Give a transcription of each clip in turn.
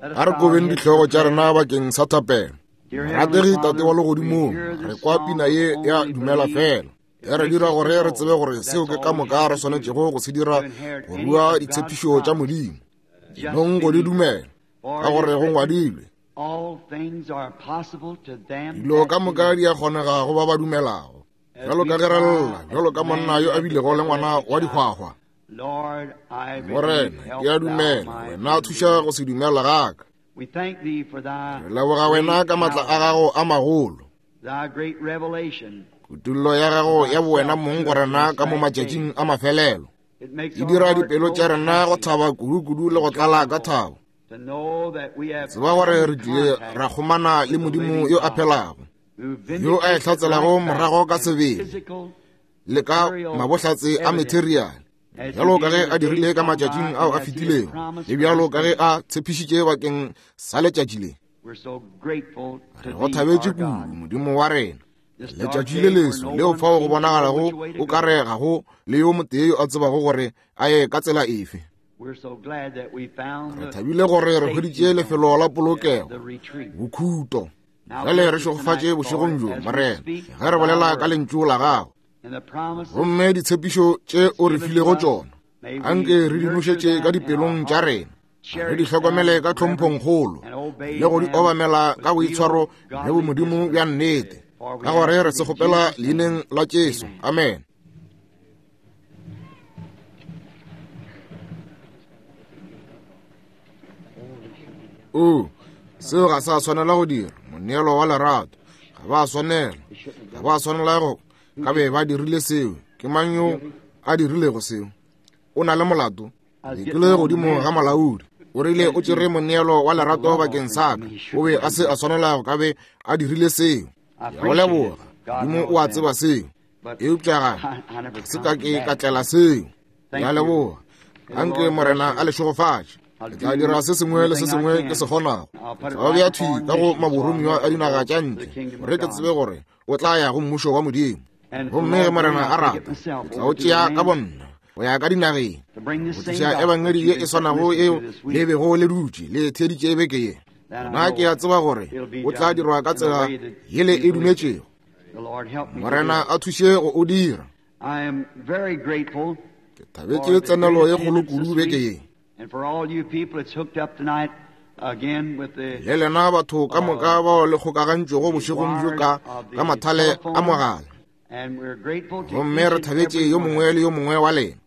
A re kobeng dihlogo tša rena bakeng sa thapelo. Rategi Tate wa Legodimong, re kwa pina ye ya Dumela Fela. E re dira gore re tsebe gore seo ke ka moka re swanetšego go se dira go rua ditshepišo tša Modimo. Nong go di dumela, ka gore go ngwadilwe. Dilo ka moka di a kgonega go ba ba dumelago. Bjalo ka ge re lla, bjalo ka monna yo a bilego le ngwana wa dihwahwa. Morena, ke a dumela, wena thuša go se dumela ga ka. Re leboga wena ka matla a gago a magolo. Kutullo ya gago ya bowena mong go rena ka mo matšatšing a mafelelo e dira dipelo tša rena go thaba kudu-kudu le go tlala ka thabo. Tseba gore re tlile ra kgomana le Modimo yo a phelago, yo a e hlatselago morago ka sebele le ka mabohlatse a materiale bjalo ka ge a dirile ka matšatšing ao a fetilego le bjalo ka ge a tshepišitše bakeng sa letšatši le. Re go thabetše kudu, Modimo wa rena. Letšatši le leso leo fao go bonagalago o ka re ga go le yo motee yo a tsebago gore a ye ka tsela efe. Re thabile gore re hweditše lefelo la polokego, bokhuto. Bjale re šegofatše bošegong bjo, Morena, ge re bolela ka lentšu la gago. Gomme ditshepišo tše o re filego tšona, anke re di nošetše ka dipelong tša rena, re di hlokomele ka tlhomphongkgolo le go di obamela ka boitshwaro le bomodimo bja nnete, ka gore re se kgopela leineng la Jesu. Amen. O, seo ga sa swanela go dira moneelo wa lerato. Ga ba swanela, ga ba swanela go ka be ba dirile seo. Ke mang yo a dirilego seo? O na le molato. Ke le godimo ga molaodi. O rile o tšere moneelo wa lerato bakeng sa ka. O be a se a swanela go ka be a dirile seo. Ke a go leboga. Modimo o a tseba seo. Eupša ga se ka ke ka tlela seo. Ke a leboga. Anke Morena a le šegofatše. Ke tla dira se sengwe le se sengwe ke se kgonago. Ke tla bea thwi ka go maboromiwa a dinaga tša ntle gore ke tsebe gore o tla ya go mmušo wa Modimo. Gomme ge Morena a rata, ke tla o tšea ka bonna go ya ka dinageng go tliša ebangedi ye e swanago eo le bego le dutše le theeditše beke ye. Nna ke a tseba gore o tla dirwa ka tsela yele e dumetšego. Morena a thuše go o dira. Ke thabetše tsenelo ye kgolo kudu beke ye. Le lena batho ka moka bao le kgokagantšwego bošegong bjo ka ka mathale a mogala. Gomme re thabetše yo mongwe le yo mongwe wa lena.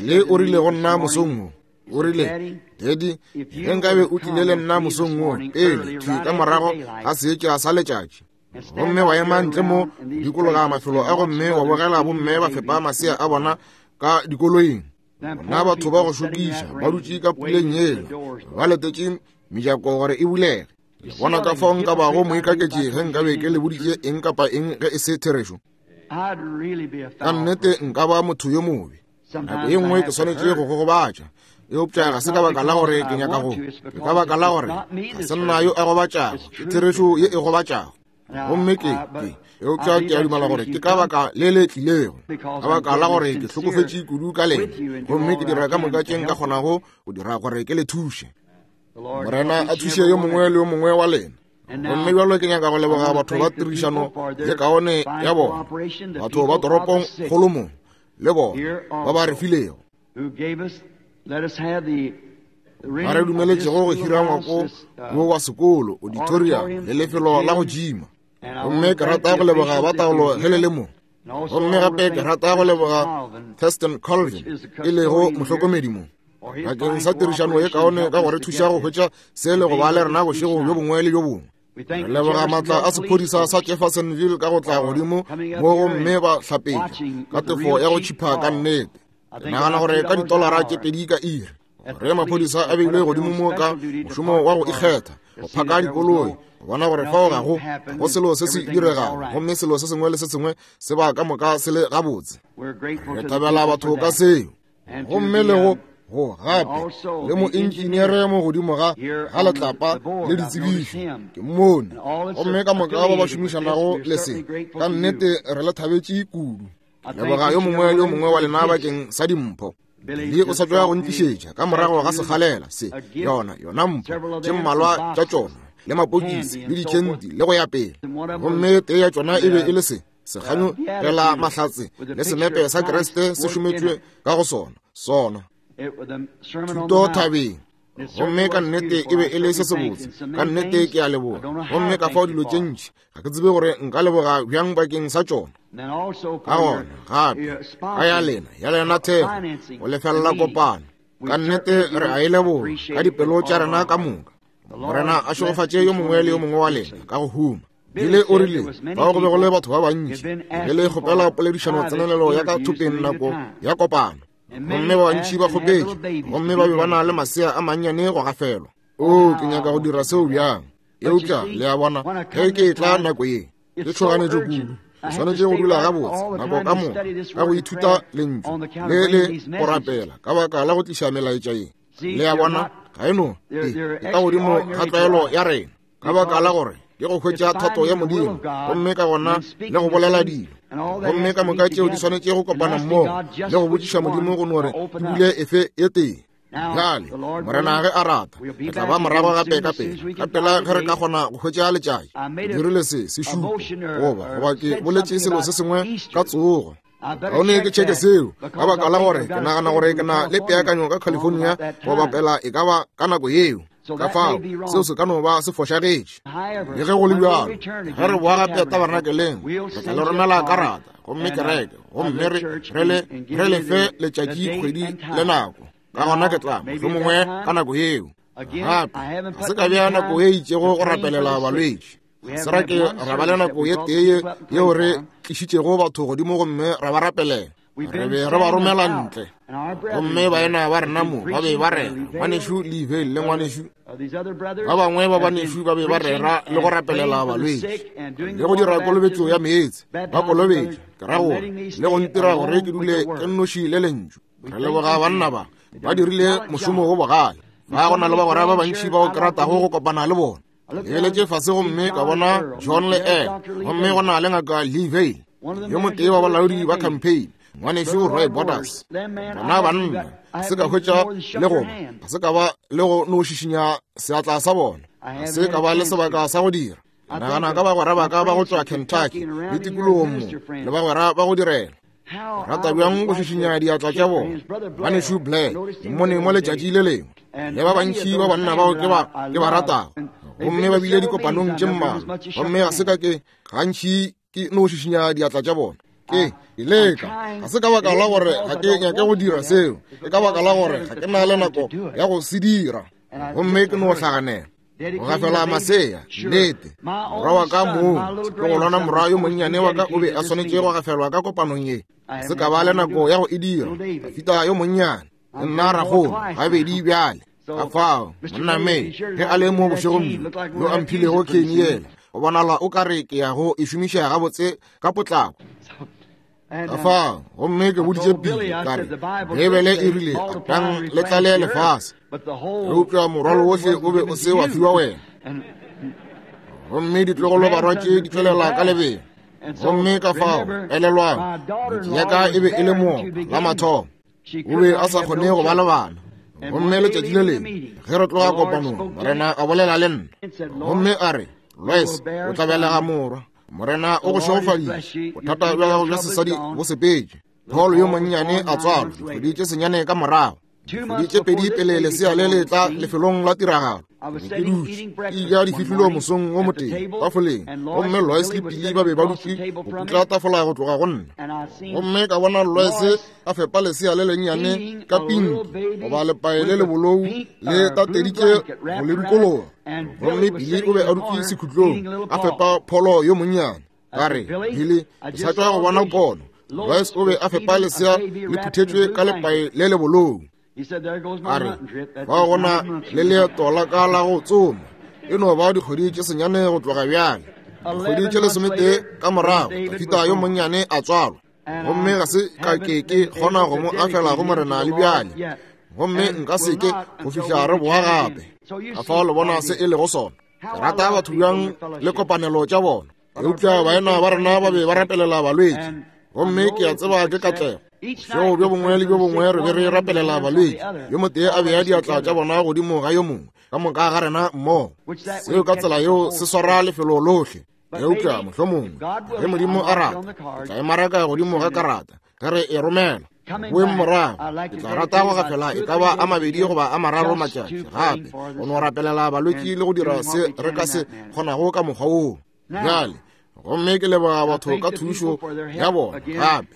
Le o rile go nna mosong wo, o rile, Daddy, ge nkabe o tlile le nna mosong wo pele, thwi ka morago ga seetša sa letšatši, gomme wa ema ntle mo dikologa mafelo a gomme wa bogela bomme ba fepa masea a bona ka dikoloing bona batho ba go šokiša ba dutše ka puleng yela ba letetše mejako gore e bulege le bona ka fao nka bago moikaketši ge nka be ke le boditše eng kapa eng ge e se therešo ka nnete nka ba motho yo mobe nako ye nngwe ke swanetše go gogobatša eupša ga se ka baka la gore ke nyaka go ke ka baka la gore ga se nna yo a gobatšago ke therešo ye e gobatšago gomme ke ke eupša ke a dumela gore ke ka baka le le tlilego ka baka la gore ke hlokofetše kudu ka lena gomme ke dira ka moka tše nka kgonago go dira gore ke le thuše Morena a thuše yo mongwe le yo mongwe wa lena gomme bjalo ke nyaka go leboga batho ba tirišano ye kaone ya bona batho ba toropong kgolo mo le bona ba ba re filego ba re dumeletšego go hira ngwako wo wa sekolo auditorium le lefelo la go jima gomme ke rata go leboga ba taolo ge le le mo gomme gape ke rata go leboga Thurston Colvin e lego mohlokomedi mo bakeng sa tirišano ye kaone ka go re thuša go hwetša se le go ba le rena bošego bjo bongwe le bjo bongwe re leboga maatla a sephodisa sa Jeffersonville ka go tla godimo mo gomme ba hlapetša ka tefo ya go tšhipha ka nnete ke nagana gore ka ditolara tše pedi ka iri gore maphodisa a beilwe godimo mo ka mošomo wa go ikgetha go phaka dikoloi go bona gore fao ga go go selo se se diregago gomme selo se sengwe le se sengwe se ba ka moka se le gabotse re thabela batho ka seo gomme le go Go gape le moentšineere mo godimo ga ga letlapa le ditsebišo, ke mmone. Gomme ka moka ba ba šomišanago le se, ka nnete re le thabetše kudu. Leboga yo mongwe le yo mongwe wa lena bakeng sa dimpho. Le o sa tšwa go ntlišetša ka morago ga sekgalela se, yona yona mpho tše mmalwa tša tšona, le mapokisi le dikhenti le go ya pele. Gomme tee ya tšona e be e le se seganyo gela mahlatse le senepe sa Kriste se šometšwe ka go sona sona thuto thabeng. Gomme ka nnete e be e le se sebotse, ka nnete ke a leboga. Gomme ka fao dilo tše ntši ga ke tsebe gore nka leboga bjang bakeng sa tšona. Ka gona gape ka ya lena ya lena thekgo go lefelela kopano, ka nnete re a e leboga ka dipelo tša rena ka moka. Morena a šegofatše yo mongwe le yo mongwe wa lena ka go huma. Bile o rile fao go be go le batho ba bantši, be le kgopela poledišano tsenelelo ya ka thopeng nako ya kopano, gomme ba bantši ba kgopetše, gomme ba be ba na le masea a mannyane go gafelwa. O, ke nyaka go dira seo bjang, eupša le a bona, ge ke etla nako ye ke tšhoganetšo kudu. Ke swanetše go dula gabotse nako ka moka ka go ithuta lentšu le le go rapela ka baka la go tliša melaetša ye. Le a bona, ga e no e ka godimo ga tlwaelo ya rena, ka baka la gore ke go hwetša thato ya Modimo, gomme ka gona le go bolela dilo, gomme ka moka tšeo di swanetše go kopana mmogo le go botšiša Modimo go no re ke bule efe e tee. Bjale, Morena ge a rata, re tla ba morago gape ka pela, ka pela ge re ka kgona go hwetša letšatši. Ke dirile se sešupo, goba goba ke boletše selo se sengwe ka tsogo. Kaone ke tšheke seo, ka baka la gore ke nagana gore ke na le peakanyo ka California go bapela e ka ba ka nako yeo. Ka fao seo se ka no ba se fošagetše. Le ge go le bjalo, ge re boa gape tabernakeleng, re tla le romela karata, gomme kereke, gomme re re le re le fe letšatši, kgwedi le nako. Ka gona ke tla mohlomongwe ka nako yeo. Gape ga se ka bea nako e itšego go rapelela balwetši. Se ra ke ra ba le nako ye tee yeo re tlišitšego batho godimo gomme ra ba rapelela. Re be re ba romela ntle, gomme baena ba rena mo ba be ba rera, ngwanešu Lee le ngwanešu ba bangwe ba banešu ba be ba rera le go rapelela balwetši le go dira kolobetšo ya meetse, ba kolobetša, ke ra gore, le go ntira gore ke dule ke nnoši le lentšu. Re leboga banna ba, ba dirile mošomo wo bogale. Ba go na le bagwera ba bantši bao ke ratago go kopana le bona. Lebeletše fase gomme ka bona John le Ed, gomme go na le ngaka Lee Vayle, yo motee wa balaodi ba campaign, ngwanešu Roy Borders. Bona banna ga se ka hwetša le go ga se ka ba le go no šišinya seatla sa bona, ga se ka ba le sebaka sa go dira. Nagana ka bagwera ba ka ba go tšwa Kentucky le tikologong mo, le bagwera ba go direla. Rata bjang go šišinya diatla tša bona. Ngwanešu Blair, ke mmone mo letšatši le lengwe, le ba bantši ba banna bao ke ba ke ba ratago, gomme ba bile dikopanong tše mmalwa, gomme ga se ka ke gantši ke no šišinya diatla tša bona. Ke leka, ga se ka baka la gore ga ke nyake go dira seo, ke ka baka la gore ga ke na le nako ya go se dira, gomme ke no hlaganela. Go gafela masea, nnete. Morwa wa ka mong, setlogolwana morwa yo monnyane wa ka o be a swanetše go gafelwa ka kopanong ye. Ga se ka ba le nako ya go e dira. Dafita yo monnyane, le nna ragolo, gabedi bjale. Ka fao, monna May, ge a le mo bošegong bjo, yo a mphilego kheni yela, go bonala o ka re ke ya go e šomiša gabotse ka potlako. Ka fao, gomme ke boditše Billy, ka re, Beibele e rile, Atang le tlale lefase, eupša morwalo wohle o be o se wa fiwa wena. Gomme ditlogolo barwa tše di tšwelela ka lebelo. Gomme ka fao, elelwang, ngwetši ya ka e be e le moopa la mathomo. O be a sa kgone go ba le bana. Gomme letšatši le lengwe ge re tloga kopanong, Morena a bolela le nna, gomme a re, Lois, o tla belega morwa. Morena o go šegofaditše, bothata bja gago bja sesadi bo sepetše. Paul yo monnyane a tswalwa dikgwedi tše senyane ka morago, dikgwedi tše pedi pele lesea le le tla lefelong la tiragalo. Ke dutše ke ja difihlolo mosong wo motee tafoleng, gomme Lois le Billy ba be ba dutše go putla tafola go tloga go nna. Gomme ka bona Lois a fepa lesea le lennyane ka pinki goba lepae le lebolou le tateditše go le dikologa. Gomme Billy o be a dutše sekhutlong a fepa pholo yo monnyane. Ka re, Billy, ke sa tšwa go bona pono. Lois o be a fepa lesea le phuthetšwe ka lepae le lebolou. A re, fao go na le leeto la ka la go tsoma. E no ba dikgwedi tše senyane go tloga bjale. Dikgwedi tše lesometee ka morago, Dafita yo monnyane a tswalwa. Gomme ga se ka ke ke kgona go mo afela go Morena le bjale. Gomme nka se ke go fihla re boa gape. Ka fao le bona se e lego sona. Ke rata batho bjang le kopanelo tša bona. Eupša baena ba rena ba be ba rapelela balwetši, gomme ke a tseba ke katlego. Bošego bjo bongwe le bjo bongwe re be re rapelela balwetši, yo motee a bea diatla tša bona godimo ga yo mongwe, ka moka ga rena mmogo. Seo ka tsela yeo se swara lefelo lohle. Eupša mohlomongwe ge Modimo a rata, ke tla e maraka godimo ga karata ge re e romela. Boeng morago, ke tla rata go gafela e ka ba a mabedi goba a mararo matšatši gape go no rapelela balwetši le go dira se re ka se kgonago ka mokgwa woo. Bjale, gomme ke leboga batho ka thušo ya bona gape.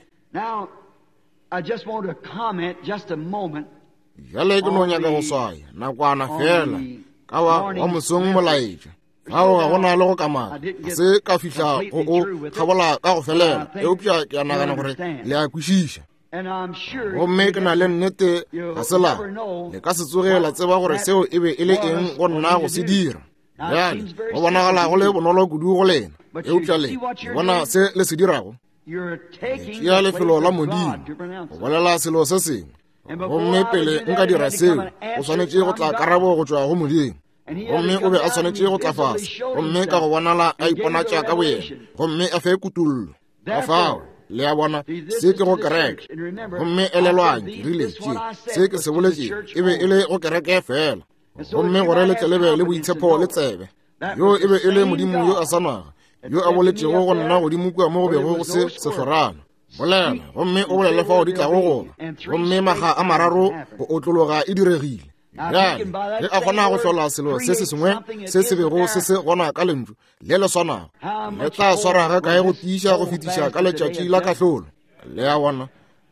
Bjale ke no nyaka go swaya nakwana fela ka wa mosong molaetša. Fao ga go na le go kamaka, ga se ka fihla go o kgabola ka go felela, eupša ke a nagana gore le a kwešiša. Gomme ke na le nnete ga se la le ka se tsoge la tseba gore seo e be e le eng go nna go se dira. Bjale go bonagala go le bonolo kudu go lena, eupša le bona se le se dirago. Le tšea lefelo la Modimo go bolela selo se sengwe, gomme pele nka dira seo go swanetše go tla karabo go tšwa go Modimo. Gomme o be a swanetše go tla fase, gomme ka go bonala a iponatša ka boyena, gomme a fe kutollo. Ka fao, le a bona, se ke go kereke. Gomme elelwang, ke rile, tše, se ke se boletšego e be e le go kereke fela. Gomme gore le tle le be le boitshepo le tsebe, yo e be e le Modimo yo a swanago, yo a boletšego go nna godimo kua mo go bego go se sehlorana. Bolela, gomme o bolele fao di tlago go ba. Gomme makga a mararo go otlologa e diregile. Bjale, ge a kgona go hlola selo se se sengwe se se bego se se gona ka lentšu le le swanago, le tla swara ga kae go tiiša go fetiša ka letšatši la kahlolo. Le a bona,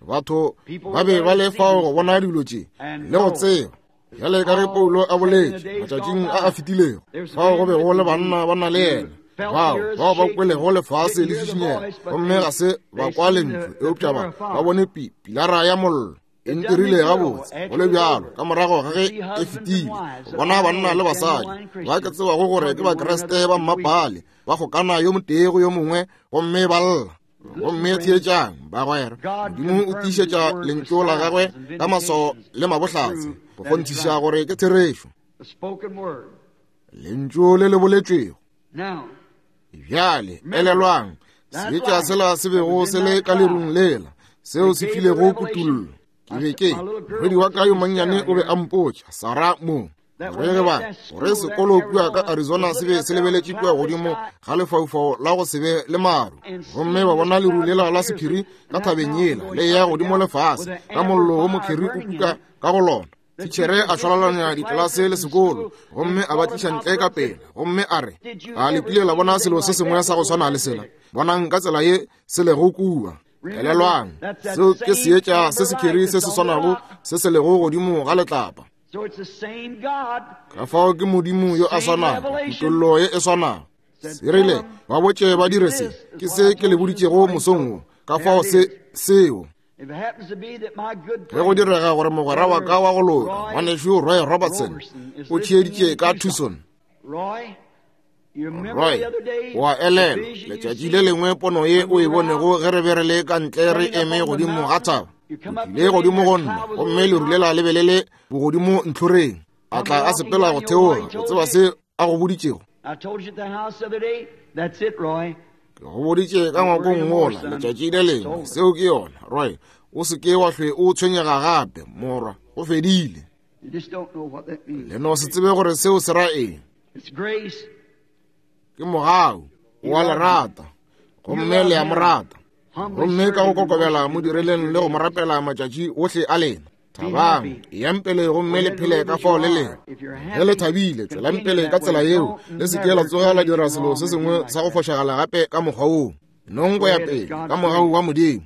batho ba be ba le fao go bona dilo tše le go tseba. Bjale ka ge Paulo a boletše matšatšing a a fetilego, fao go be go le banna ba na le yena bao bao ba kwelego lefase le šišinyega, gomme ga se ba kwa lentšu, eupša ba bone pilara ya mollo. E ntirile gabotse go le bjalo ka morago ga ge e fetile go bona banna le basadi ba ke tsebago gore ke Bakriste ba mmapale ba kgokana yo motee go yo mongwe gomme ba lla. Gomme theetšang, bagwera, Modimo o tiišetša lentšu la gagwe ka maswao le mabohlatse go kgonthiša gore ke therešo, lentšu le le boletšwego. Bjale elelwang seetša sela se bego se le ka lerung lela, seo se filego kutollo. Ke be ke morwedi wa ka yo monnyane o be a mpotša, Sarah mo, gore ge ba gore sekolo kua ka Arizona se be se lebeletše kua godimo ga lefaufau la go se be le maru, gomme ba bona leru lela la sephiri ka thabeng yela le ya godimo lefase ka mollo wo mokheri o kuka ka go lona. Titšhere a šwalalanya ditlelase le sekolo gomme a ba tliša ntle ka pela, gomme a re, A le kile la bona selo se sengwe sa go swana le sela? Bonang ka tsela ye se lego kua. Elelwang, seo ke seetša se sekheri se se swanago se se lego godimo ga letlapa. Ka fao ke Modimo yo a swanago, kutollo ye e swanago. Se rile, ba botše ba dire se, ke se ke le boditšego mosong wo. Ka fao se seo. Ge go direga gore mogwera wa ka wa go loka, ngwanešu Roy Robertson, o theeditše ka Tucson. Roy, o a elelwa letšatši le lengwe pono ye o e bonego ge re be re le ka ntle re eme godimo ga thaba. O tlile godimo go nna, gomme leru lela le be le le bogodimo ntlhoreng. A tla a sepela go theoga. O tseba se a go boditšego? Ke go boditše ka ngwakong wola letšatši le lengwe. Seo ke yona, Roy. O se ke wa hlwe o tshwenyega gape, morwa. Go fedile. Le no se tsebe gore seo se ra eng. Ke mogau. O a le rata, gomme le a mo rata. Gomme ka go kokobela mo direleng le go mo rapela matšatši ohle a lena. Thabang, eyang pele gomme le phele ka fao le lego. Ge le thabile, tšwelang pele ka tsela yeo. Le se ke la tsoga la dira selo se sengwe sa go fošagala gape ka mokgwa woo. Nong go ya pele ka mogau wa Modimo.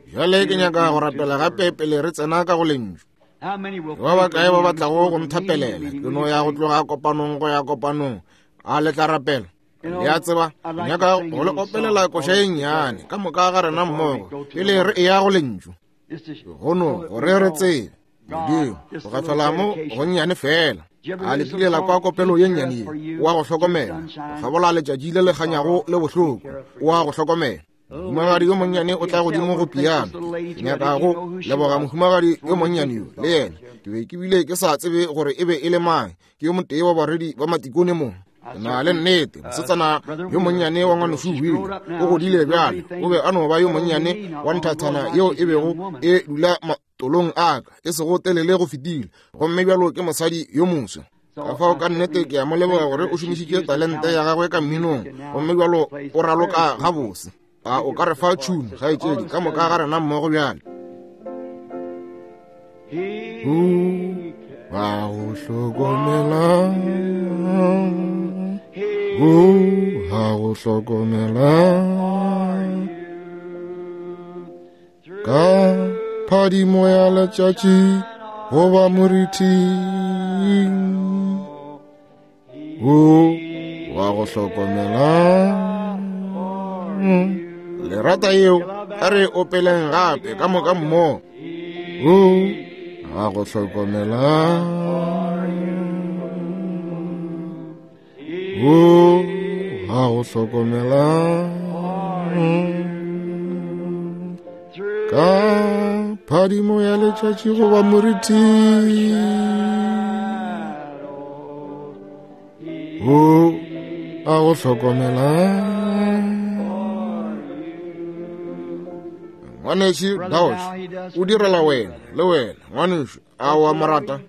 Bjale ke nyaka go rapela gape pele re tsena ka go lentšu. Ba bakae ba ba tlago go nthapelela? Ke no ya go tloga kopanong go ya kopanong. A le tla rapela? Le a tseba, nyaka go le opelela koša ye nnyane ka moka ga rena mmogo pele re eya go lentšu. Gono gore re tsebe Modimo go gafela mo gonnyane fela. A le kile la kwa kopelo ye nnyane ye? O a go hlokomela, go hlabola letšatši le le kganyago le bohloko. O a go hlokomela. Mohumagadi yo monnyane o tla godimo go piano. Ke nyaka go leboga mohumagadi yo monnyane yo le yena. Ke be ke bile ke sa tsebe gore e be e le mang. Ke yo motee wa barwedi ba matikone mo. Ke na le nnete, mosetsana yo monnyane wa ngwanešu Wheeler o godile bjale. O be a no ba yo monnyane wa nthathana yeo e bego e dula tolong a ka e sego telele go fetile, gomme bjalo ke mosadi yo moswa. Ka fao ka nnete ke a mo leboga gore o šomišitše talente ya gagwe ka mminong, gomme bjalo o raloka gabose. A o ka re fa tšhuno, kgaetšedi, ka moka ga rena mmogo bjale. Ba go hlokomela, o ga go hlokomela ka phadimo ya letšatši goba moriting, o wa go hlokomela. Lerata yeo a re opeleng gape ka moka mmogo. O wa go hlokomela, o wa go hlokomela ka phadimo ya letšatši goba moriting, o a go hlokomela. Ngwanešu Dauch o direla wena le wena, ngwanešu, a wa mo rata?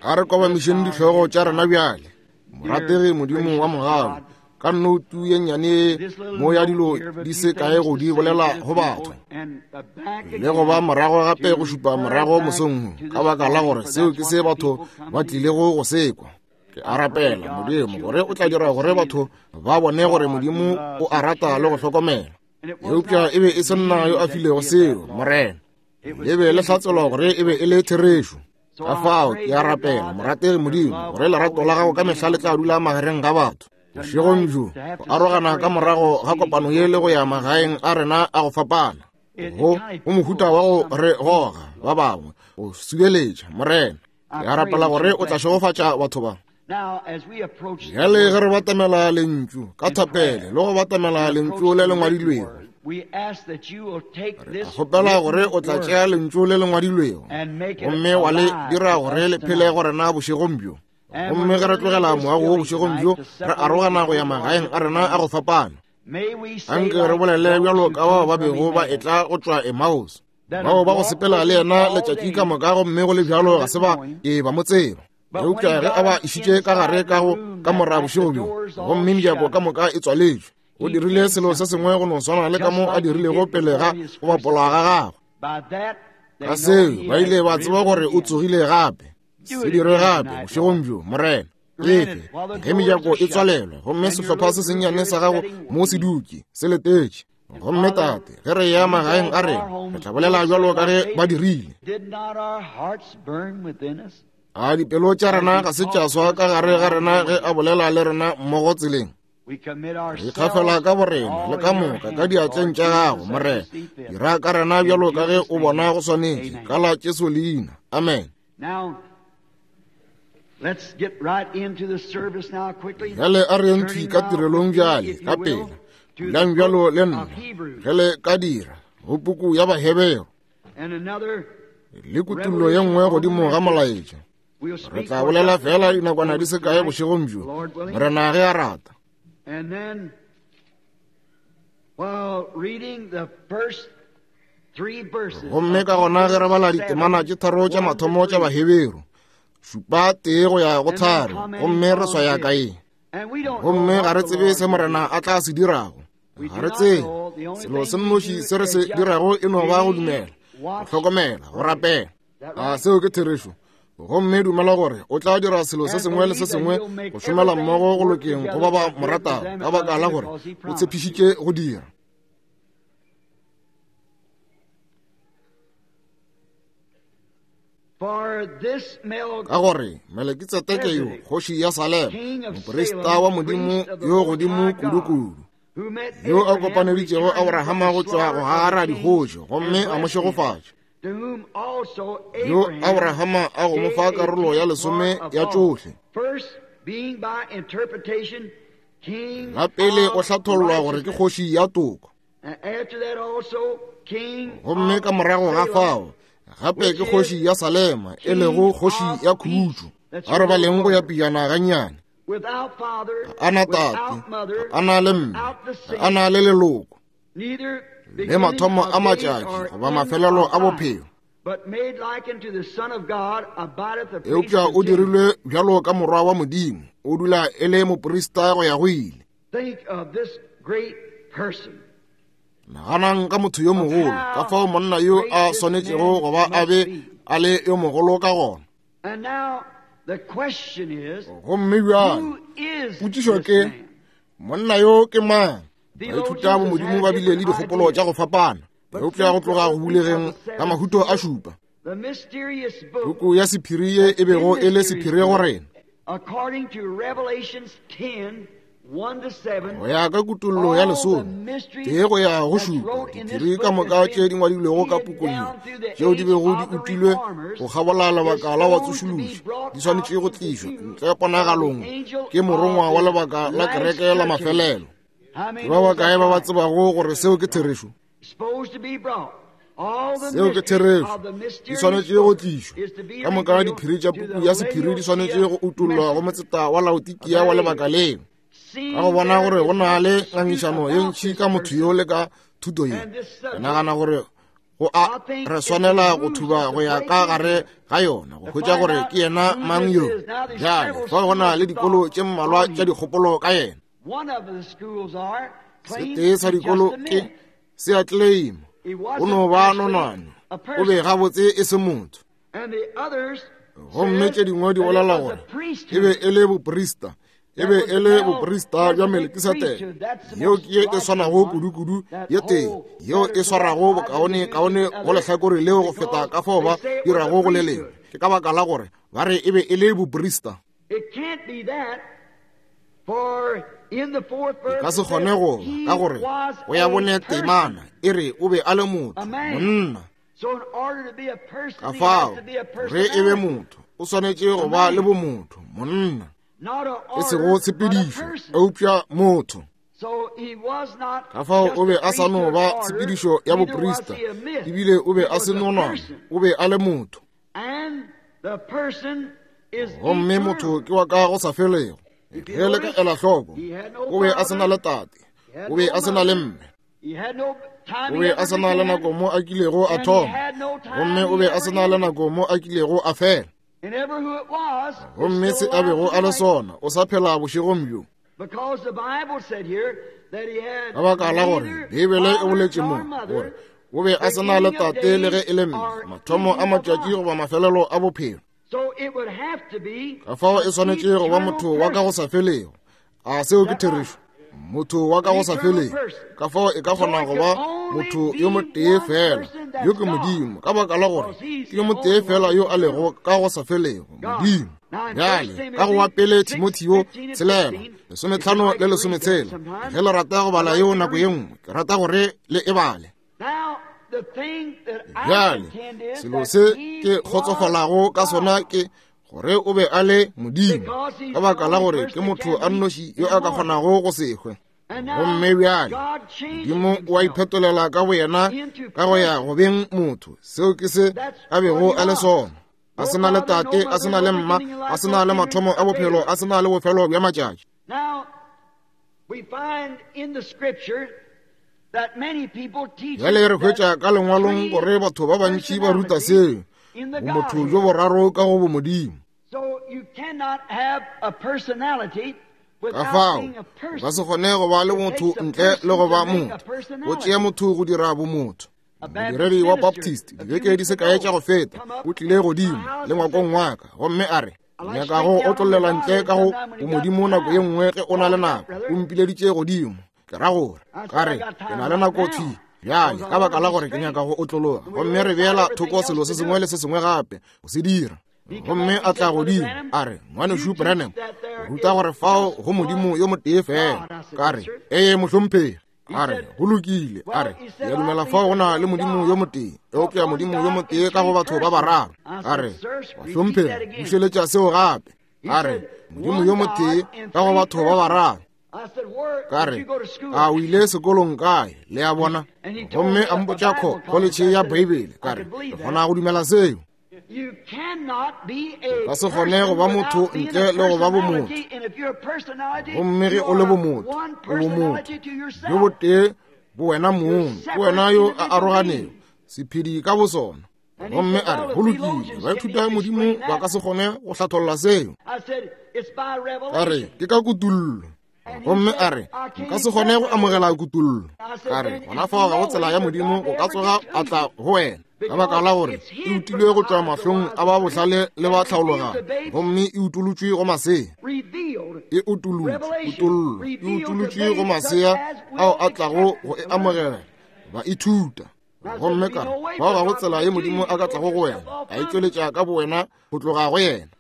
A re kobamišeng dihlogo tša rena bjale. Morategi Modimo wa mogau, ka nnoutu ye nnyane mo ya dilo di se kae go di bolela go batho, le go ba morago gape go šupa morago mosong, ka baka la gore seo ke se batho ba tlilego go se kwa. Ke a rapela, Modimo, gore o tla dira gore batho ba bone gore Modimo o a rata le go hlokomela. Eupša e be e se nna yo a filego seo, Morena. Le be le hlatselwa gore e be e le therešo. Ka fao ke a rapela, morategi Modimo, gore lerato la gago ka mehla le tla dula magareng ga batho. Bošegong bjo, go arogana ka morago ga kopano ye le go ya magaeng a rena a go fapana, go mohuta wa go re goga ba bangwe, go subeletša, Morena. Ke a rapela gore o tla šegofatša batho ba. Bjale ge re batamela lentšu ka thapelo le go batamela lentšu le le ngwadilwego, re kgopela gore o tla tšea lentšu le le ngwadilwego gomme wa le dira gore le phele go rena bošegong bjo. Gomme ge re tlogela moago wo bošegong bjo, re arogana go ya magaeng a rena a go fapana, anke re bolele bjalo ka bao ba bego ba etla go tšwa Emmaus, bao ba go sepela le yena letšatši ka moka, gomme go le bjalo ga se ba ke ba mo tseba. Eupša ge a ba išitše ka gare ka go kamora bošego bjo, gomme mejako ka moka e tswaletšwe, o dirile selo se sengwe go no swana le ka mo a dirilego pele ga go bapola ga gagwe. Ka seo ba ile ba tseba gore o tsogile gape. Se dire gape bošegong bjo, Morena. Efe ge mejako e tswalelwa gomme sehlopha se sennyane sa gago mo se dutše se letetše. Gomme Tate, ge re ya magaeng a rena, re tla bolela bjalo ka ge ba dirile. A dipelo tša rena ga se tša swa ka gare ga rena ge a bolela le rena mmogo tseleng? Re ikgafela ka borena le ka moka ka diatleng tša gago, Morena. Dira ka rena bjalo ka ge o bona go swanetše, ka la Jesu leina. Amen. Bjale a re yeng thwi ka tirelong bjale, ka pela. Dulang bjalo le nna, ge le ka dira, go puku ya Baheberu le kutullo ye nngwe godimo ga molaetša. Re tla bolela fela dinakwana di se kae bošegong bjo, Morena ge a rata. Gomme ka gona ge re bala ditemana tše tharo tša mathomo tša Baheberu, 7 1 go ya go 3, gomme re swaya ka eng? Gomme ga re tsebe se Morena a tla se dirago. Ga re tsebe. Selo se nnoši se re se dirago e no ba go dumela, go hlokomela, go rapela. A seo ke therešo? Gomme dumela gore o tla dira selo se sengwe le se sengwe go šomela mmogo go lokeng go ba ba mo ratago, ka baka la gore o tshepišitše go dira. Ka gore Melekitsedeke yo, kgoši ya Salema, moprista wa Modimo yo godimo kudu-kudu, yo a kopaneditšego Abrahama go tšwa go gara dikgoši gomme a mo šegofatša, yo Abrahama a go mo fa karolo ya lesome ya tšohle. La pele o hlathollwa gore ke kgoši ya toko. Gomme ka morago ga fao gape ke kgoši ya Salema, e lego kgoši ya khutšo. A re baleng go ya pejana gannyane. Ga a na tate, ga a na le mme, ga a na le leloko, le mathomo a matšatši goba mafelelo a bophelo. Eupša o dirilwe bjalo ka morwa wa Modimo, o dula e le moprista go ya go ile. Naganang ka motho yo mogolo, ka fao monna yo a swanetšego go ba a be a le yo mogolo ka gona. Gomme bjale potšišo ke, monna yo ke mang? Baithuta bomodimo ba bile le dikgopolo tša go fapana, eupša go tloga go bulegeng ga mahuto a šupa, puku ya sephiri ye e bego e le sephiri go rena, go ya ka kutollo ya lesome tee go ya go šupa, diphiri ka moka tše di ngwadilwego ka pukung ye tšeo di bego di utilwe go kgabola lebaka la batsošološi di swanetše go tlišwa ntle ponagalong ke morongwa wa lebaka la kereke la mafelelo. Ke ba bakae ba ba tsebago gore seo ke therešo? Seo ke therešo. Di swanetše go tlišwa ka moka. Diphiri tša puku ya sephiri di swanetše go utollwa go motseta wa Laodikia wa lebaka leo. Ka go bona gore go na le ngangišano ye ntši ka motho yo le ka thuto ye, ke nagana gore go a re swanela go thuba go ya ka gare ga yona go hwetša gore ke yena mang yo. Bjale fa go na le dikolo tše mmalwa tša dikgopolo ka yena. Setee sa dikolo ke se a claim o no ba nonwane, o be gabotse e se motho. Gomme tše dingwe di bolela gore e be e le boprista, e be e le boprista bja Melkisedeke. Yeo ke ye e swanago kudu-kudu ye tee yeo e swarago bokaone kaone go lehlakore leo go feta ka fao ba dirago go le lengwe. Ke ka baka la gore ba re e be e le boprista. E ka se kgone go ba, ka gore go ya bone temana e re o be a le motho, monna. Ka fao ge e be motho, o swanetše go ba le bomotho, monna, e sego tshepedišo, eupša motho. Ka fao o be a sa no ba tshepedišo ya boprista, ebile o be a se nonwane, o be a le motho. Gomme motho ke wa ka go sa felego. Ge le ka ela hloko, o be a se na le tate, o be a se na le mme, o be a se na le nako mo a kilego a thoma, gomme o be a se na le nako mo a kilego a fela. Gomme se a bego a le sona, o sa phela bošegong bjo. Ka baka la gore Beibele e boletše mo gore o be a se na le tate le ge e le mme, mathomo a matšatši goba mafelelo a bophelo. Ka fao e swanetše go ba motho wa ka go sa felego. A seo ke therešo? Motho wa ka go sa felego. Ka fao e ka kgona go ba motho yo motee fela, yo ke Modimo, ka baka la gore ke yo motee fela yo a lego ka go sa felego, Modimo. Bjale, ka go wa pele Timotheo 6, 15 le 16, ge le rata go bala yeo nako ye nngwe, ke rata gore le e bale. Bjale, selo se ke kgotsofalago ka sona ke gore o be a le Modimo, ka baka la gore ke motho a nnoši yo a ka kgonago go se hwe. Gomme bjale Modimo o a iphetolela ka boyena ka go ya go beng motho. Seo ke se a bego a le sona. A se na le tate, a se na le mma, a se na le mathomo a bophelo, a se na le bofelo bja matšatši. Bjale re hwetša ka lengwalong gore batho ba bantši ba ruta seo, bomotho bjo boraro ka go bomodimo. Ka fao o ka se kgone go ba le motho ntle le go ba motho. Go tšea motho go dira bomotho. Modiredi wa Baptist dibeke di se kae tša go feta o tlile godimo le ngwakong wa ka gomme a re, nyaka go otlollela ntle ka go bomodimo nako ye nngwe ge o na le nako. O mpileditše godimo. Ke ra gore ka re ke na le nako thwi bjale ka baka la gore ke nyaka go otlologa, gomme re beela thoko selo se sengwe le se sengwe gape go se dira. Gomme a tla godimo a re, Ngwanešu Branham, o ruta gore fao go Modimo yo motee fela. Ka re, ee mohlomphegi. A re, go lokile. A re, ke a dumela fao go na le Modimo yo motee, eupša Modimo yo motee ka go batho ba bararo. A re, mohlomphegi, bušeletša seo gape. A re, Modimo yo motee ka go batho ba bararo. Ka re, A o ile sekolong kae? Le a bona? Gomme a mpotša kho, kholetšhe ya Beibele. Ka re, Ke kgona go dumela seo. O ka se kgone go ba motho ntle le go ba bomotho. Gomme ge o le bomotho, o bomotho bjo botee bo wena mong, ke wena yo a aroganego, sephedi ka bosona. Gomme a re, Go lokile, baithuta Modimo ba ka se kgone go hlatholla seo. Ka re, Ke ka kutollo. Gomme a re, Nka se kgone go amogela kutollo. Ka re, Gona fao ga go tsela ya Modimo go ka tsoga a tla go wena, ka baka la gore e utilwe go tšwa mahlong a ba bohlale le ba tlhaologanyo, gomme e utolotšwe go masea. E utolotšwe, kutollo, e utolotšwe go masea ao a tlago go e amogela, ba ithuta. Gomme ka re, Fao ga go tsela ye Modimo a ka tlago go wena, a itšweletša ka bowena go tloga go yena.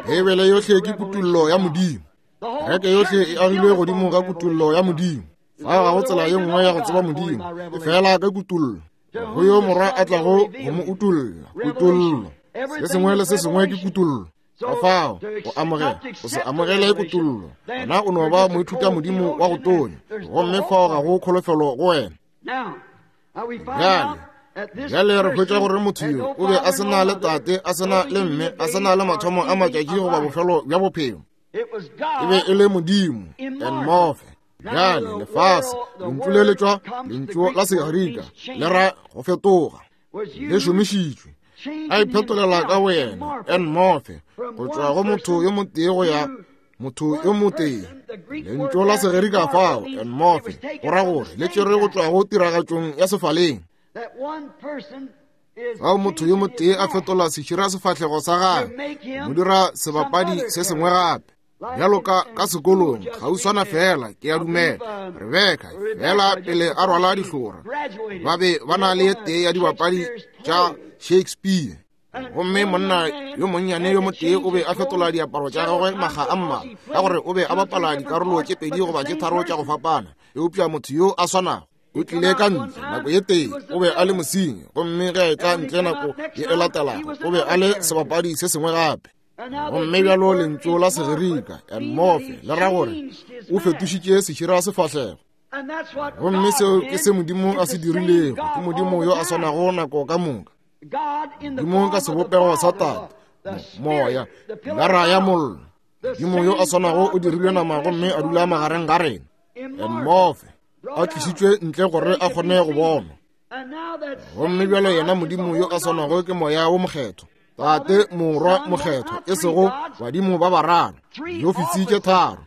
Beibele yohle ke kutollo ya Modimo. Kereke yohle e agilwe godimo ga kutollo ya Modimo. Fao ga go tsela ye nngwe ya go tseba Modimo, e fela ka kutollo. Go yo Morwa a tlago go mo utolla, kutollo. Se sengwe le se sengwe ke kutollo. Ka fao go amogela, go se amogele kutollo, gona o no ba moithuta Modimo wa go tonya, gomme fao ga go kholofelo go wena. Bjale, bjale re hwetša gore motho yo o be a se na le tate, a se na le mme, a se na le mathomo a matšatši goba bofelo bja bophelo. E be e le Modimo, en morphe. Bjale lefase, lentšu le le tšwa lentšu la Segerika, le ra go fetoga, le šomišitšwe. A iphetolela ka boyena, en morphe, go tšwa go motho yo motee go ya motho yo motee. Lentšu la Segerika fao, en morphe, go ra gore le tšerwe go tšwa go tiragatšong ya sefaleng. Fao motho yo motee a fetola sešira sefahlego sa gagwe, mo dira sebapadi se sengwe gape. Bjalo ka ka sekolong, kgauswana fela, ke a dumela, Rebeka, fela pele a rwala dihlora, ba be ba na le tee ya dibapadi tša Shakespeare. Gomme monna yo monnyane yo motee o be a fetola diaparo tša gagwe makga a mmalwa, ka gore o be a bapala dikarolo tše pedi goba tše tharo tša go fapana, eupša motho yo a swanago o tlile ka ntle nako ye tee o be a le mosenyi, gomme ge a etla ntle nako ye e latelago o be a le sebapadi se sengwe gape. Gomme bjalo lentšu la Segerika en morphe le ra gore o fetošitše sešira sefahlego. Gomme seo ke se Modimo a se dirilego, ke Modimo yo a swanago nako ka moka. Modimo ka sebopego sa Tate, Moya, pilara ya mollo. Modimo yo a swanago o dirilwe nama gomme a dula magareng ga rena. En morphe, a tlišitšwe ntle gore a kgone go bonwa. Gomme bjalo yena Modimo yo a swanago ke Moya wo Mokgethwa, Tate, Morwa, Mokgethwa, e sego badimo ba bararo, diofisi tše tharo,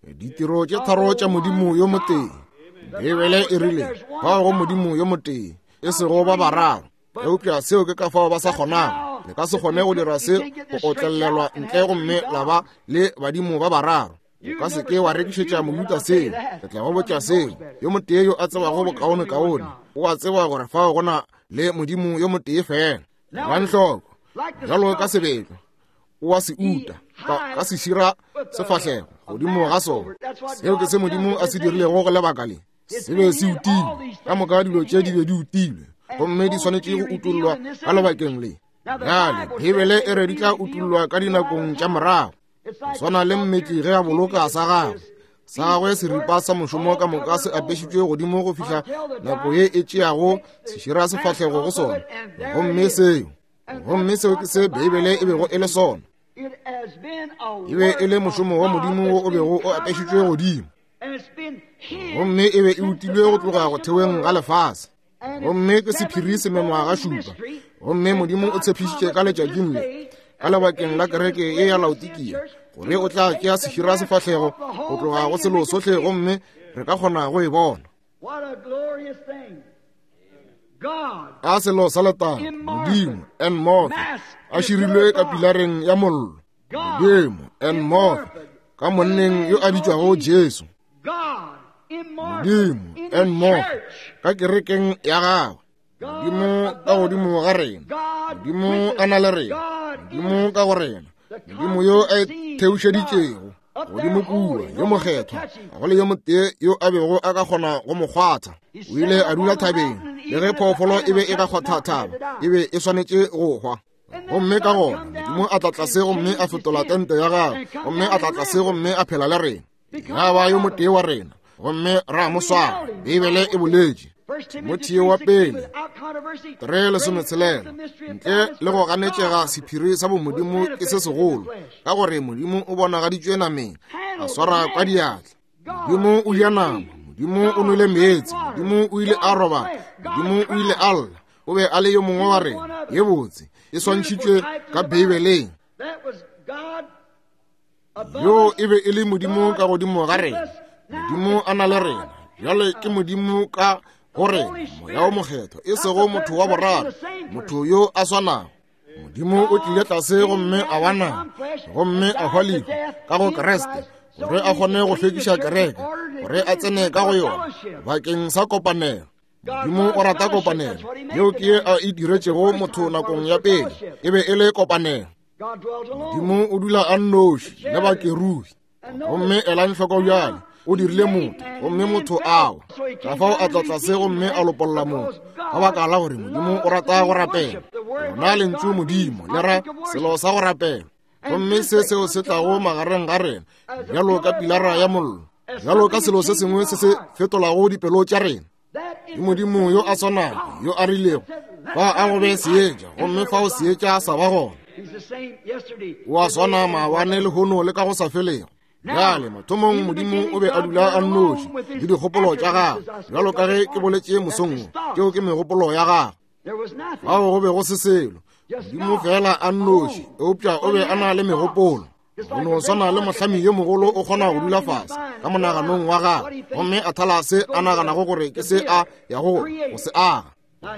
ditiro tše tharo tša Modimo yo motee. Beibele e rile, Fao go Modimo yo motee, e sego ba bararo. Eupša seo ke ka fao ba sa kgonago. Le ka se kgone go dira se go otlelelwa ntle gomme la ba le badimo ba bararo. O ka se ke wa rekišetša Mojuda seo. Ke tla go botša seo. Yo motee yo a tsebago bokaonekaone o a tseba gore fao go na le Modimo yo motee fela. Elang hloko, bjalo ka sebetlo, o a se uta ka, ka sešira sefahlego godimo ga sona. Seo ke se Modimo a se dirilego go lebaka le. Se be se utilwe. Ka moka dilo tše di be di utilwe, gomme di swanetše go utollwa ka lebakeng le. Bjale, Beibele e re di tla utollwa ka dinakong tša morago. Go swana le mmetli ge a boloka sa gagwe, sa gagwe seripa sa mošomo ka moka se apešitšwe godimo go fihla nako ye e tšeago sešira sefahlego go sona. Gomme seo, gomme seo ke se Beibele e bego e le sona. E be e le mošomo wa Modimo wo o bego o apešitšwe godimo, gomme e be e utilwe go tloga go theweng ga lefase. Gomme ke sephiri se mengwaga šupa. Gomme Modimo o tshepišitše ka letšatšing le, ka lebakeng la kereke ye ya Laodikia, gore o tla tšea sešira sefahlego go tloga go selo sohle, gomme re ka kgona go e bona. A selo sa letago, Modimo, en morphe, a širilwe ka pilareng ya mollo. Modimo, en morphe, ka monneng yo a bitšwago Jesu. Modimo, en morphe, ka kerekeng ya gagwe. Modimo ka godimo ga rena, Modimo a na le rena, Modimo ka go rena, Modimo yo a itheušeditšego godimo kua, yo mokgethwa, ga go le yo motee yo a bego a ka kgona go mo kgwatha. O ile a dula thabeng, le ge phoofolo e be e ka kgwatha thaba, e be e swanetše go hwa. Gomme ka gona Modimo Modimo a tla tlase gomme a fetola tente ya gagwe, gomme a tla tlase gomme a phela le rena, ya ba yo motee wa rena, gomme ra mo swara. Beibele e boletše. Timotheo wa pele 3:16, ntle le go ganetšega sephiri sa bomodimo ke se segolo, ka gore Modimo o bonagaditšwe nameng, a swara ka diatla. Modimo o ja nama, Modimo o nwele meetse, Modimo o ile a robala, Modimo o ile a lla, o be a le yo mongwe wa rena. Ye botse e swantšhitšwe ka Beibeleng. Yo e be e le Modimo ka godimo ga rena, Modimo a na le rena. Bjale ke Modimo ka go rena, Moya wo Mokgethwa, e sego motho wa boraro, motho yo a swanago. Modimo o tlile tlase gomme a ba nama, gomme a hwa lehu ka go Kriste, gore a kgone go hlwekiša kereke, gore a tsene ka go yona bakeng sa kopanelo. Modimo o rata kopanelo. Yeo ke ye a e diretšego motho nakong ya pele, e be e le kopanelo. Modimo o dula a nnoši le bakerubi. Gomme elang hloko bjale, o dirile motho, gomme motho a wa. Ka fao a tla tlase gomme a lopolla motho, ka baka la gore Modimo o rata go rapela. Lona lentšu Modimo le ra selo sa go rapela. Gomme se seo se tlago magareng ga rena, bjalo ka pilara ya mollo, bjalo ka selo se sengwe se se fetolago dipelo tša rena. Ke Modimo yo a swanago yo a rilego, fa a go be seetša, gomme fao seetša sa ba gona. O a swana maabane, lehono le ka go sa felego. Bjale mathomong Modimo o be a dula a nnoši le dikgopolo tša gagwe, bjalo ka ge ke boletše mosong wo, tšeo ke megopolo ya gagwe. Fao go be go se selo, Modimo fela a nnoši, eupša o be a na le megopolo. Go no swana le mohlami yo mogolo o kgona go dula fase ka monaganong wa gagwe gomme a thala se a naganago gore ke se a yago go se aga,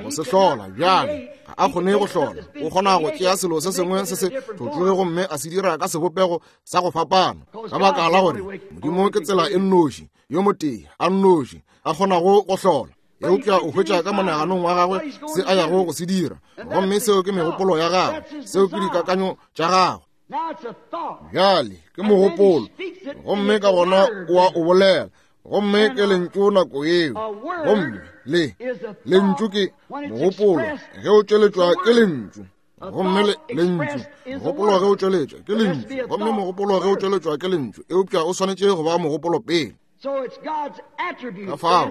go se hlola. Bjale ga a kgone go hlola, o kgona go tšea selo se sengwe se se tlotloge gomme a se dira ka sebopego sa go fapana, ka baka la gore Modimo ke tsela e nnoši, yo motee a nnoši a kgonago go hlola. Eupša o hwetša ka monaganong wa gagwe se a yago go se dira, gomme seo ke megopolo ya gagwe, seo ke dikakanyo tša gagwe. Bjale ke mogopolo, gomme ka gona o a o bolela, gomme ke lentšu nako yeo. Gomme le lentšu ke mogopolo ge o tšweletšwa ke lentšu, gomme lentšu mogopolo ge o tšweletšwa ke lentšu, gomme mogopolo ge o tšweletšwa ke lentšu, eupša o swanetše go ba mogopolo pele. Ka fao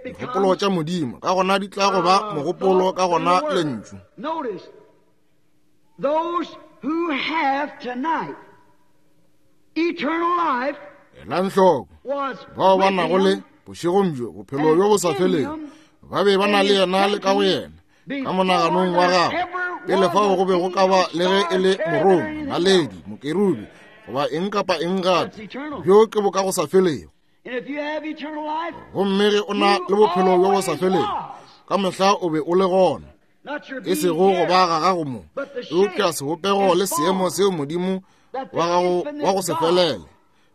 megopolo tša Modimo ka gona di tla go ba mogopolo, ka gona lentšu. Those who have tonight eternal life Elang hloko, bao ba nago le bošegong bjo bophelo bjo bo sa felego ba be ba na le yena le ka go yena ka monaganong wa gagwe pele fao go be go ka ba le ge e le morongwa, naledi, mokerubi goba eng kapa eng gape. Bjo ke bo ka go sa felego. Gomme ge o na le bophelo bjo bo sa felego, ka mehla o be o le gona, e sego go ba ga gago mo, eupša sebopego le seemo seo Modimo wa gago wa go se felele.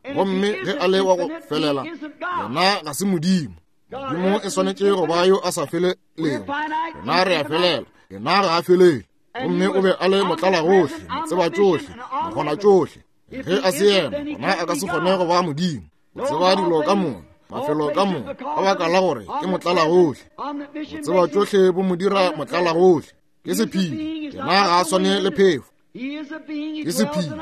Gomme ge a le wa go felela, yena ga se Modimo. Modimo e swanetše go ba yo a sa felelego. Rena re a felela, yena ga a felele. Gomme o be a le motlalagohle, motsebatšohle, mokgonatšohle. Ge a se yena, gona a ka se kgone go ba Modimo. O tseba dilo ka moka, mafelo ka moka, ka baka la gore ke motlalagohle. Go tseba tšohle bo mo dira motlalagohle. Ke sephiri, yena ga a swane le phefo. Ke sephiri,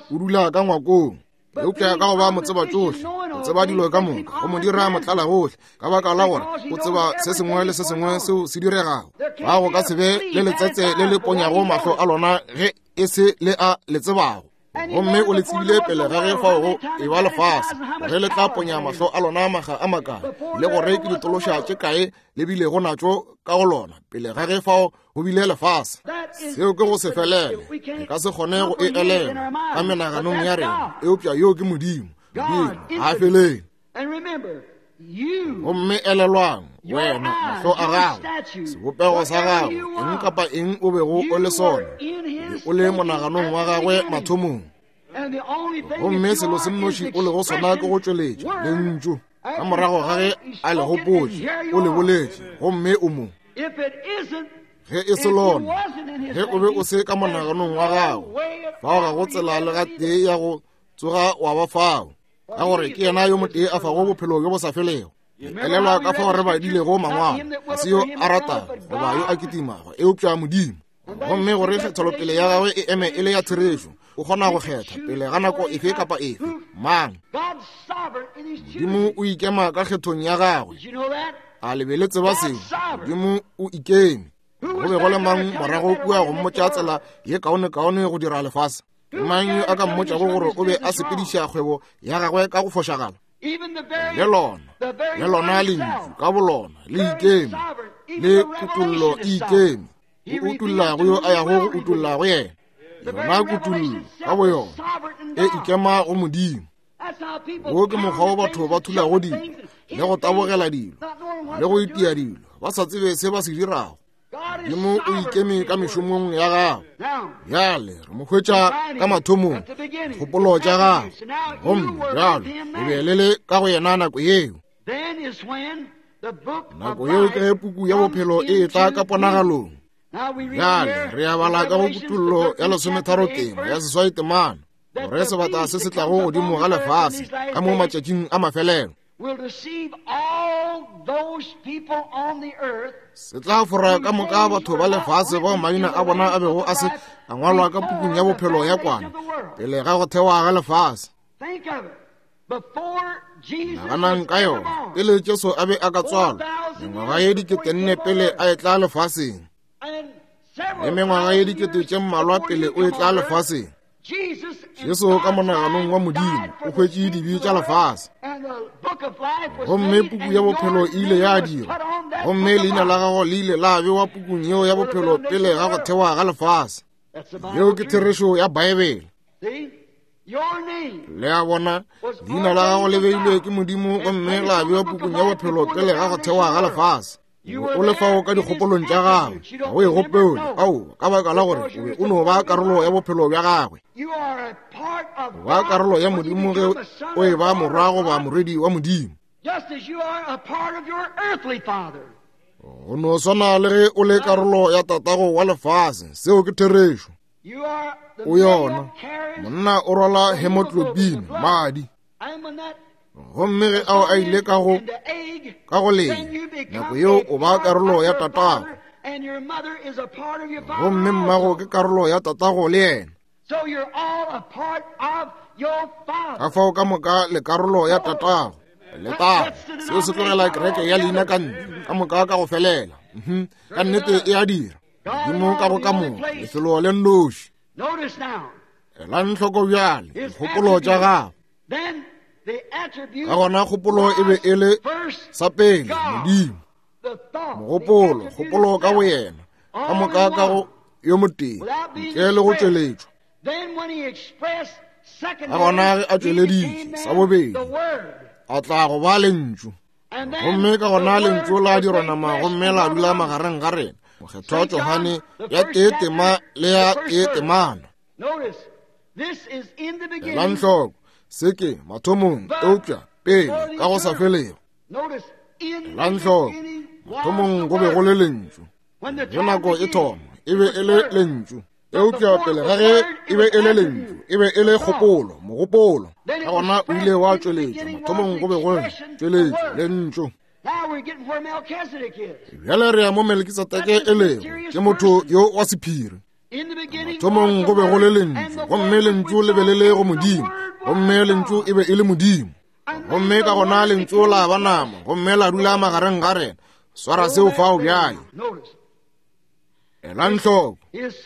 o dula ka ngwakong. Eupša ka go ba motseba tšohle, o tseba dilo ka moka, go mo dira motlalagohle, ka baka la gore o tseba se sengwe le se sengwe seo se diregago. Ba go ka se be le letsetse le le ponyago mahlo a lona ge e se le a le tsebago. Gomme o le tsebile pele ga ge fao go e ba lefase, ge le tla ponya mahlo a lona maga a makae, le gore ke ditološa tše kae le bilego natšo ka go lona pele ga ge fao go bile lefase. Seo ke go se felele, re ka se kgone go e elelwa ka menaganong ya rena, eupša yoo ke Modimo. Modimo ga a felele. Gomme elelwang, wena, mahlo a gago, sebopego sa gago, eng kapa eng o bego o le sona, o be o le monaganong wa gagwe mathomong. Gomme selo se nnoši o lego sona ke go tšweletša lentšu ka morago ga ge a le gopotše, o le boletše, gomme o mo. Ge e se lona, ge o be o se ka monaganong wa gago, fao ga go tsela le gatee ya go tsoga wa ba fao, ka gore ke yena yo motee a fago bophelo bjo bo sa felego. Elelwa ka fao re badilego mangwalo, ga se yo a ratago goba yo a kitimago, eupša Modimo. Gomme gore kgethelopele ya gagwe e eme e le ya therešo, o kgona go kgetha pele ga nako efe kapa efe. Mang? Modimo o ikema ka kgethong ya gagwe. A le be le tseba seo? Modimo o ikeme. Go be go le mang morago kua go mmotša tsela ye kaonekaone go dira lefase? Mang yo a ka mmotšago gore o be a sepediša kgwebo ya gagwe ka go fošagala? Le lona, le lona lentšu ka bolona le ikeme, le kutollo e ikeme. O utolla go yo a yago go utolla go yena. Yona kutollo ka boyona e ikema go Modimo. Wo ke mokgwa wo batho ba thulago dilo le go tabogela dilo le go itia dilo ba sa tsebe se ba se dirago. Modimo o ikeme ka mešomong ya gagwe. Bjale re mo hwetša ka mathomong, dikgopolo tša gagwe, gomme bjalo le be le le ka go yena nako yeo. Nako yeo ke ge puku ya bophelo e etla ka ponagalong. Bjale re a bala ka go Kutollo ya lesometharo tema ya seswai temana gore sebata se se tlago godimo ga lefase ka mo matšatšing a mafelelo se tla fora ka moka batho ba lefase bao maina a bona a bego a se a ngwalwa ka pukung ya bophelo ya kwana pele ga go thewa ga lefase. Naganang ka yona, pele Jesu a be a ka tswalwa, mengwaga ye diketenne pele a etla lefaseng, le mengwaga ye dikete tše mmalwa pele o etla lefaseng, Jesu ka monaganong wa Modimo o hwetše dibe tša lefase, gomme puku ya bophelo e ile ya dirwa, gomme leina la gago le ile la bewa pukung yeo ya bophelo pele ga go thewa ga lefase. Yeo ke therešo ya Baebele. Le a bona, leina la gago le beilwe ke Modimo gomme la bewa pukung ya bophelo pele ga go thewa ga lefase. O le fao ka dikgopolong tša gagwe, ga o e gopole, ao, ka baka la gore o be o no ba karolo ya bophelo bja gagwe. O ba karolo ya Modimo ge o e ba morwa goba morwedi wa Modimo. Go no swana le ge o le karolo ya tatago wa lefase, seo ke therešo. O yona, monna o rwala hemoglobin, madi. Gomme ge ao a ile ka go ka go leng, nako yeo o ba karolo ya tatago, gomme mmago ke karolo ya tatago le yena. Ka fao ka moka le karolo ya tatago letago. Seo se tlogela kereke ya leina ka ntle ka moka ka go felela. Ka nnete e a dira. Modimo ka go ka moka lefelo le nnoši. Elang hloko bjale dikgopolo tša gagwe. Ka gona kgopolo e be e le sa pele Modimo. Mogopolo, kgopolo ka boyena, ka moka ka go yo motee, ntle le go tšweletšwa. Ka gona ge a tšweleditše sa bobedi, a tla go ba lentšu. Gomme ka gona lentšu la dirwa nama gomme la dula magareng ga rena. Mokgethwa Johane ya tee tema le ya tee temana. Elang hloko, se ke mathomong, eupša pele ka go sa felego. Elang hloko, mathomong go be go le lentšu. Ge nako e thoma, e be e le lentšu. Eupša pele ga ge e be e le lentšu, e be e le kgopolo, mogopolo. Ka gona o ile wa tšweletšwa, mathomong go be go tšweletšwa lentšu. Bjale re ya mo Melkisedeke e lego, ke motho yo wa sephiri. Mathomong go be go le lentšu, gomme lentšu le be le le go Modimo, gomme lentšu e be e le Modimo. Gomme ka gona lentšu la ba nama, gomme la dula magareng ga rena. Swara seo fao bjale. Elang hloko,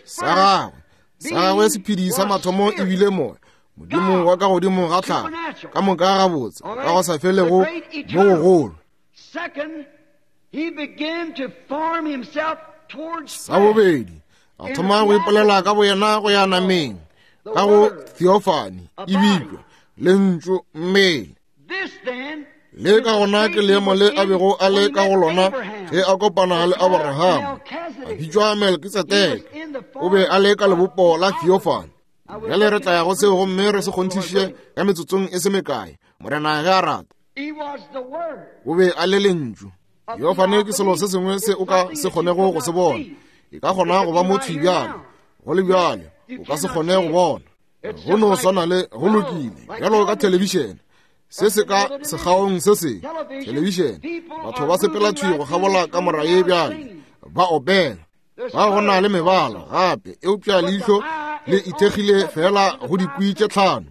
sa gagwe, sa gagwe sephedi sa mathomo e bile moya, Modimo wa ka godimo ga tlhago, ka moka gabotse, ka go sa felego mo gogolo. Sa bobedi, a thoma go ipolela ka boyena go ya nameng, ka go theophany, e bitšwa lentšu mmele. Le ka gona ke leemo le a bego a le ka go lona ge a kopana le Abraham, a bitšwa Melkisedeke. O be a le ka lebopo la theophany. Bjale re tla ya go seo gomme re se kgonthiše ka metsotsong e se mekae, Morena ge a rata. O be a le lentšu. Theophany ke selo se sengwe se o ka se kgonego go se bona. E ka kgona go ba motho bjalo, go le bjalo o ka se kgone go bona. Go no swana le go lokile bjalo ka thelebišene, se se ka sekgaong se se thelebišene, batho ba sepela thwi go kgabola kamora ye bjale ba opela. Ba go na le mebala gape, eupša leihlo le ithekgile fela go dikwi tše tlhano.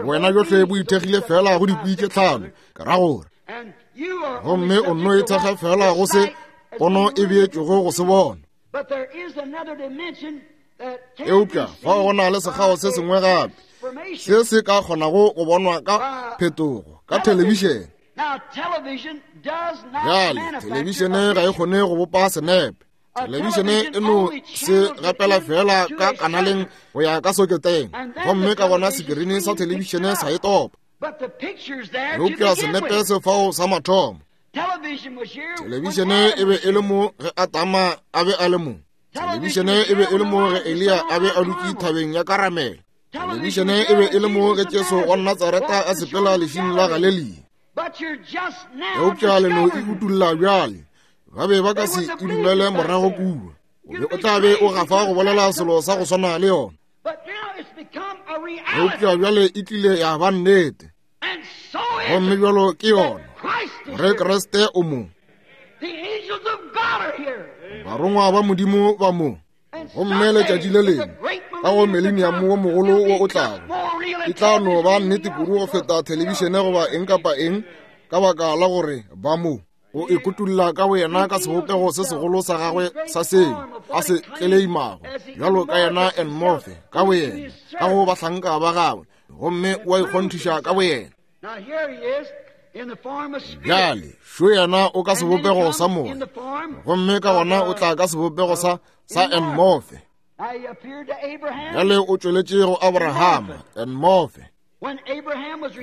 Wena bjohle bo ithekgile fela go dikwi tše tlhano, ke ra gore. Gomme o nno ithekga fela go se pono e beetšwego go se bona. Eupša fao go na le sekgao se sengwe gape se se ka kgonago go bonwa ka phetogo ka thelebišene. Bjale, thelebišene ga e kgone go bopa senepe. Thelebišene e no se gapela fela ka kanaleng go ya ka soketeng, gomme ka gona sekirini sa thelebišene sa e topa. Eupša senepe se fao sa mathomo. Thelebišene e be e le mo ge Adama a be a le mo. Thelebišene e be e le mo ge Eliya a be a dutše thabeng ya Karamele. Thelebišene e be e le mo ge Jesu wa Natsareta a sepela lešing la Galelia. Eupša le no e utulla bjale. Ba be ba ka se e dumele morago kua. O be o tla be o gafa go bolela selo sa go swana le yona. Eupša bjale e tlile ya ba nnete. Gomme bjalo ke yona gore Kriste o mo. Barongwa ba Modimo ba mo. Gomme letšatši le lengwe ka go mileniamo wo mogolo wo o tlago, e tla no ba nnete kudu go feta thelebišene goba eng kapa eng, ka baka la gore ba mo. O ikutulla ka boyena ka sebopego se segolo sa gagwe sa seng a se tleleimago bjalo ka yena enmorphe ka boyena ka go bahlanka ba gagwe, gomme o a ikgonthiša ka boyena. Bjale šo yena o ka sebopego sa moya, gomme ka gona o tla ka sebopego sa sa enmorphe. Bjale o tšweletše go Abrahama enmorphe.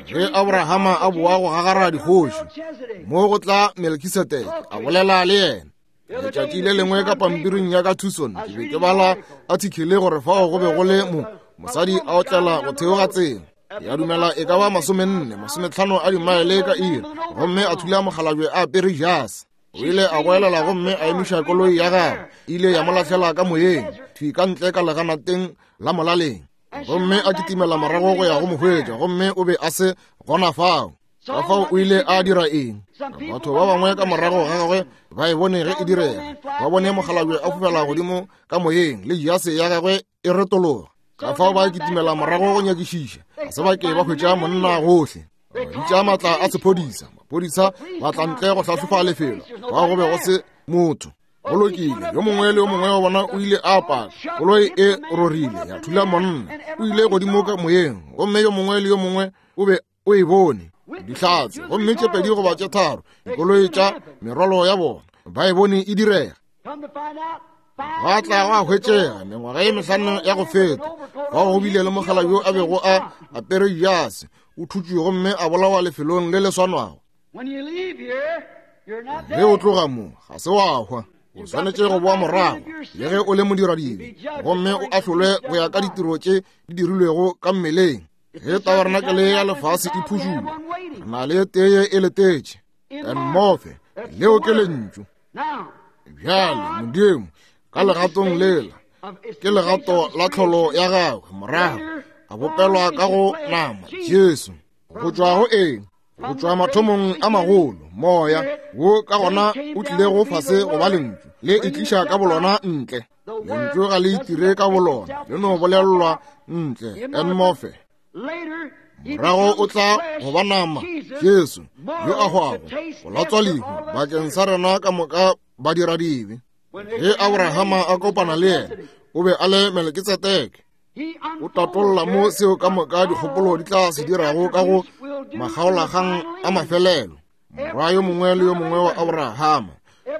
Ge Abrahama a boa go gagara dikgoši, mo go tla Melkisedeke a bolela le yena. Letšatši le lengwe ka pampiring ya ka Tucson, ke be ke bala athikele gore fao go be go le mo mosadi a otlela go theoga tsela. Ya dumela e ka ba 40, 50 a dimaele ka iri, gomme a thula mokgalabje a apere jase. O ile a goelela gomme a emiša koloi ya gagwe, e ile ya mo lahlela ka moyeng, thwi ka ntle ka leganateng la molaleng. Gomme a kitimela morago go ya go mo hwetša, gomme o be a se gona fao. Ka fao o ile a dira eng? Batho ba bangwe ka morago ga gagwe ba e bone ge e direga, ba bone mokgalabje a fofela godimo ka moyeng le jase ya gagwe e retologa. Ka fao ba kitimela morago go nyakišiša, ga se ba ke ba hwetša monna gohle. Ba bitša maatla a sephodisa, maphodisa ba tla ntle go hlahlofa lefelo, fao go be go se motho. Go lokile, yo mongwe le yo mongwe wa bona o ile a paka. Koloi e rorile ya thula monna, o ile godimo ka moyeng, gomme yo mongwe le yo mongwe o be o e bone. Dihlatse, gomme tše pedi goba tše tharo dikoloi tša merwalo ya bona ba e bone e direga. Ba tla go a hwetšega mengwaga e mehlano ya go feta, fao go bile le mogala yo a bego a apere jase, o thutšwe gomme a bolawa lefelong le le swanwago. Ge o tloga mo, ga se wa hwa. O swanetše go boa morago le ge o le modiradibe, gomme o ahlolwe go ya ka ditiro tše di dirilwego ka mmeleng. Ge tabernakelé ya lefase e phušulwa, re na le teye e letetše. Enmorphe, leo ke lentšu. Bjale, Modimo, ka legatong lela, ke legato la tlholo ya gagwe, morago a bopelwa ka go nama, Jesu. Go tšwa go eng? Go tšwa mathomong a magolo, moya wo ka gona o tlilego fase go ba lentšu, le itliša ka bolona ntle. Lentšu ga le itire ka bolona, le no bolelelwa ntle. Enmorphe. Morago o tla go ba nama, Jesu, yo a hwago, go latswa lehu bakeng sa rena ka moka badiradibe. Ge Abrahama a kopana le yena, o be a le Melkitsedeke. O tatolla mo seo ka moka dikgopolo di tla se dirago ka go makgaolakgang a mafelelo. Morwa yo mongwe le yo mongwe wa Abrahama,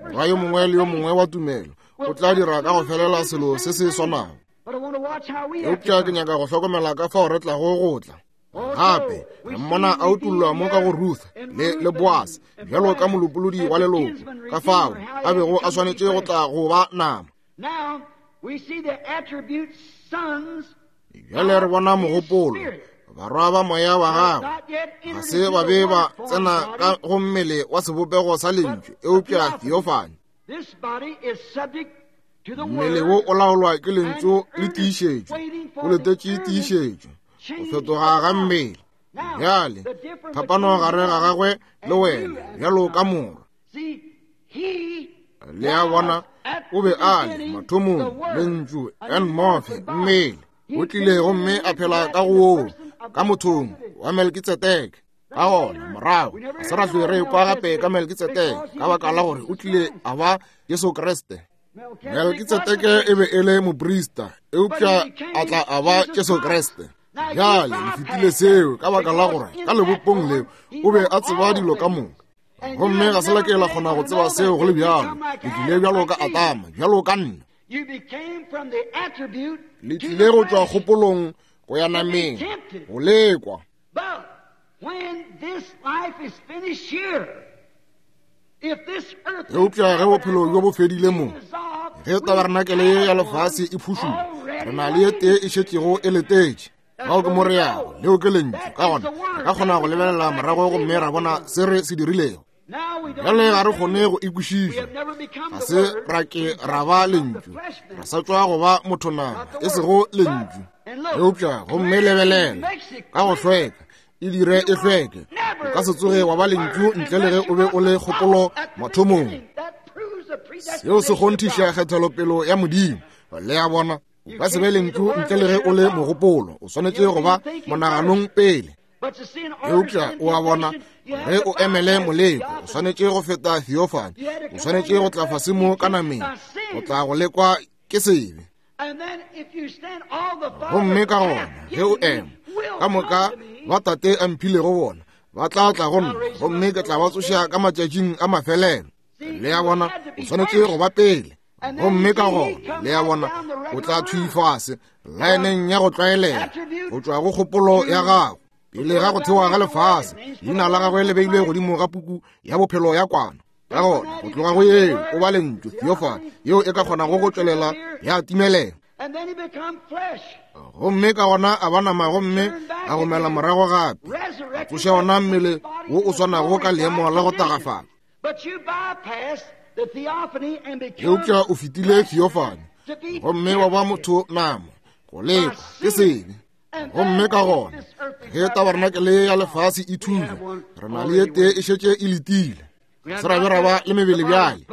morwa yo mongwe le yo mongwe wa tumelo, o tla dira ka go felela selo se se swanago. Eupša ke nyaka go hlokomela ka fao re tlago go tla. Gape re mmona a utollwa mo ka go Ruth le, le Boase bjalo ka molopolodi wa leloko, ka fao a bego a swanetše go tla go ba nama. Bjale re bona mogopolo, barwa ba moya wa gagwe ga se ba be ba tsena ka go mmele wa sebopego sa lentšu, eupša theophany. Mmele wo o laolwa ke lentšu le tiišetšo, o letetše tiišetšo, go fetoga ga mmele. Bjale phapano gare ga gagwe le wena bjalo ka morwa. Le a bona, O be a le mathomong lentšu en morphe mmele o tlile gomme a phela ka go woo ka mothong wa Melkitsedeke. Ka gona morago ga se ra hlwe re kwa gape ka Melkitsedeke ka baka la gore o tlile a ba Jesu Kriste. Melkitsedeke e be e le moprista, eupša a tla a ba Jesu Kriste. Bjale le fetile seo ka baka la gore ka lebopong leo o be a tseba dilo ka moka. Gomme ga se la ke la kgona go tseba seo go le bjalo. Le tlile bjalo ka Adama, bjalo ka nna. Le tlile go tšwa kgopolong go ya nameng, go lekwa. Eupša ge bophelo bjo bo fedile mo, ge tabarenakele ye ya lefase e phušula, re na le ye tee e šetšego e letetše. Bao ke mo re yago, leo ke lentšu. Ka gona re ka kgona go lebelela morago gomme ra bona se re se dirilego. Bjale ga re kgone go e kwešiša, ga se ra ke ra ba lentšu, re sa tšwa go ba motho nama, e sego lentšu. Eupša gomme lebelela ka go hlweka, e dire e hlweke. O ka se tsoge wa ba lentšu ntle le ge o be o le kgopolo mathomong. Seo se kgonthiša kgethelopelo ya Modimo. Le a bona? O ka se be lentšu ntle le ge o le mogopolo. O swanetše go ba monaganong pele. Eupša o a bona, ge o emele moleko, o swanetše go feta theophany. O swanetše go tla fase mo ka nameng, go tla go lekwa ke sebe. Gomme ka gona ge o ema, ka moka ba Tate a mphilego bona ba tla tla go nna, gomme ke tla ba tsoša ka matšatšing a mafelelo. Le a bona, o swanetše go ba pele. Gomme ka gona, le a bona, o tla thwi fase laeneng ya go tlwaelega go tšwa go kgopolo ya gago pele ga go thewa ga lefase. Leina la gagwe le beilwe godimo ga puku ya bophelo ya kwana. Ka gona go tloga go yeo o ba lentšu theophany yeo e ka kgonago go tšwelela ya timelela. Gomme ka gona a ba nama gomme a gomela morago gape, a tsoša ona mmele wo o swanago ka leemo la go tagafala. Eupša o fetile theophany gomme wa ba motho nama, go lekwa ke sebe. Gomme ka gona ge tabarenakele ya lefase e thunya, re na le ye tee e šetše e letile. Se ra be ra ba le mebele bjale.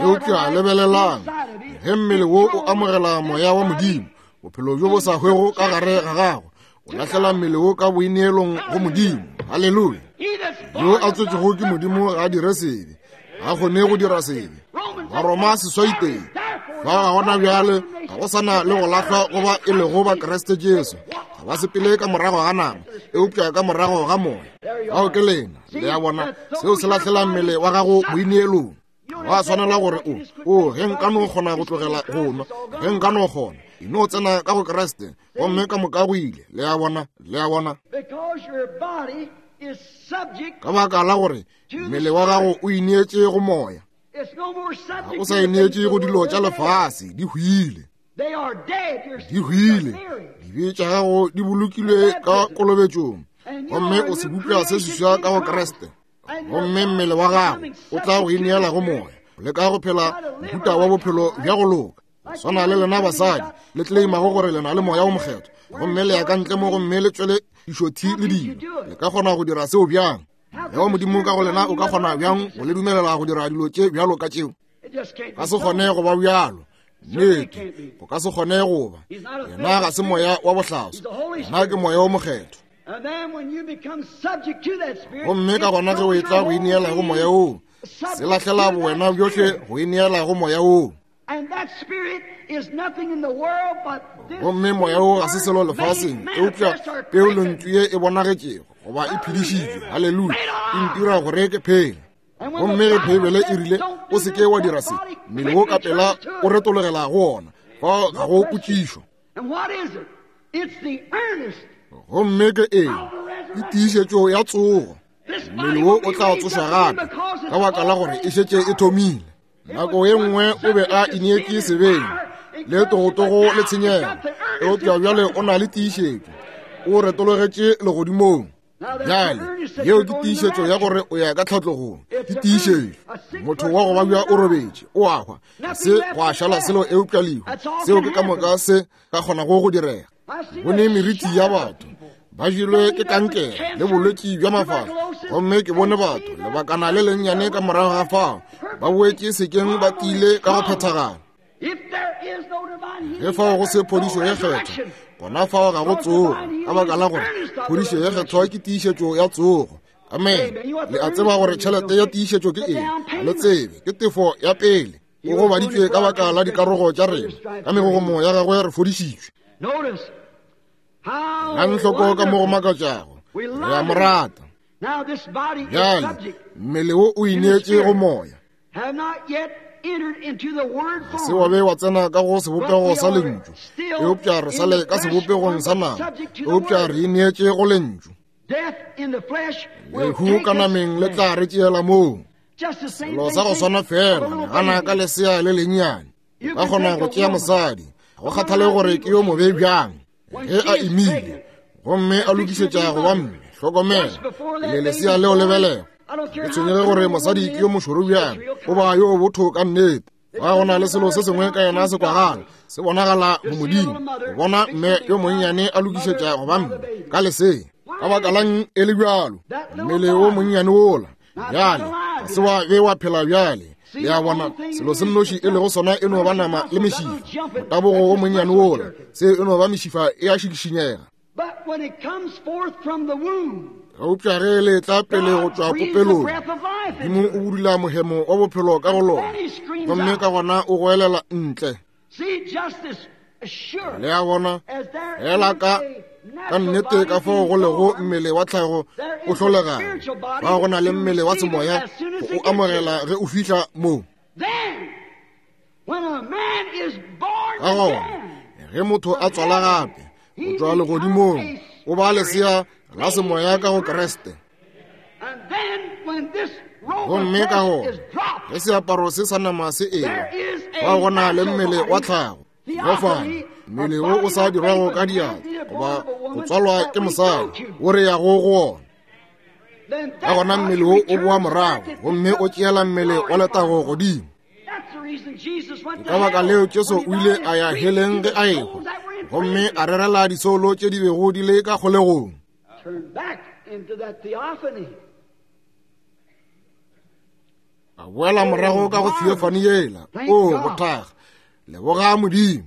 Eupša lebelelang, ge mmele wo o amogela moya wa Modimo, bophelo bjo bo sa hwego ka gare ga gago, o lahlela mmele wo ka boineelong go Modimo. Haleluya! Yo a tswetšego ke Modimo ga a dire sebe, ga kgone go dira sebe. Baroma seswaiteng fa ga gona bjale ga go sana le go lahlwa go ba e lego ba Kriste Jesu. Ga ba sepele ka morago ga nama, eupša ka morago ga moya. Bao ke lena. Le a bona, seo se lahlela mmele wa gago boineelong. Wa swanela gore o, o, ge nka no kgona go tlogela go nwa, ge nka no kgona, e no tsena ka go Kriste, gomme ka moka go ile. Le a bona, le a bona. Ka baka la gore mmele wa gago o ineetše go moya, ga o sa ineetše go dilo tša lefase, di hwile. Di hwile. Dibe tša gago di bolokilwe ka kolobetšong, gomme o sebopša se seswa ka go Kriste. Gomme mmele wa gago o tla go ineela go moya, le ka go phela mohuta wa bophelo bja go loka. Swana le lena basadi le tleimago gore le na le moya o mokgethwa, gomme le ya ka ntle mo gomme le tšwele dišothi le dilo. Le ka kgona go dira seo bjang? Moya wa Modimo ka go lena o ka kgona bjang go le dumelela go dira dilo tše bjalo ka tšeo? Ka se kgone go ba bjalo. Nnete, go ka se kgone go ba. Yena ga se moya wa bohlaswa, yena ke moya o mokgethwa. Gomme ka gona ge o etla go ineela go moya woo, se lahlela bowena bjohle go ineela go moya woo. Gomme moya wo ga se selo lefaseng eupša peo lentšu ye e bonagetšego goba e phedišitšwe. Haleluya! E ntira gore ke phele. Gomme ge Beibele e rile o se ke wa dira se, mmele wo ka pela o retologela go ona, fao ga go potšišo. Gomme ke eng? Ke tiišetšo ya tsogo. Mmele wo o tla tsošwa gape ka baka la gore e šetše e thomile. Nako ye nngwe o be a ineetše sebeng le togotogo le tshenyego, eupša bjale o na le tiišetšo, o retologetše legodimong. Bjale yeo ke tiišetšo ya gore o ya ka tlhatlogong, ke tiišetšo. Motho wa go babja o robetše, o a hwa, se go a šala selo eupša lehu. Seo ke ka moka se ka kgonago go direga. Bone meriti ya batho. Ba jelwe ke kankere le bolwetši bja mafahla. Gomme ke bone batho lebakana le lennyane ka morago ga fao ba boetše sekeng ba tiile ka go phethagala. Ge fao go se phodišo ye kgethwa, gona fao ga go tsogo, ka baka la gore phodišo ye kgethwa ke tiišetšo ya tsogo. Amen. Le a tseba gore tšhelete ya tiišetšo ke eng? Ga le tsebe. Ke tefo ya pele. O gobaditšwe ka baka la dikarogo tša rena, ka megogomo ya gagwe re fodišitšwe. Elang hloko ka mo go makatšago. Re a mo rata. Bjale, mmele wo o ineetše go moya. Ga se wa be wa tsena ka go sebopego sa lentšu, eupša re sa le ka sebopegong sa nama, eupša re ineetše go lentšu. Lehu ka nameng le tla re tšeela moo. Selo sa go swana fela, nagana ka lesea le lennyane. O ka kgona go tšea mosadi, go kgathale gore ke yo mobe bjang, ge a imile gomme a lokišetša go ba mme. Hlokomela, le lesea leo le belega. Ke tshwenyege gore mosadi ke yo mošoro bjang, o ba yo botho ka nnete. Fa go na le selo se sengwe ka yena se kwagala, se bonagala bomodimo, go bona mme yo monnyane a lokišetša go ba mme ka lesea. Ka baka lang e le bjalo? Mmele wo monnyane wola bjale ga se wa be wa phela bjale. Le a bona, selo se nnoši e lego sona e no ba nama le mešifa. Motabogo wo monnyane wola, se e no ba mešifa e a šikišinyega. Eupša ge le tla pele go tšwa popelong, Modimo o budula mohemo wa bophelo ka go lona, gomme ka gona o goelela ntle. Le a bona, fela ka ka nnete ka fao go lego mmele wa tlhago o hlolegago, fa go na le mmele wa semoya go o amogela ge o fihla moo. Ka gona ge motho a tswala gape go tšwa legodimong, o ba lesea la semoya ka go Kriste. Gomme ka gona ge seaparo se sa nama se ewa, fa go na le mmele wa tlhago, gofana mmele wo o sa dirwago ka diatla goba go tswalwa ke mosadi, o re yago go wona. Ka gona mmele wo o boa morago gomme o tšeela mmele wa letago godimo. Ke ka baka leo Jesu o ile a ya heleng ge a ehwa, gomme a rerela disoulo tše di bego di le ka kgolegong. A boela morago ka go theophany yela. O bothaga, leboga Modimo.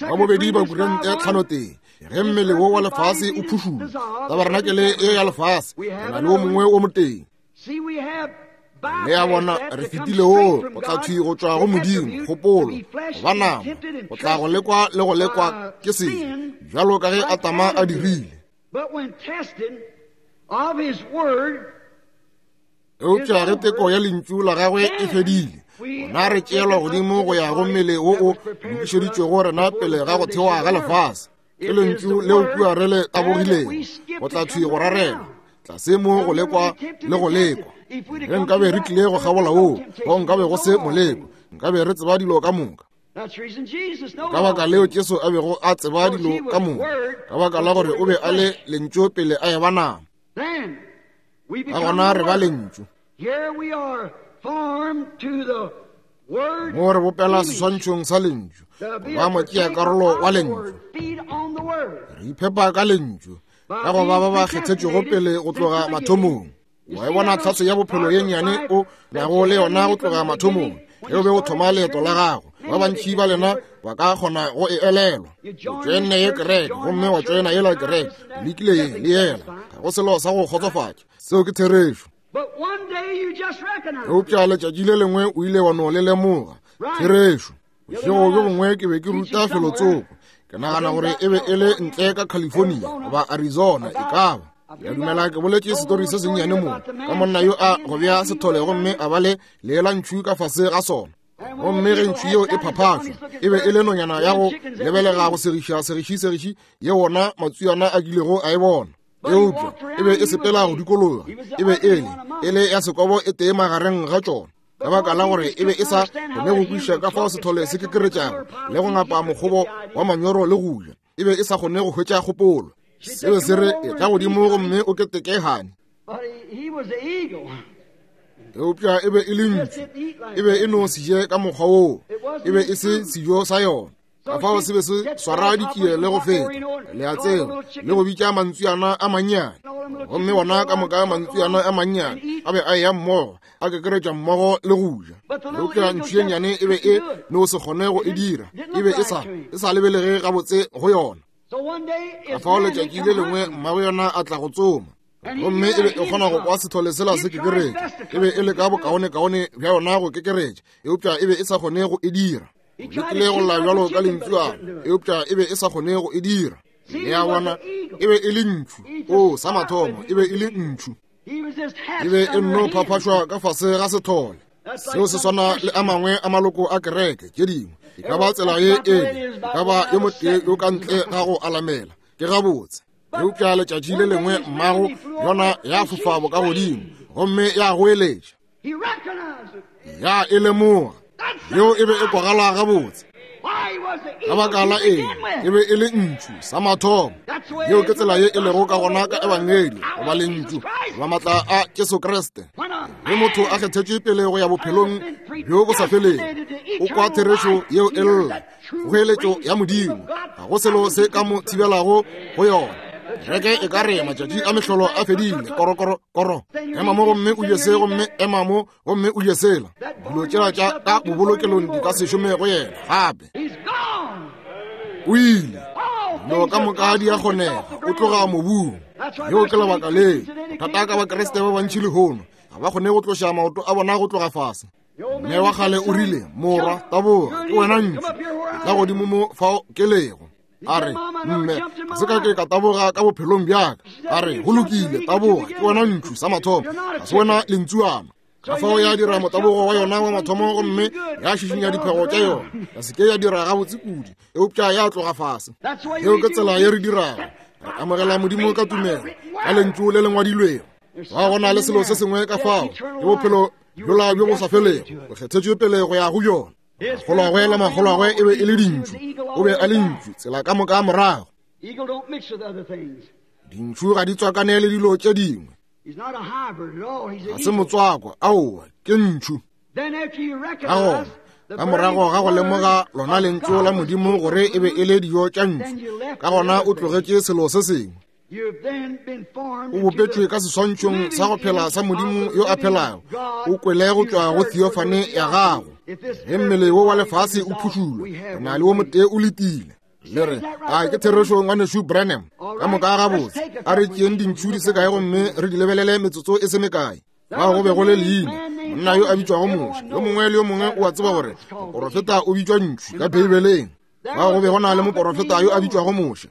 Ba bobedi ba kurente tlhanotee, ge mmele wo wa lefase o phušula, tabarenakele e ya lefase, re na le wo mongwe wo motee. Le a bona, re fetile wo, go tla thwi go tšwa go Modimo, kgopolo, go ba nama, go tla go lekwa le go lekwa ke sebe, bjalo ka ge Adama a dirile. Eupša ge teko ya lentšu la gagwe e fedile, gona re tšeelwa godimo go ya go mmele wo o lokišeditšwego rena pele ga go thewa ga lefase. Ke lentšu leo kua re le tabogilego, go tla thwi go rarela tlase mo go lekwa le go lekwa. Ge nkabe re tlile go kgabola woo, go nkabe go se moleko, nkabe re tseba dilo ka moka. Ka baka leo Jesu a bego a tseba dilo ka moka, ka baka la gore o be a le lentšu pele a eba nama. Ka gona re ba lentšu. Mo re bopela seswantšhong sa lentšu, ba motšea karolo wa lentšu. Re iphepa ka lentšu, ka go ba ba ba kgethetšwego pele go tloga mathomong. Wa e bona tlhatso ya bophelo ye nnyane o nago le yona go tloga mathomong, ge o be o thoma leeto la gago. Ba bantši ba lena ba ka kgona go e elelwa. O tšoenne ye kereke, gomme wa tšoena yela kereke, o lekile ye le yela, ga go selo sa go kgotsofatša. Seo ke therešo. Eupša letšatši le lengwe o ile wa no le lemoga. Therešo. Bošego bjo bongwe ke be ke ruta felotsoko. Ke nagana gore e be e le ntle ka California goba Arizona, e ka ba. Ke a dumela ke boletše setori se sennyane mo ka monna yo a go bea sethole gomme a ba le leelantšhu ka fase ga sona. Gomme ge ntšhu yeo e phaphašwa, e be e le nonyana ya go lebelega go segiša segiši segiši ye wona matswiana a kilego a e bona. Eupša e be e sepela go dikologa, e be e le e le ya sekobo e tee magareng ga tšona, ka baka la gore e be e sa kgone go kwešiša ka fao sethole se kekeretšago le go ngapa mokgobo wa manyoro le go ja. E be e sa kgone go hwetša kgopolo. Se be se re, etla godimo gomme o keteke hani. Eupša e be e le ntšu, e be e no se je ka mokgwa woo, e be e se sejo sa yona. Ka fao se be se swara dikie le go feta, le a tseba, le go bitša mantswiana a mannyane. Gomme wona ka moka mantswiana a mannyane a be a eya mmogo, a kekeretša mmogo le go ja. Eupša ntšhu ye nnyane e be e no se kgone go e dira, e be e sa, e sa lebelege gabotse go yona. Ka fao letšatši le lengwe mmago yona a tla go tsoma, gomme e be e kgona go kwa sethole sela se kekeretša. E be e leka bokaonekaone bja yona go kekeretša, eupša e be e sa kgone go e dira. O lekile go lla bjalo ka lentšuana, eupša e be e sa kgone go e dira. Le a bona, e be e le ntšhu. O, sa mathomo, e be e le ntšhu. E be e nno phaphašwa ka fase ga sethole. Seo se swana le a mangwe a maloko a kereke tše dingwe. E ka ba tsela ye e e ka ba yo motee yo ka ntle ga go alamela. Ke gabotse. Eupša letšatši le lengwe mmago yona ya fofa bokagodimo gomme ya goeletša. Ya e lemoga. Yeo e be e kwagala gabotse. Ka baka la eng? E be e le ntšhu sa mathomo. Yeo ke tsela ye e lego ka gona ka Ebangedi, goba lentšu, goba maatla a Jesu Kriste. Ge motho a kgethetšwe pele go ya bophelong bjo bo sa felego, o kwa therešo yeo e lla, kgoeletšo ya Modimo. Ga go selo se ka mo thibelago go yona. Kereke e ka re matšatši a mehlolo a fedile, koro, koro, koro. Ema mo gomme o je se, gomme ema mo gomme o je sela. Dilo tšela tša ka bobolokelong di ka se šome go yena gape. O ile. Dilo ka moka di a kgonega, o tloga mobung. Leo ke lebaka le thata ka Bakriste ba bantši lehono, ga ba kgone go tloša maoto a bona go tloga fase. Mme wa kgale o rile, Morwa, taboga, ke wena ntšhu, etla godimo mo fao ke lego. A re, Mme, ga se ka ke ka taboga ka bophelong bjaka. A re, Go lokile, taboga, ke wena ntšhu sa mathomo, ga se wena lentsuana. Ka fao ya dira motabogo wa yona wa mathomo gomme ya šišinya diphego tša yona, ya se ke ya dira gabotse kudu, eupša ya tloga fase. Yeo ke tsela ye re dirago, re amogela Modimo ka tumelo, ka lentšu le le ngwadilwego. Ga go na le selo se sengwe ka fao, ke bophelo bjola bjo bo sa felego, o kgethetšwe pele go ya go bjona. Makgolwagwe le makgolwagwe e be e le dintšu, o be a le ntšu tsela ka moka morago. Dintšhu ga di tswakane le dilo tše dingwe. Ga se motswako, aowa, ke ntšhu. Ka gona, ka morago ga go lemoga lona lentšu la Modimo gore e be e le dijo tša ntšhu, ka gona o tlogetše selo se sengwe. O bopetšwe ka seswantšhong sa go phela sa Modimo yo a phelago. O kwele go tšwa go theophany ya gago. Ge mmele wo wa lefase o phušulwa, re na le wo motee o letile. Le re, a ke therešo ngwanešu Branham? Ka moka gabotse, a re tšeeng dintšhu di se kae gomme re di lebelele metsotso e se mekae. Fao go be go le leina, monna yo a bitšwago Moshe. Yo mongwe le yo mongwe o a tseba gore moporofeta o bitšwa ntšhu ka Beibeleng. Fao go be go na le moporofeta yo a bitšwago Moshe.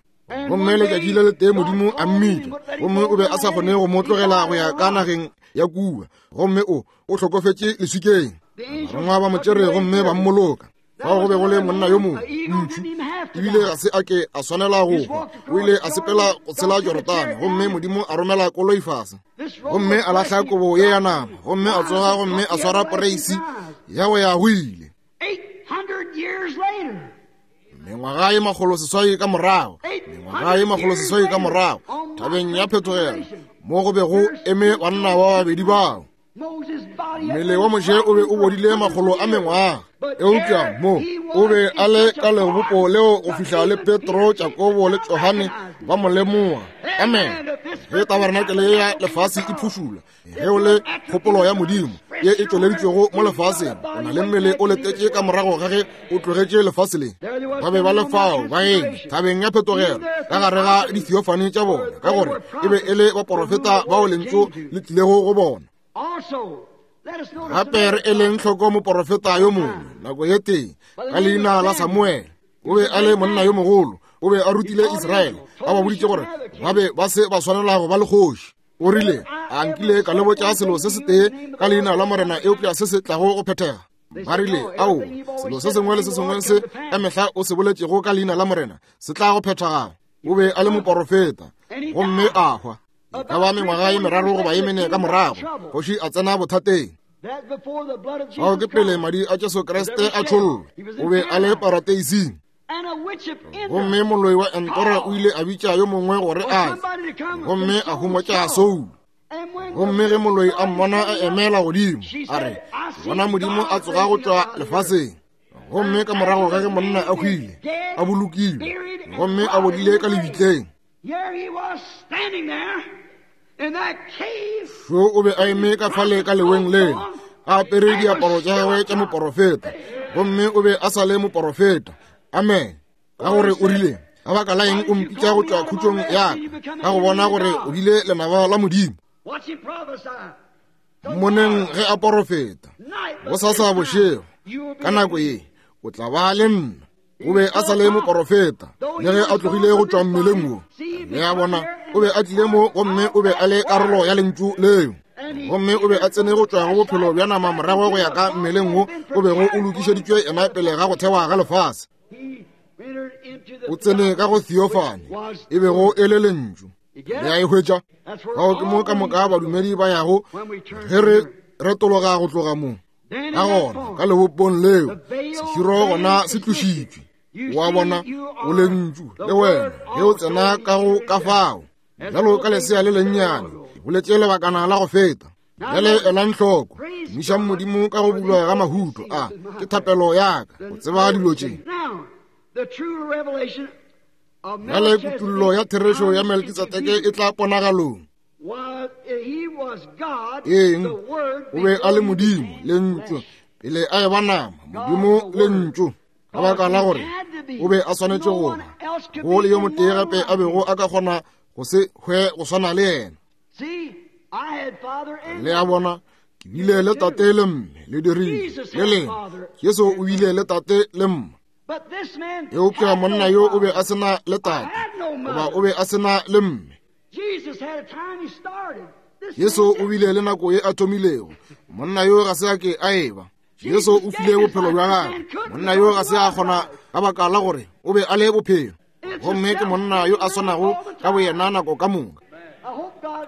Gomme letšatši le letee Modimo a mmitša, gomme o be a sa kgone go mo tlogela go ya ka nageng ya kua, gomme o o hlokofetše leswikeng. Barongwa ba mo tšere gomme ba mmoloka. Fao go be go le monna yo mongwe, ntšhu, ebile ga se a ke a swanela go hwa. O ile a sepela go tshela Jorodane, gomme Modimo a romela koloi fase, gomme a lahla kobo ye ya nama, gomme a tsoga gomme a swara poreisi ya go ya go ile. Mengwaga ye 600 ka morago, mengwaga ye 600 ka morago, thabeng ya phetogelo, mo go be go eme banna ba babedi bao. Mmele wa Moshe o be o bodile makgolo a mengwaga, eupša mo o be a le ka lebopo leo go fihla le Petro, Jakobo le Johane ba mo lemoga. Amen. Ge tabarenakele ya lefase e phušula, ge o le kgopolo ya Modimo ye e tšweleditšwego mo lefaseng, o na le mmele o letetše ka morago ga ge o tlogetše lefase le. Ba be ba le fao ba eme thabeng ya phetogelo ka gare ga dithiofane tša bona, ka gore e be e le baporofeta bao lentšu le tlilego go bona. Gape re eleng hloko moporofeta yo mongwe nako ye tee ka leina la Samuele. O be a le monna yo mogolo, o be a rutile Israele, a ba boditše gore ba be ba se ba swanela go ba le kgoši. O rile, a nkile ka le botša selo se setee ka leina la Morena eupša se se tlago go phethega. Ba rile, ao, selo se sengwe le se sengwe se ka mehla o se boletšego ka leina la Morena se tla go phethagala. O be a le moporofeta gomme a hwa. E ka ba mengwaga ye meraro goba ye mene ka morago, kgoši a tsena bothateng. Ao ke pele madi a Jesu Kriste a tšhollwa. O be a le parateising. Gomme moloi wa Entora o ile a bitša yo mongwe gore a tle, gomme a humotša Soulo. Gomme ge moloi a mmona a emela godimo, a re, Ke bona Modimo a tsoga go tšwa lefaseng. Gomme ka morago ga ge monna a hwile, a bolokilwe, gomme a bodile ka lebitleng, šo o be a eme ka fale ka leweng lela, a apere diaparo tša gagwe tša moporofeta, gomme o be a sa le moporofeta. Amen. Ka gore o rile, ka baka la eng o mpitša go tšwa khutšong ya ka, ka go bona gore o bile lenaba la Modimo? Mmoneng ge a porofeta, bosasa bošego, ka nako ye, o tla ba le nna. O be a sa le moporofeta, le ge a tlogile go tšwa mmeleng wo. Le a bona, o be a tlile mo gomme o be a le karolo ya lentšu leo. Gomme o be a tsene go tšwa go bophelo bja nama morago go ya ka mmeleng wo o bego o lokišeditšwe yena pele ga go thewa ga lefase. O tsene ka go theophany, e bego e le lentšu. Le a e hwetša? Fao ke mo ka moka badumedi ba yago ge re retologa go tloga mo. Ka gona ka lebopong leo seširo gona se tlošitšwe. O a bona, o lentšu le wena ge o tsena ka go ka fao. Bjalo ka lesea le lennyane, ke boletše lebakana la go feta. Bjale elang hloko, tumišang Modimo ka go bulwa ga mahuto a. Ke thapelo ya ka go tseba dilo tše. Bjale kutullo ya therešo ya Melkitsedeke e tla ponagalong. Eng? O be a le Modimo, Lentšu, pele a eba nama, Modimo, Lentšu. Ka baka la gore o be a swanetše go ba, go le yo motee gape a bego a ka kgona go se hwe go swana le yena. Le a bona, ke bile le tate le mme, le dirile le lena. Jesu o bile le tate le mma. Eupša monna yo o be a se na le tate, goba o be a se na le mme. Jesu o bile le nako ye a thomilego. Monna yo ga se a ke a eba. Jesu o file bophelo bja gagwe. Monna yo ga se a kgona ka baka la gore o be a le bophelo. Gomme ke monna yo a swanago ka boyena nako ka moka.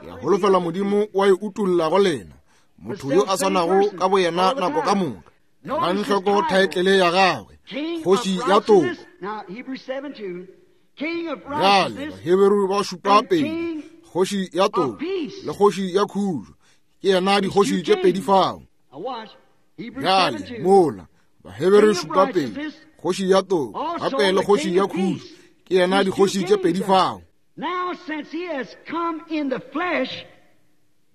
Ke a holofela Modimo wa e utolla go lena. Motho yo a swanago ka boyena nako ka moka. Elang hloko thaetlele ya gagwe, Kgoši ya Toko. Bjale Baheberu ba šupa pedi, Kgoši ya Toko le Kgoši ya Khutšo. Ke yena dikgoši tše pedi fao. Bjale mola Baheberu šupa pedi, Kgoši ya Toko gape le Kgoši ya Khutšo. Ke yena dikgoši tše pedi fao.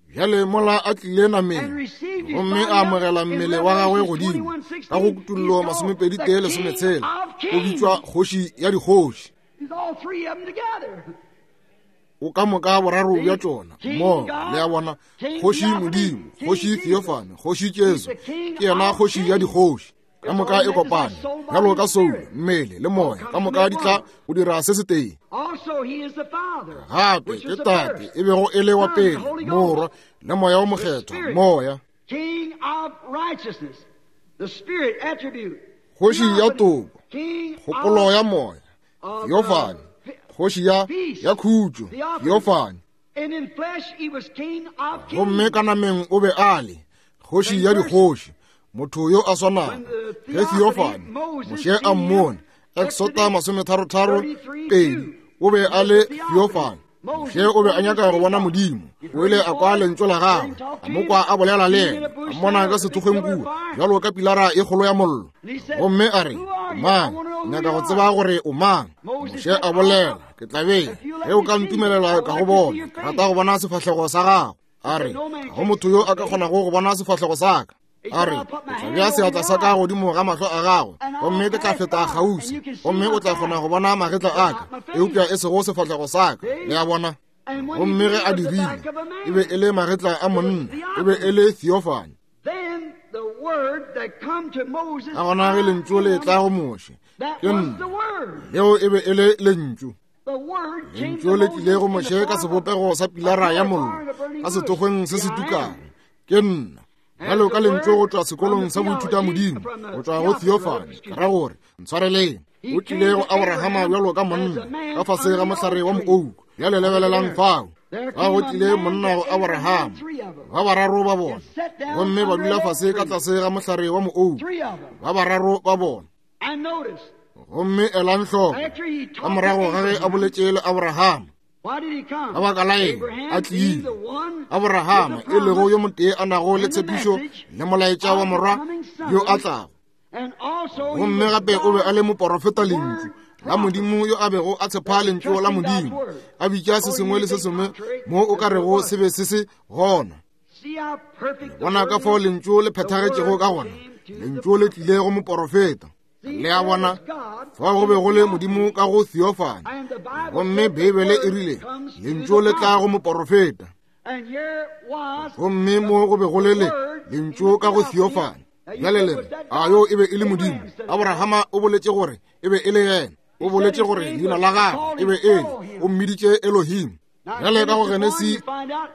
Bjale mola a tlile nameng gomme a amogela mmele wa gagwe godimo ka go Kutullo 21:16, o bitšwa Kgoši ya dikgoši. O ka moka boraro bja tšona mmogo, le a bona, Kgoši Modimo, Kgoši Theophany, Kgoši Jesu, ke yena Kgoši ya dikgoši. Ka moka e kopane bjalo ka soulo, mmele le moya, ka moka di tla go dira se setee. Gape ke Tate e bego e le wa pele, Morwa le Moya wo Mokgethwa, Moya. Kgoši ya toko, kgopolo ya moya, Theophany, Kgoši ya, ya khutšo, Theophany. Gomme ka nameng o be a le Kgoši ya dikgoši, motho yo a swanago. Ge Theophany, Moshe a mmone, Exota 33:2, o be a le Theophany. Moshe o be a nyaka go bona Modimo. O ile a kwa lentšu la gagwe, a mo kwa a bolela le yena, a mmona ka sethokgweng kua, bjalo ka pilara e kgolo ya mollo. Gomme a re, O mang? Ke nyaka go tseba gore o mang. Moshe a bolela, Ke tla be, ge o ka ntumelela ka go bona, ke rata go bona sefahlego sa gago. A re, Ga go motho yo a ka kgonago go bona sefahlego sa ka. A re, Ke tla bea seatla sa ka godimo ga mahlo a gago, gomme ke tla feta kgauswi, gomme o tla kgona go bona magetla a ka, eupša e sego sefahlego sa ka. Le a bona? Gomme ge a dirile, e be e le magetla a monna, e be e le theophany. Ka gona ge lentšu le tla go Moshe, ke nna, leo e be e le lentšu. Lentšu le tlile go Moshe ka sebopego sa pilara ya mollo, ka sethokgweng se se tukang, ke nna. Bjalo ka lentšu go tšwa sekolong sa boithuta modimo, go tšwa go theophany, ke ra gore, ntshwareleng, o tlile go Abrahama bjalo ka monna, ka fase ga mohlare wa moouku. Bjale lebelelang fao, fa go tlile monna go Abrahama, ba bararo ba bona, gomme ba dula fase ka tlase ga mohlare wa moouku, ba bararo ba bona. Gomme elang hloko, ka morago ga ge a boletše le Abrahama, Ka baka la eng a tlile? Abrahama, e lego yo motee a nago le tshepišo le molaetša wa morwa yo a tlago. Gomme gape o be a le moporofeta lentšu la Modimo yo a bego a tshepa lentšu la Modimo, a bitša se sengwe le se sengwe mo o ka rego se be se se gona. Bona ka fao lentšu le phethagetšego ka gona. Lentšu le tlile go moporofeta. Le a bona, fao go be go le Modimo ka go theophany. Gomme Beibele e rile, lentšu le tla go moporofeta. Gomme mo go be go le le lentšu ka go theophany. Bjale le re, a yo e be e le Modimo? Abrahama o boletše gore e be e le yena. O boletše gore leina la gagwe e be e le, o mmiditše Elohim. Bjale ka go Genesi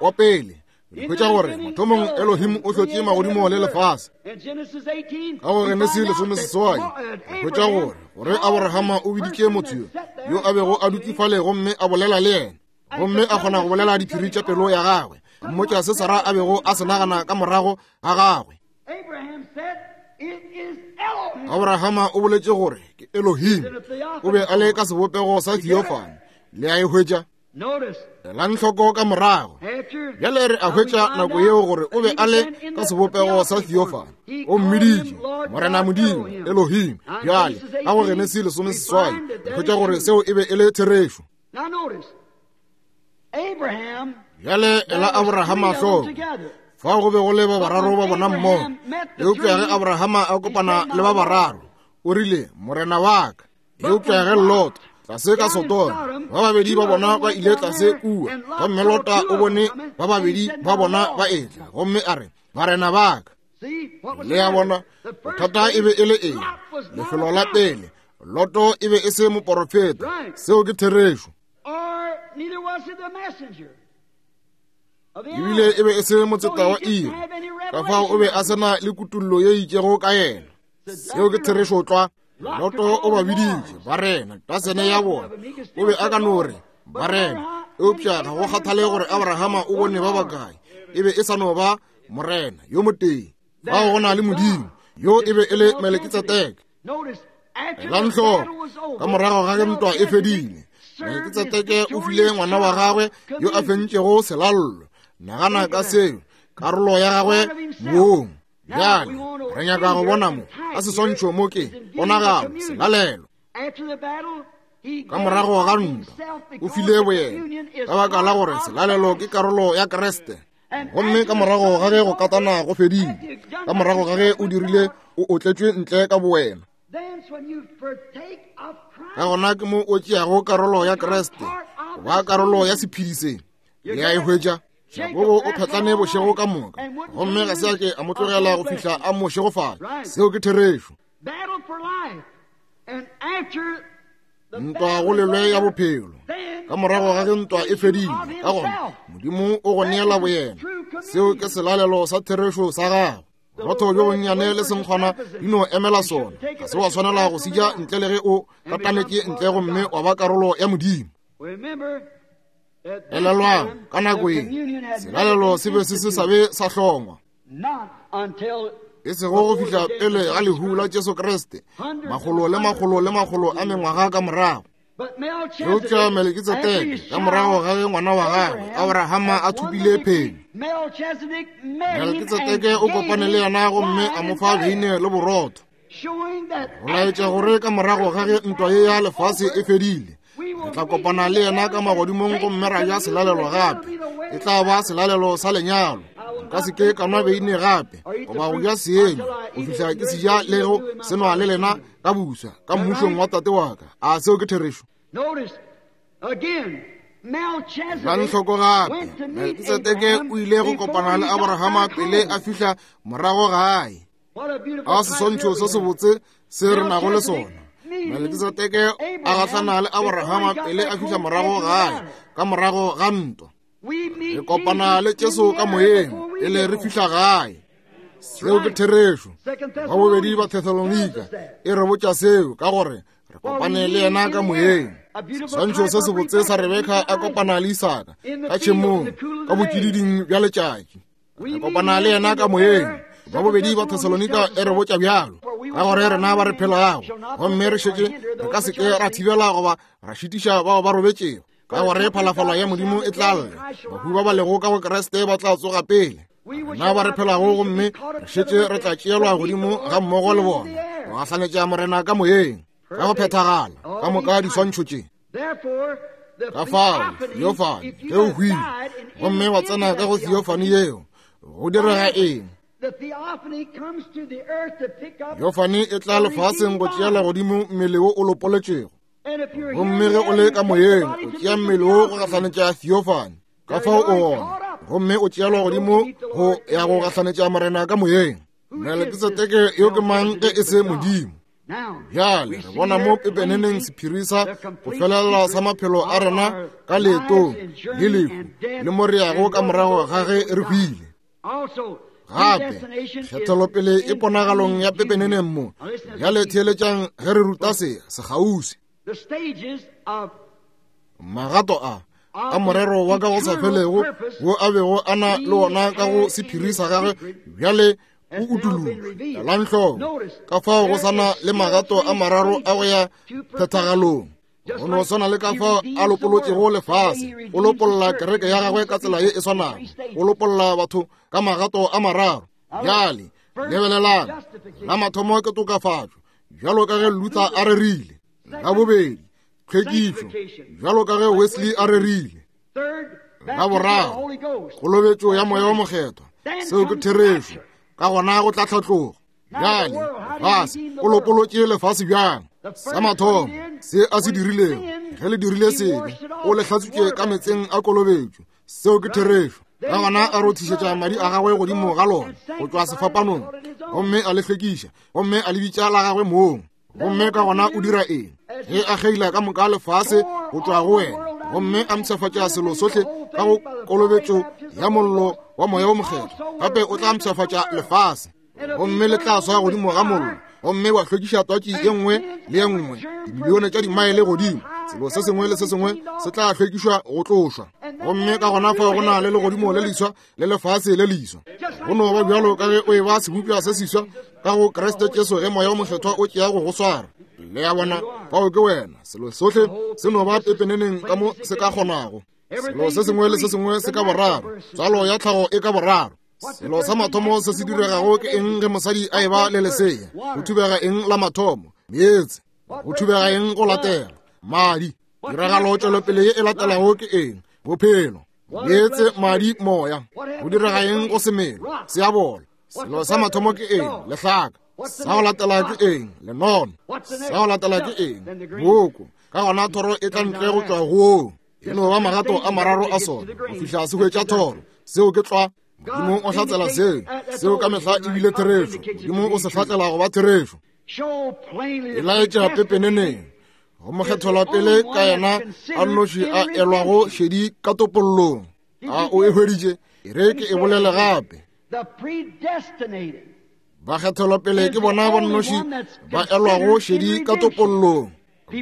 wa pele, re hwetša gore mathomong Elohim o hlotše magodimo le lefase. Ka go Genesi 18, re hwetša gore gore Abrahama o biditše motho yo yo a bego a dutše fale gomme a bolela le yena, gomme a kgona go bolela diphiri tša pelo ya gagwe, a mmotša se Sara a bego a se nagana ka morago ga gagwe. Abrahama o boletše gore ke Elohim, o be a le ka sebopego sa theophany. Le a e hwetša? Elang hloko ka morago. Bjale re a hwetša nako yeo gore o be a le ka sebopego sa theophany. O mmiditše Morena Modimo, Elohim. Bjale ka go Genesi 18, re hwetša gore seo e be e le therešo. Bjale ela Abrahama hloko. Fao go be go le ba bararo ba bona mmogo. Eupša ge Abrahama a kopana le ba bararo, o rile, Morena wa ka. Eupša ge Lot, tlase ka Sodoma, ba babedi ba bona ba ile tlase kua, gomme Lota o bone ba babedi ba bona ba etla, gomme a re, Barena ba ka. Le a bona, bothata e be e le eng? Lefelo la pele, Loto e be e se moporofeta. Seo ke therešo. Ebile e be e se motseta wa iri, ka fao o be a se na le kutullo ye itšego ka yena. Seo ke therešo tlwa. Loto o ba biditše barena, tasene ya bona. O be a ka no re barena, eupša ga go kgathale gore Abrahama o bone ba bakae, e be e sa no ba morena yo motee. Fao go na le Modimo, yo e be e le Melekitsedeke. Elang hloko, ka morago ga ge ntwa e fedile, Melekitsedeke o file ngwana wa gagwe yo a fentšego selallo. Nagana ka seo, karolo ya gagwe mong. Bjale re nyaka go bona mo ka seswantšho mo ke ponagalo selalelo. Ka morago ga ntwa o file boyena, ka baka la gore selalelo ke karolo ya Kriste. Gomme ka morago ga ge go katana go fedile, ka morago ga ge o dirile, o otletšwe ntle ka bowena, ka gona ke mo o tšeago karolo ya Kriste, go ba karolo ya sephedi se. Le a e hwetša? Jakobo o phetlane bošego ka moka, gomme ga se a ke a mo tlogela go fihla a mo šegofala. Seo ke therešo. Ntwa go lelwe ya bophelo. Ka morago ga ge ntwa e fedile, ka gona Modimo o go neela boyena. Seo ke selalelo sa therešo sa gago. Borotho bjo bonnyane le senkgwana di no emela sona. Ga se wa swanela go se ja ntle le ge o katanetše ntle gomme wa ba karolo ya Modimo. Elelwang, ka nako ye selalelo se be se se sa be sa hlongwa, e sego go fihla pele ga lehu la Jesu Kriste, makgolo le makgolo le makgolo a mengwaga ka morago. Eupša Melekitsedeke, ka morago ga ge ngwana wa gagwe Abrahama a thopile phenyo, Melekitsedeke o kopane le yena gomme a mo fa beine le borotho, go laetša gore ka morago ga ge ntwa ye ya lefase e fedile, re tla kopana le yena ka magodimong gomme ra ja selalelo gape. E tla ba selalelo sa lenyalo. Nka se ke ka nwa beine gape goba go ja seenywa go fihla ke se ja le go se nwa le lena ka buswa ka mmušong wa Tate wa ka. A seo ke therešo? Elang hloko gape, Melkisedeke o ile go kopana le Abrahama pele a fihla morago gae. A seswantšho se sebotse se re nago le sona. Melkisedeke a gahlana le Abrahama pele a fihla morago gae ka morago ga ntwa. Re kopana le Jesu ka moyeng pele re fihla gae. Seo ke therešo. Ba bobedi ba Thesalonika e re botša seo, ka gore re kopane le yena ka moyeng. Seswantšho se sebotse sa Rebeka a kopana le Isaka ka tšhemong ka botšididing bja letšatši. Re kopana le yena ka moyeng. Ba bobedi ba Thesalonika e re botša bjalo, ka gore rena ba re phelago gomme re šetše re ka se ke ra thibela goba ra šitiša bao ba robetšego, ka gore phalafala ya Modimo e tla lla, bahu ba ba lego ka go Kriste ba tla tsoga pele. Rena ba re phelago gomme re šetše re tla tšeelwa godimo ga mmogo le bona. Go gahlanetša Morena ka moyeng, ka go phethagala, ka moka diswantšho tše. Ka fao, theophany, ge o hwile, gomme wa tsena ka go theophany yeo, go direga eng? Theophany e tla lefaseng go tšeela godimo mmele wo o lopoletšego. Gomme ge o le ka moyeng, o tšea mmele wo go gahlanetša theophany. Ka fao o gona, gomme o tšeelwa godimo go ya go gahlanetša Morena ka moyeng. Melkisedeke yo ke mang ge e se Modimo? Bjale re bona mo pepeneneng sephiri sa go felela sa maphelo a rena ka leetong le lehu le mo re yago ka morago ga ge re hwile. Gape kgethelopele e ponagalong ya pepeneneng mo. Bjale theeletšang ge re ruta se sekgauswi. Magato a a morero wa ka go sa felego wo a bego a na le wona ka go sephiri sa gagwe bjale o utulotšwe. Elang hloko ka fao go sa na le magato a mararo a go ya phethagalong. Go no swana le ka fao a lopolotšego lefase, o lopolla kereke ya gagwe ka tsela ye e swanago, o lopolla batho ka magato a mararo. Bjale lebelelang, la mathomo ke tokafatšo, bjalo ka ge Luther a rerile. La bobedi, tlhwekišo, bjalo ka ge Wesley a rerile. La boraro, kolobetšo ya Moya wo Mokgethwa, seo ke therešo, ka gona go tla tlhatlogo. Bjale, lefase, o lopolotše lefase bjang? Sa mathomo, se a se dirilego, ge le dirile sebe, o le hlatswitše ka meetseng a kolobetšo, seo ke therešo. Ka gona a rothišetša madi a gagwe godimo ga lona go tšwa sefapanong, gomme a le hlwekiša, gomme a le bitša la gagwe mong. Gomme ka gona o dira eng? Ge a kgeila ka moka lefase go tšwa go wena, gomme a mpshafatša selo sohle ka go kolobetšo ya mollo wa Moya wo Mokgethwa, gape o tla mpshafatša lefase, gomme le tla swa godimo ga mollo, gomme wa hlwekiša twatši ye nngwe le ye nngwe dimilione tša dimaele godimo. Selo se sengwe le se sengwe se tla hlwekišwa go tlošwa. Gomme ka gona fao go na le legodimo le leswa le lefase le leswa. Go no ba bjalo ka ge o e ba sebopša se seswa ka go Kriste Jesu ge Moya wo Mokgethwa o tšea go go swara. Le a bona, fao ke wena. Selo sohle se no ba pepeneneng ka mo se ka kgonago. Selo se sengwe le se sengwe se ka boraro. Tswalo ya tlhago e ka boraro. Selo sa mathomo se se diregago ke eng ge mosadi a eba le lesea? Go thubega eng la mathomo? Meetse. Go thubega eng go latela? Madi. Tiragalo tšwelopele ye e latelago ke eng? Bophelo. Meetse, madi, moya. Go direga eng go semelo? Se a bola. Selo sa mathomo ke eng? Lehlaka. Sa go latela ke eng? Lenono. Sa go latela ke eng? Boko. Ka gona thoro e tla ntle go tšwa go E no ba magato a mararo a sona go fihla se hwetša thoro. Seo ke tlwa. Modimo o hlatsela seo. Seo ka mehla e bile therešo. Modimo o se hlatsela go ba therešo. E laetša pepeneneng go mokgethelwa pele ka yena a nnoši a elwago šedi ka topollong. A o e hweditše? E re ke e bolele gape. Bakgethelwa pele ke bona ba nnoši ba elwago šedi ka topollong.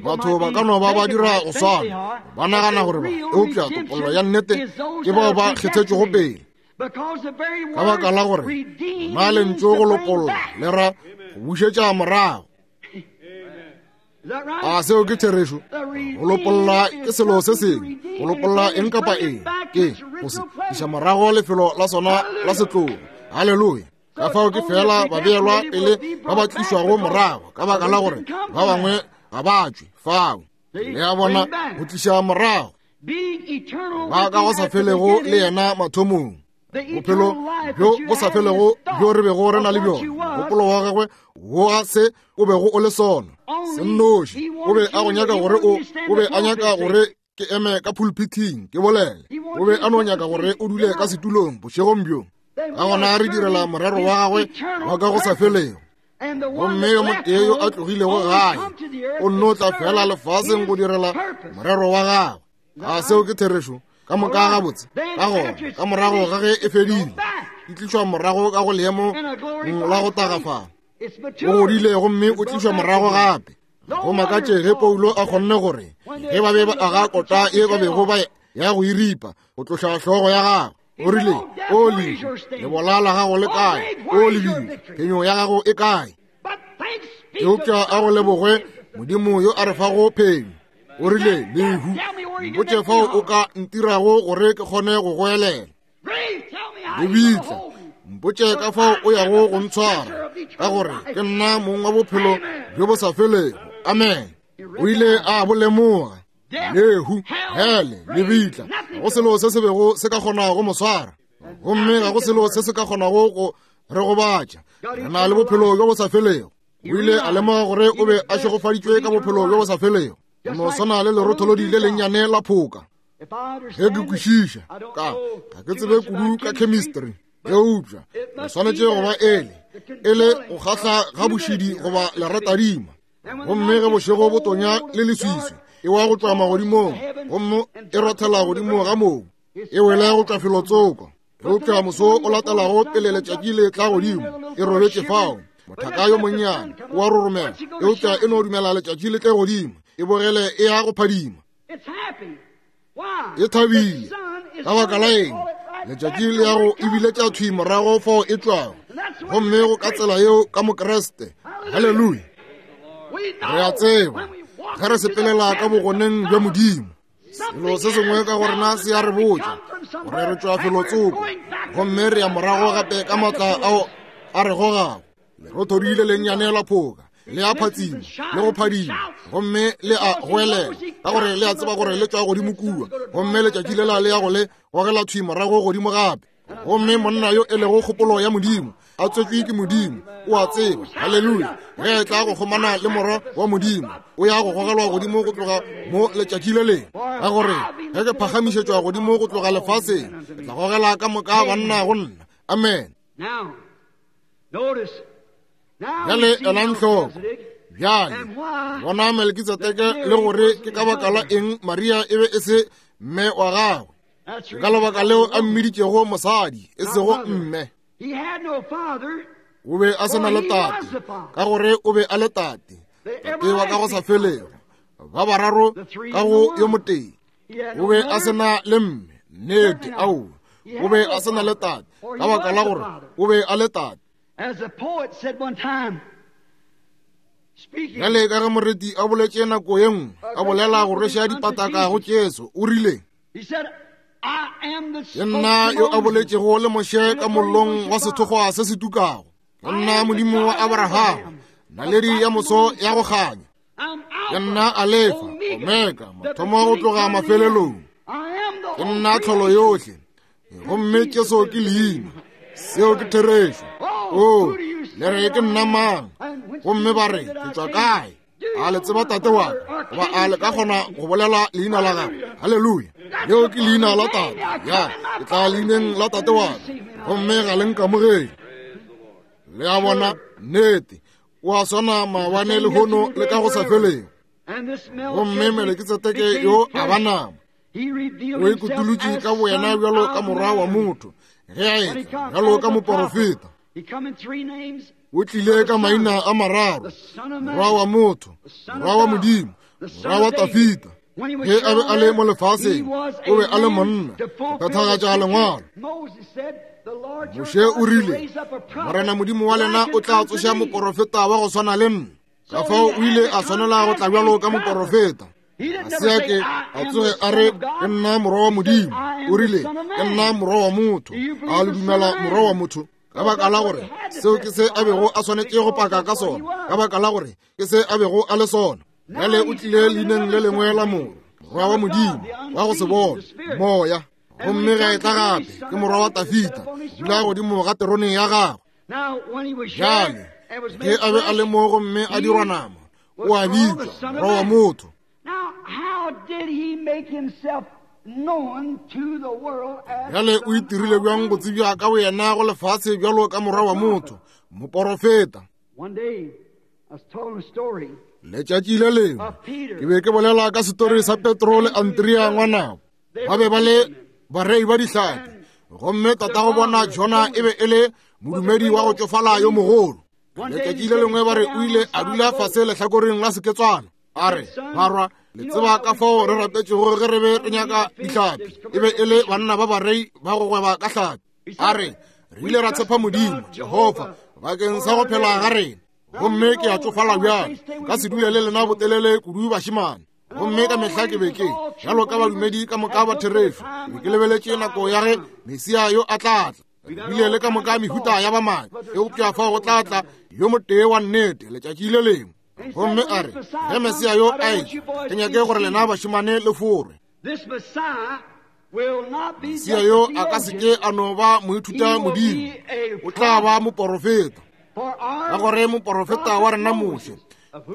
Batho ba ka no ba ba dira go swana, ba nagana gore ba, eupša topollo ya nnete ke bao ba kgethetšwego pele. Ka baka la gore na lentšu go lopolla le ra go bušetša morago. A seo ke therešo? Go lopolla ke selo se sengwe. Go lopolla eng kapa eng ke go se iša morago lefelo la sona la setlogo. Haleluya! Ka fao ke fela ba beelwa pele ba ba tlišwago morago, ka baka la gore ba bangwe ga ba tšwe fao. Le a bona, go tliša morago ba ka go sa felego le yena mathomong. Bophelo bjo bo sa felego bjo re bego re na le bjona, mogopolo wa gagwe wa se o bego o le sona se nnoši, o be a go nyaka gore o, o be a nyaka gore ke eme ka pulpithing ke bolele. O be a no nyaka gore o dule ka setulong bošegong bjo. Ka gona re direla morero wa gagwe wa ka go sa felego. Gomme yo motee yo a tlogilego gae o nno tla fela lefaseng go direla morero wa gagwe. A seo ke therešo? Ka moka gabotse. Ka gona, ka morago ga ge e fedile, e tlišwa morago ka go leemo la go tagafala. O godile gomme o tlišwa morago gape. Go makatše ge Paulo a kgonne gore ge ba be ba aga kota ye ba bego ba ya go e ripa go tloša hlogo ya gagwe, o rile, O lehu, lebola la gago le kae? O lebitla, phenyo ya gago e kae? Eupša a go lebogwe Modimo yo a re fago phenyo. O rile, Lehu, mpotše fao o ka ntirago gore ke kgone go goelela. Lebitla, mpotše ka fao o yago go ntshwara. ka gore ke nna mong wa bophelo bjo bo sa felego. Amen. O ile a bo lemoga. Lehu, hele, lebitla, ga go selo se se bego se ka kgona go mo swara, gomme ga go selo se se ka kgonago go re gobatša. Re na le bophelo bjo bo sa felego. O ile a lemoga gore o be a šegofaditšwe ka bophelo bjo bo sa felego, go no swana le lerotholodi le lennyane la phoka. Ge ke kwešiša, ka ga ke tsebe kudu ka chemistry, eupša re swanetše go ba ele e le go kgahla ga bošidi goba leratadima. Gomme ge bošego bo tonya le leswiswi, e wa go tšwa magodimong gomme e rothela godimo ga mobu, e wele go tšwa felotsoko. Eupša moso o latelago pele letšatši le tla godimo, e robetše fao. Mothaka yo monnyane o a roromela, eupša e no dumela letšatši le tle godimo, e bogele e ya go phadima. E thabile. Ka baka la eng? Letšatši le ya go ebiletša thwi morago fao e tšwago. Gomme go ka tsela yeo ka Mokriste. Haleluya. Re a tseba ge re sepelela ka bogoneng bja Modimo, selo se sengwe ka go rena se a re botša gore re tšwa felotsoko, gomme re ya morago gape ka maatla ao a re gogago. Lerothodi le lennyane la phoka le a phatsima le go phadima, gomme le a goelela ka gore le a tseba gore le tšwa godimo kua, gomme letšatši lela le ya go le gogela thwi morago godimo gape. Gomme monna yo e lego kgopolo ya Modimo, a tswetšwe ke Modimo, o a tseba, haleluya, ge e tla go kgomana le Morwa wa Modimo, o ya go gogelwa godimo go tloga mo letšatši le lengwe. Ka gore ge ke phagamišetšwa godimo go tloga lefaseng, ke tla gogela ka moka banna go nna. Amen. Bjale elang hloko. Bjale bona Melkitsedeke, le gore ke ka baka la eng Maria e be e se mme wa gagwe. Ke ka lebaka leo a mmiditšego mosadi, e sego mme. O be a se na le tate, ka gore o be a le tate, tate wa ka go sa felego, ba bararo ka go yo motee. O be a se na le mme, nnete, aowa. O be a se na le tate, ka baka la gore o be a le tate. Bjale ka ge moreti a boletše nako ye nngwe, a bolela go rweša dipataka go Jesu, o rile, Ke nna yo a boletšego le Moshe ka mollong wa sethokgwa se se tukago. Ke nna Modimo wa Abrahama, naledi ya moso ya go kganya. Ke nna Alefa, Omega, mathomo go tloga mafelelong. Ke nna tlholo yohle, gomme Jesu ke leina. Seo ke therešo. O, le re ke nna mang? Gomme ba re, ke tšwa kae? A le tseba tate wa ka? Goba a le ka kgona go bolela leina la gagwe? Haleluya! Leo ke leina la tate. Ya, ke tla leineng la tate wa ka, gomme ga le nkamogele. Le a bona? Nnete. O a swana maabane, lehono, le ka go sa felego. Gomme Melekitsedeke yo a ba nama, o ikutulotše ka boyena bjalo ka morwa wa motho, ge a etla bjalo ka moporofeta. O tlile ka maina a mararo, morwa wa motho, morwa wa Modimo, morwa wa Tafita. Ge a be a le mo lefaseng, o be a le monna, go phethagatša lengwalo. Moshe o rile, Morena Modimo wa lena o tla tsoša moporofeta wa go swana le nna. Ka fao o ile a swanela go tla bjalo ka moporofeta. Ga se a ke a tsoge a re, Ke nna morwa wa Modimo. O rile, Ke nna morwa wa motho. A le dumela morwa wa motho? Ka baka la gore seo ke se a bego a swanetše go paka ka sona, ka baka la gore ke se a bego a le sona. Bjale o tlile leineng le lengwe la morwa, morwa wa Modimo, wa go se bone, moya. Gomme ge a etla gape, ke morwa wa Tafita, dula godimo ga terone ya gagwe. Bjale ge a be a le mo gomme a dirwa nama, o a bitšwa morwa wa motho. Bjale o itirile bjang go tsebja ka boyena go lefase bjalo ka morwa wa motho, moporofeta? Letšatši le lengwe ke be ke bolela ka setori sa Petro le Andrea ngwanabo. Ba be ba le barei ba dihlapi, gomme tatago bona Jona e be e le modumedi wa go tšofala yo mogolo. Letšatši le lengwe ba re o ile a dula fase lehlakoreng la seketswana, a re, Barwa, le tseba ka fao re rapetšego ge re be re nyaka dihlapi. E be e le banna ba barei ba go gweba ka hlapi. A re, re ile ra tshepa Modimo, Jehofa, bakeng sa go phela ga rena. Gomme ke a tšofala bjale, ka se dule le lena botelele kudu bašemane. Gomme ka mehla ke be ke, bjalo ka badumedi ka moka ba therešo, ke be ke lebeletše nako ya ge Mesia yo a tla tla. Bile le ka moka mehuta ya bamaki, eupša fao go tla tla yo motee wa nnete letšatši le lengwe. Gomme a re, ge Mesia yo a etla, ke nyake gore lena bašemane le forwe. Mesia yo a ka se ke a no ba moithuta modimo, o tla ba moporofeta. Ka gore moporofeta wa rena Moshe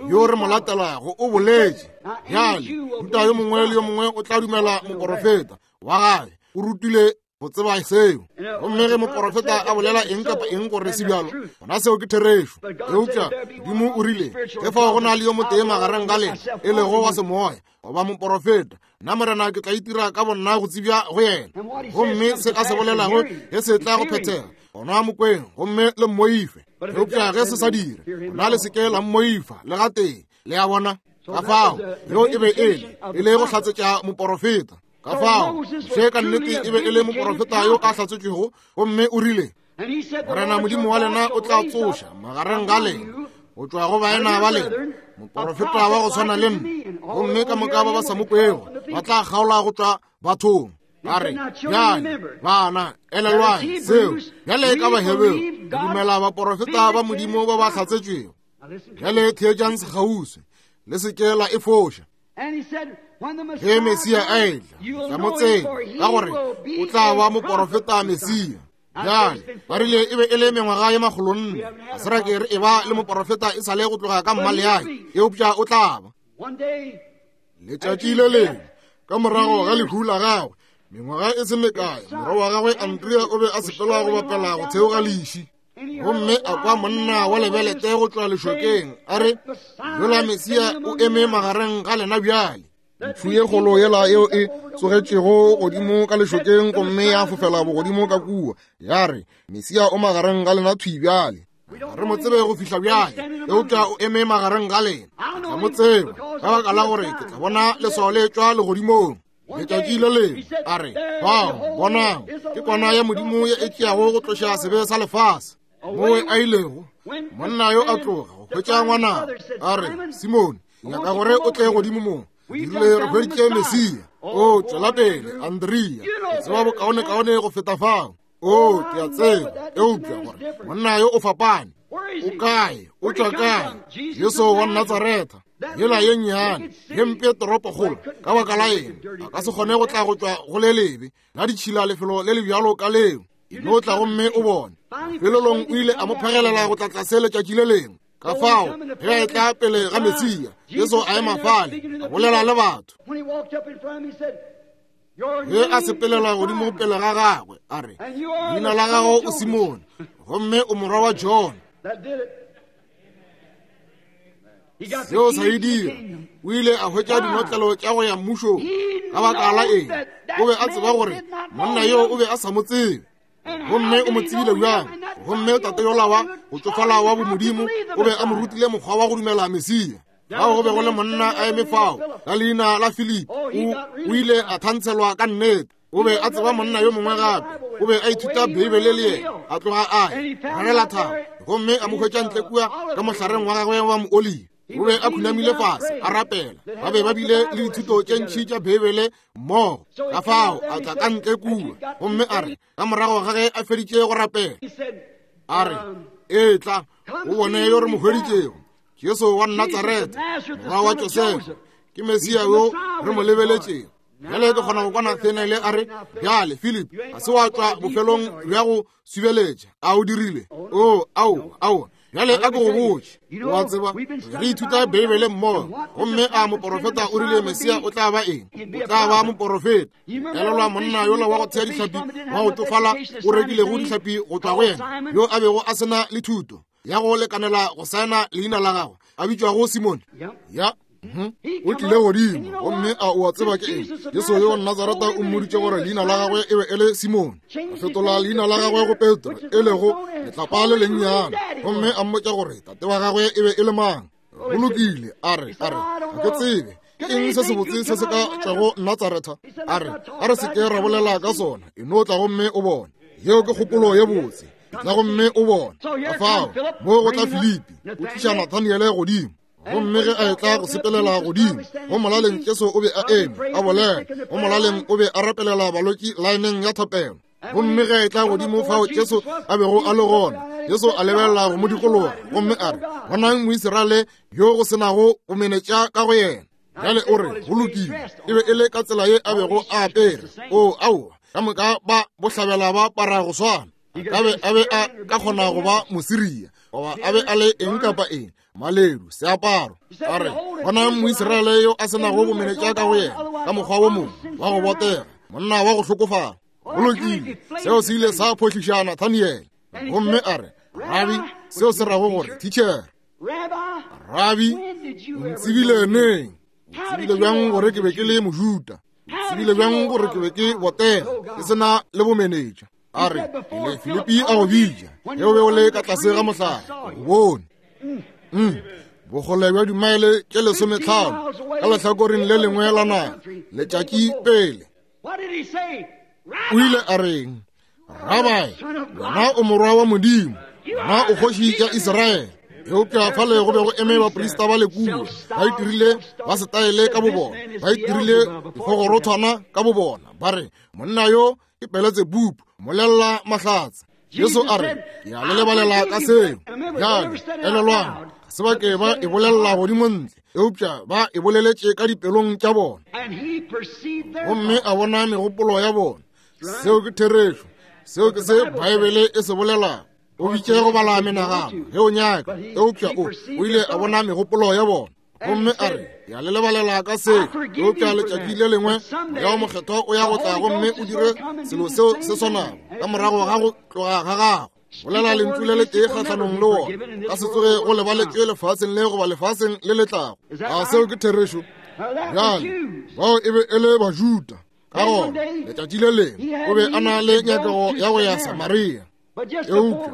yo re mo latelago o boletše bjale, ruta yo mongwe le yo mongwe o tla dumela moporofeta wa gage, o rutile go tseba seo. Gomme ge moporofeta a bolela eng kapa eng gore se bjalo, gona seo ke therešo. Eupša Modimo o rile, ge fao go na le yo motee magareng ga lena e lego wa semoya goba moporofeta, nna Morena ke tla itira ka bonna go tsebja go yena. Gomme se a se bolelago ge se tla go phethega, gona mokweng gomme le mmoife. Eupša ge se sa dire, gona le seke la mmoifa le gatee. Le a bona? Ka fao yeo e be e le e le go hlatsetša moporofeta. Ka fao Moshe ka nnete e be e le moporofeta yo a hlatsetšwego, gomme o rile, Morena Modimo wa lena o tla tsoša magareng ga lena go tšwa go baena ba lena moporofeta wa go swana le nna, gomme ka moka ba ba sa mo kwego ba tla kgaola go tšwa bathong. Ba re, bjale bana, elelwang seo. Bjale ka Baheberu re dumela baporofeta ba Modimo ba ba hlatsetšwego. Bjale theetšang sekgauswi, le se ke la e foša. Ge Mesia a etla, tla mo tseba, ka gore o tla ba moporofeta Mesia. Bjale ba rile e be e le mengwaga ye 400, ga se ra ke re e ba le moporofeta e sa le go tloga ka mmaleae, eupša o tla ba. Letšatši le lengwe ka morago ga lehu la gagwe, mengwaga e se mekae, morwa wa gagwe Andrea o be a sepela go bapela go theoga leši, gomme a kwa monna wa lebelete go tšwa lešokeng a re, yola Mesia o eme magareng ga lena bjale. Ntšhu ye kgolo yela yeo e tsogetšego godimo ka lešokeng gomme ya fofela bogodimo ka kua, ya re, Mesia o magareng ga lena thwi bjale. Ga re mo tsebe go fihla bjale, eupša o eme magareng ga lena. Ga mo tsebe ka baka la gore ke tla bona leswao le tšwa legodimong. Letšatši le lengwe a re, bao bonang, ke kwana ya Modimo ye e tšeago go tloša sebe sa lefase. Mowe a ilego monna yo a tloga go hwetša ngwana, a re, Simone, nyaka gore o tle godimo mo, dirile re hweditše Mesia. O tšwela pele, Andrea, ke tseba bokaonekaone go feta fao. O, ke a tseba, eupša gore monna yo o fapane. O kae? O tšwa kae? Jesu wa Natsaretha, yela ye nnyane, ye mpe toropokgolo, ka baka la eng a ka se kgone go tla go tšwa go le lebe la ditšhila lefelo le le bjalo ka leo? E no tla gomme o bone. Felelong o ile a mo phegelela go tla tlase letšatši le lengwe. Ka fao ge a etla pele ga Mesia, Jesu a ema fale, a bolela le batho. Ge a sepelela godimo pele ga gagwe, a re, leina la gago o Simone, gomme o morwa wa John. Seo sa e dira. O ile a hwetša dinotlelo tša go ya mmušong. Ka baka la eng? O be a tseba gore monna yo o be a sa mo tsebe. Gomme o mo tsebile bjang? Gomme tate yola wa go tšofala wa bomodimo o be a mo rutile mokgwa wa go dumela Mesia. Fao go be go le monna a eme fao ka leina la Philip, o ile a thantshelwa ka nnete. O be a tseba monna yo mongwe gape, o be a ithuta Beibele le yena, a tloga a ya rarela thaba, gomme a mo hwetša ntle kua ka mohlareng wa gagwe wa mooli. O be a khunamile fase a rapela. Ba be ba bile le dithuto tše ntši tša Beibele mmogo. Ka fao a tla ka ntle kua, gomme a re ka morago ga ge a feditše go rapela, a re, etla o bone yo re mo hweditšego, Jesu wa Natsaretha, morwa wa Josefa, ke Mesia yo re mo lebeletšego. Bjale ke kgona go kwa Nathanaele a re, bjale Philip, ga se wa tšwa bofelong bja go subeletša, a o dirile? O, ao, ao. Bjale a ke go botše, o a tseba, re ithuta Beibele mmogo, gomme a moporofeta o rile Mesia o tla ba eng? O tla ba moporofeta. Elelwa monna yola wa go thea dihlapi wa go tšofala o rekilego dihlapi go tšwa go yena, yo a bego a se na le thuto ya go lekanela go saena leina la gagwe, a bitšwago Simone. Ya. O tlile godimo, gomme a o a tseba ke eng? Jesu yo wa Natsaretha o mmoditše gore leina la gagwe e be e le Simone. A fetola leina la gagwe go Petro, e lego letlapa le lennyane, gomme a mmotša gore tate wa gagwe e be e le mang. Go lokile, a re, a re, ga ke tsebe ke eng se sebotse se se ka tšwago Natsaretha. A re, a re se ke ra bolela ka sona, e no tla gomme o bone. Yeo ke kgopolo ye botse, tla gomme o bone. Ka fao mo go tla Filipi, o tliša Nathaniele godimo. Gomme ge a etla go sepelela godimo go molaleng, Jesu o be a eme a bolela. Go molaleng o be a rapelela balwetši laeneng ya thapelo. Gomme ge a etla godimo fao Jesu a bego a le gona, Jesu a lebelela go mo dikologa gomme a re, Bonang Moisraele yo go se nago bomenetša ka go yena. Bjale o re, Go lokile, e be e le ka tsela ye a bego a apere. O, aowa, ka moka ba bohlabela ba apara go swana. A be a be a ka kgona go ba Mosiria goba a be a le eng kapa eng, maledu, seaparo. A re, Bonang Moisraele yo a se nago bomenetša ka go yena, ka mokgwa wo mongwe wa go botega, monna wa go hlokofala. Go lokile, seo se ile sa phohliša Nathaniele. Gomme a re, Rabi, seo se rago gore, thitšhere. Rabi, o ntsebile neng? O tsebile bjang gore ke be ke le Mojuda? O tsebile bjang gore ke be ke botega, ke se na le bomenetša? A re, pele Filipi a go bitša, ge o be o le ka tlase ga mohlare, o bone. Bokgole bja dimaele tše lesometlhano ka lehlakoreng le lengwe la naga, letšatši pele. O ile a reng? Rabai, wena o morwa wa Modimo, wena o kgoši ya Israele. Eupša fale go be go eme baprista ba lekua, ba itirile ba setaele ka bobona, ba itirile dikgogorothwana ka bobona, ba re, monna yo ke Beletsebubu, molelela mahlatse. Jesu a re, ke a le lebalela ka seo. Bjale, elelwang, ga se ba ke ba e bolelela godimo ntle, eupša ba e boleletše ka dipelong tša bona. Gomme a bona megopolo ya bona. Seo ke therešo. Seo ke se Baebele e se bolelago. O bitše go bala menagano ge o nyaka, eupša o o ile a bona megopolo ya bona. Gomme a re, ke a le lebalela ka seo, eupša letšatši le lengwe Moya wo Mokgethwa o ya go tla gomme o dire selo seo se swanago ka morago ga go tloga ga gago. Bolela lentšu le letee kgahlanong le wona, ka se tsoge go lebaletšwe lefaseng le goba lefaseng le le tlago. A seo ke therešo? Bjale, bao e be e le Bajuda. Ka gona, letšatši le lengwe o be a na le nyakego ya go ya Samaria. Eupša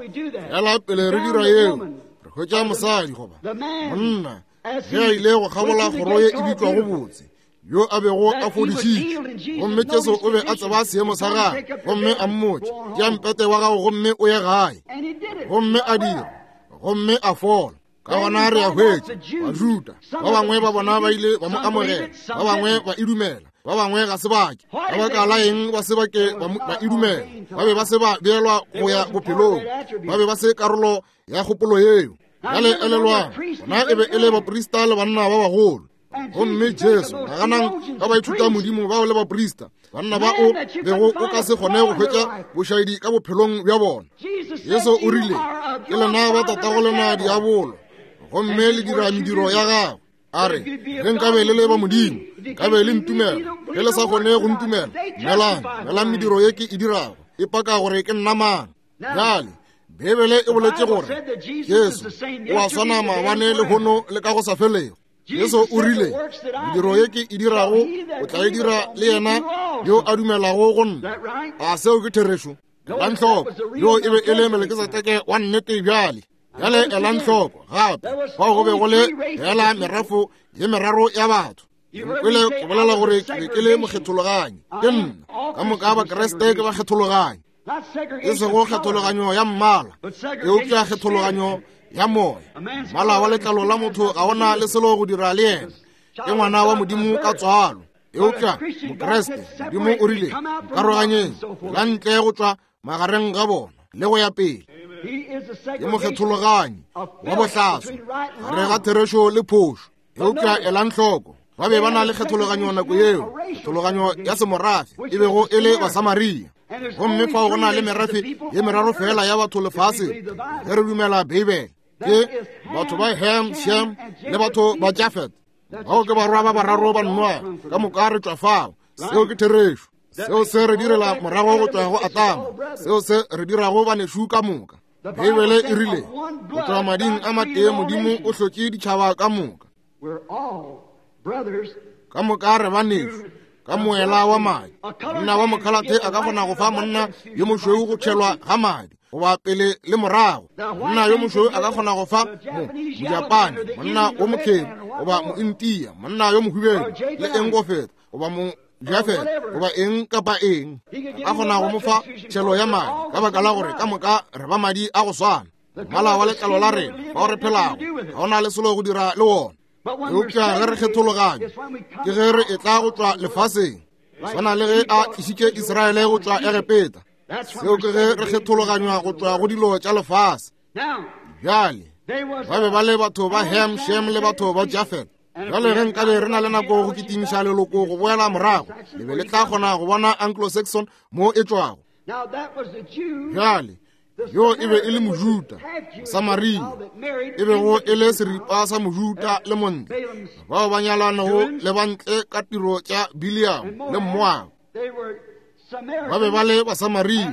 fela pele re dira yeo, re hwetša mosadi goba monna ge a ile go kgabola kgoro ye e bitšwago Botse, yo a bego a fodišitšwe. Gomme Jesu o be a tseba seemo sa gagwe, gomme a mmotša, tšea mpete wa gago gomme o ye gae. Gomme a dira, gomme a fola. Ka gona re a hwetša Bajuda ba bangwe ba bona ba ile ba mo amogela, ba bangwe ba e dumela, ba bangwe ga se bake. Ka baka la eng ba se bake ba e dumela? Ba be ba se ba beelwa go ya bophelong, ba be ba se karolo ya kgopolo yeo. Bjale elelwang, bona e be e le baprista le banna ba bagolo. Gomme Jesu, naganang ka baithuta modimo bao le baprista, banna ba o bego o ka se kgone go hwetša bošaedi ka bophelong bja bona. Jesu o rile, ke lena ba tatago lena diabolo, gomme le dira mediro ya gagwe. A re, ge nkabe le le ba Modimo, nkabe le ntumela. Ge le sa kgone go ntumela, dumelang, dumelang mediro ye ke e dirago, e paka gore ke nna mang. Bjale, Beibele e boletše gore Jesu o a swana maabane, lehono le ka go sa felego. Jesu o rile, mediro ye ke e dirago o tla e dira le yena yo a dumelago go nna. A seo ke therešo? Elang hloko, yo e be e le Melkisedeke wa nnete. Bjale, bjale elang hloko gape, fao go be go le fela merafo ye meraro ya batho. Nkwele ke bolela gore ke be ke le mokgethologanyi. Ke nna. Ka moka Bakriste ke bakgethologanyi. E sego kgethologanyo ya mmala, eupša kgethologanyo ya moya. Mmala wa letlalo la motho ga ona le selo go dira le yena. Ke ngwana wa Modimo ka tswalo. Eupša Mokriste, Modimo o rile, nkaroganyeng, la ntle go tšwa magareng ga bona, le go ya pele. Ke mokgethologanyi wa bohlaswa gare ga therešo le phošo. Eupša elang hloko, ba be ba na le kgethologanyo nako yeo, kgethologanyo ya semorafe, e bego e le Basamaria. Gomme fao go na le merafe ye meraro fela ya batho lefaseng, ge re dumela Beibele, ke batho ba Ham, Shem le batho ba Jafet. Bao ke barwa ba bararo ba Noa, ka moka re tšwa fao. Seo ke therešo. Seo se re direla morago go tšwa go Adama, seo se re dirago banešu ka moka. Beibele e rile, go tšwa mading a matee Modimo o hlotše ditšhaba ka moka. Ka moka re banešu ka moela wa madi. Monna wa mokhalathe a ka kgona go fa monna yo mošweu go tšhelwa ga madi goba pele le morago. Monna yo mošweu a ka kgona go fa Mojapane, monna wo mokheru goba Mointia, monna yo mohubedu le eng go feta, goba mo Jafet goba eng kapa eng, a kgona go mo fa tšhelo ya madi, ka baka la gore ka moka re ba madi a go swana. Mmala wa letlalo la rena bao re phelago ga o na le selo go dira le wona. Eupša ge re kgethologanya, ke ge re etla go tšwa lefaseng, swana le ge a tlišitše Israele go tšwa Egepeta. Seo ke ge re kgethologanywa go tšwa go dilo tša lefase. Bjale, ba be ba le batho ba Ham, Shem le batho ba Jafet. Bjale ge nkabe re na le nako go kitimiša leloko go boela morago, le be le tla kgona go bona Anglo-Saxon mo e tšwago. Bjale, yo e be e le Mojuta, Samaria, e bego e le seripa sa Mojuta le montle, bao ba nyalanego le bantle ka tiro tša Biliam le Moab. Ba be ba le Basamaria,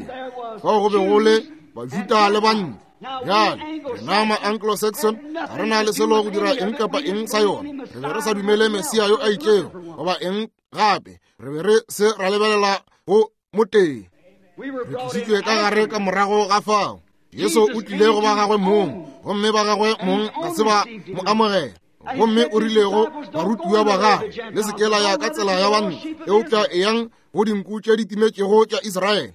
fao go be go le Bajuta le bantle. Bjale, rena ma-Anglo-Saxon ga re na le selo go dira eng kapa eng sa yona. Re be re sa dumele Mesia yo a itšego goba eng gape. Re be re se ra lebelela go motee. Re tlišitšwe ka gare ka morago ga fao. Jesu o tlile go ba gagwe mong, gomme ba gagwe mong ga se ba mo amogela. Gomme o rile go barutiwa ba gagwe, le se ke la ya ka tsela ya bantle, eupša eyang go dinku tše di timetšego tša Israele.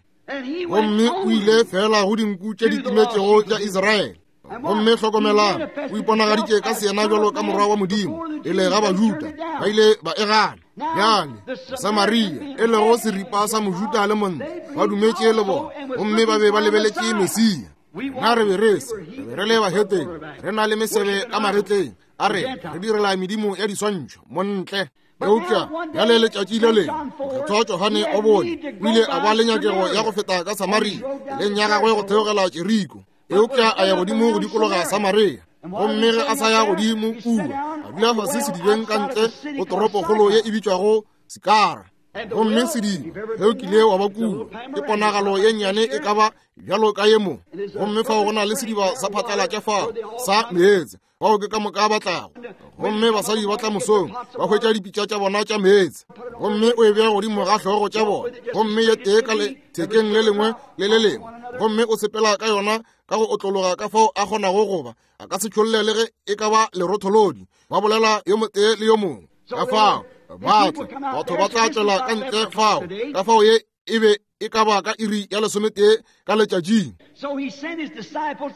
Gomme o ile fela go dinku tše di timetšego tša Israele. Gomme hlokomelang, o iponagaditše ka seyena bjalo ka morwa wa Modimo pele ga Bajuda, ba ile ba e gana. Bjale Samaria, e lego seripa sa Mojuda le montle, ba dumetše le bona, gomme ba be ba lebeletše Mesia. Na re be re se, re be re le bahetene, re na le mesebe ka magetleng, a re re direla medimo ya diswantšho, montle. Eupša bjale letšatši le lengwe mokgethwa Johane o bone o ile a ba le nyakego ya go feta ka Samaria, leng ya gagwe go theogela Jeriko. Eupša a ya godimo go dikologa Samaria, gomme ge a sa ya godimo kua, a dula fase sedibeng ka ntle go toropokgolo ye e bitšwago Sikara. Gomme sediba ge o kile wa ba kua, ke ponagalo ye nnyane e ka ba bjalo ka ye mo, gomme fao go na le sediba sa phatlalatša fao sa meetse, bao ke ka moka ba tlago. Gomme basadi ba tla mosong ba hwetša dipitša tša bona tša meetse, gomme o e bea godimo ga hlogo tša bona, gomme ye tee ka lethekeng le lengwe le le lengwe, gomme o sepela ka yona ka go otlologa ka fao a kgonago goba a ka se tšholle le ge e ka ba lerotholodi. Ba bolela yo motee le yo mongwe ka fao ba tla, batho ba tla tšwela ka ntle fao, ka fao ye e be e ka ba ka iri ya lesometee ka letšatšing.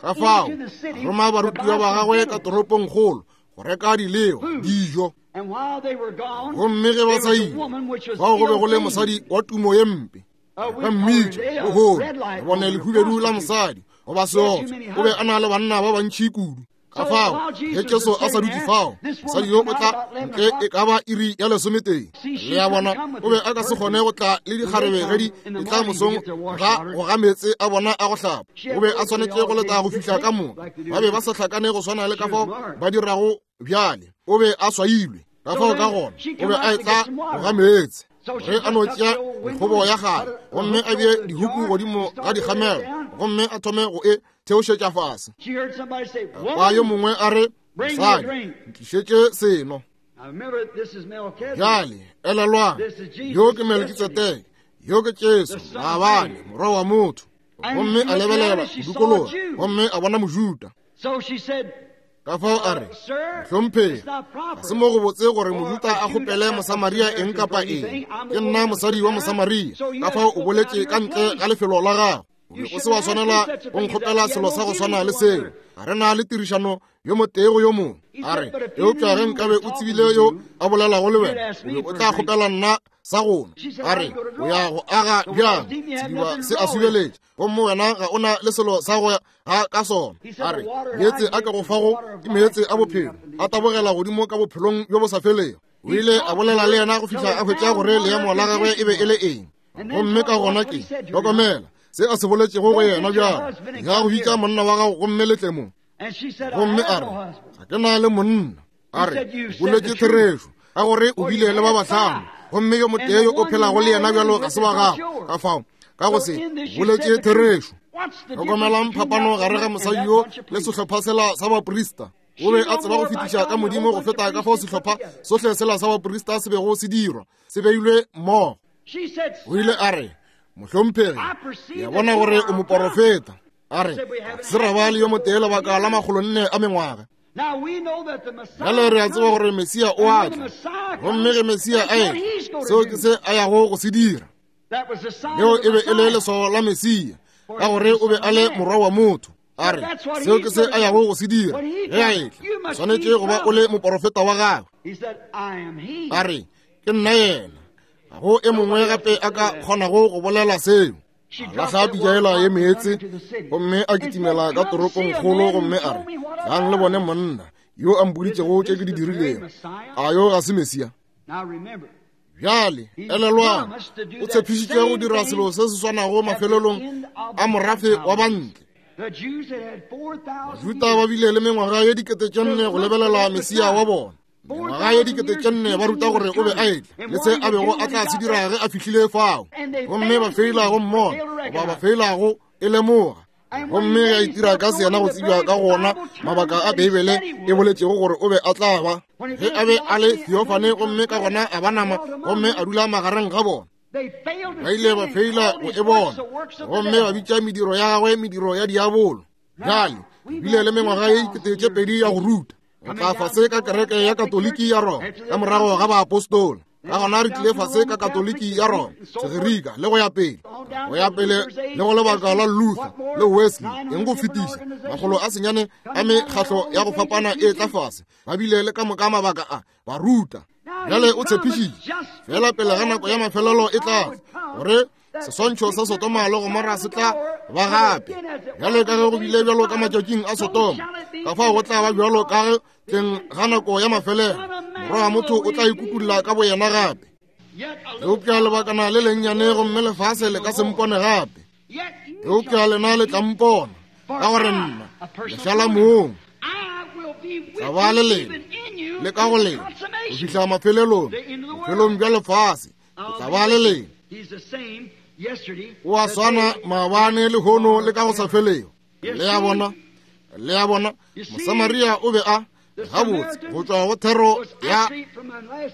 Ka fao roma barutiwa ba gagwe ka toropongkgolo go reka dileo dijo. Gomme ge ba sa ile, fao go be go le mosadi wa tumo ye mpe, ba mmitša lehono re bone lehubedu la mosadi goba seotswa, o be a na le banna ba bantši kudu. Ka fao ge Jesu a sa dutše fao, mosadi yo o tla ntle e ka ba iri ya lesometee. Le a bona, o be a ka se kgone go tla le dikgarebe ge di etla mosong ga go ga meetse a bona a go hlapa. O be a swanetše go leta go fihla ka moka. Ba be ba sa hlakane go swana le ka fao ba dirago bjale. O be a swailwe. Ka fao ka gona o be a etla go ga meetse. Ge a no tšea mekgobo ya gagwe gomme a bee dihuku godimo ga dikgamelo gomme a thome go e theošetša fase, kwa yo mongwe a re, mosadi, ntlišetše seno. Bjale elelwang, yo ke Melkitsedeke, yo ke Jesu maabane, morwa wa motho. Gomme a lebelela go dikologa gomme a bona Mojuda. Ka fao a re, Mohlomphegi, ga se mo go botse gore Mojuda a kgopele Mosamaria eng kapa eng. Ke nna mosadi wa Mosamaria. Ka fao o boletše ka ntle ga lefelo la gago. O be o se wa swanela go nkgopela selo sa go swana le seo. Ga re na le tirišano yo motee go yo mongwe. A re, eupša ge nkabe o tsebile yo a bolelago le wena, o be o tla kgopela nna sa go nwa. A re, o ya go aga bjang sediba se a subeletše, gomme wena ga o na le selo sa go ga ka sona. A re, meetse a ke go fago ke meetse a bophelo, a tabogela godimo ka bophelong bjo bo sa felego. O ile a bolela le yena go fihla a hwetša gore leemo la gagwe e be e le eng. Gomme ka gona ke hlokomela se a se boletšego go yena bjalo, ya go bitša monna wa gago gomme le tle mo. Gomme a re, ga ke na le monna. A re, boletše therešo, ka gore o bile le ba bahlano, gomme yo motee yo o phelago le yena bjalo ga se wa gago. Ka fao ka go se boletše therešo. Hlokomelang phapano gare ga mosadi yo le sehlopha sela sa baprista. O be a tseba go fetiša ka Modimo go feta ka fao sehlopha sohle sela sa baprista se bego se dirwa, se beilwe mmogo. O ile a re, Mohlomphegi, ke a bona gore o moporofeta. A re, se ra ba le yo motee lebaka la 400 a mengwaga. Bjale re a tseba gore Mesia o a tla, gomme ge Mesia a etla, seo ke se a yago go se dira. Leo e be e le leswao la Mesia, ka gore o be a le morwa wa motho. A re, seo ke se a yago go se dira ge a etla, o swanetše go ba o le moporofeta wa gagwe. A re, ke nna yena. Ga go e mongwe gape a ka kgonago go bolela seo. A lahla pitša yela ye meetse gomme a kitimela ka toropongkgolo gomme a re, Tlang le bone monna yo a mpoditšego tše ke di dirilego. A yo ga se Mesia? Bjale, elelwang, o tshepišitše go dira selo se se swanago mafelelong a morafe wa bantle. Bajuda ba bile le mengwaga ye 4000 go lebelela Mesia wa bona. Mengwaga ye 4000 ba ruta gore o be a etla le se a bego a tla se dira ge a fihlile fao, gomme ba feila go mmona goba ba feila go e lemoga. Gomme ge a itira ka seyena go tsebja ka gona mabaka a Beibele e boletšego gore o be a tla ba, ge a be a le theophany gomme ka gona a ba nama gomme a dula magareng ga bona, ba ile ba feila go e bona gomme ba bitša mediro ya gagwe mediro ya diabolo. Bjale bile le mengwaga ye 2000 ya go ruta. Re tla fase ka kereke ya Katoliki ya Roma ka morago ga baapostola. Ka gona re tlile fase ka Katoliki ya Roma, Segerika le go ya pele, go ya pele le go lebaka la Luther le Wesley, eng go fetiša 900 a mekgahlo ya go fapana e tla fase. Ba bile le ka moka mabaka a ba ruta. Bjale o tshepišitše fela pele ga nako ya mafelelo e tla gore seswantšho sa Sodoma le Gomora se tla ba gape, bjalo ka ge go bile bjalo ka matšatšing a Sodoma, ka fao go tla ba bjalo ka ge tleng ga nako ya mafelelo Morwa wa motho o tla ikutulla ka boyena gape. Eupša lebakana le lennyane gomme lefase le ka se mpone gape, eupša lena le tla mpona, ka gore nna lešala mong tla ba le lena le ka go lena go fihla mafelelong, bofelong bja lefase ke tla ba le lena. O a swana maabane, lehono le ka go sa felego. Le a bona, le a bona, Mosamaria o be a gabotse go tšwa go thero ya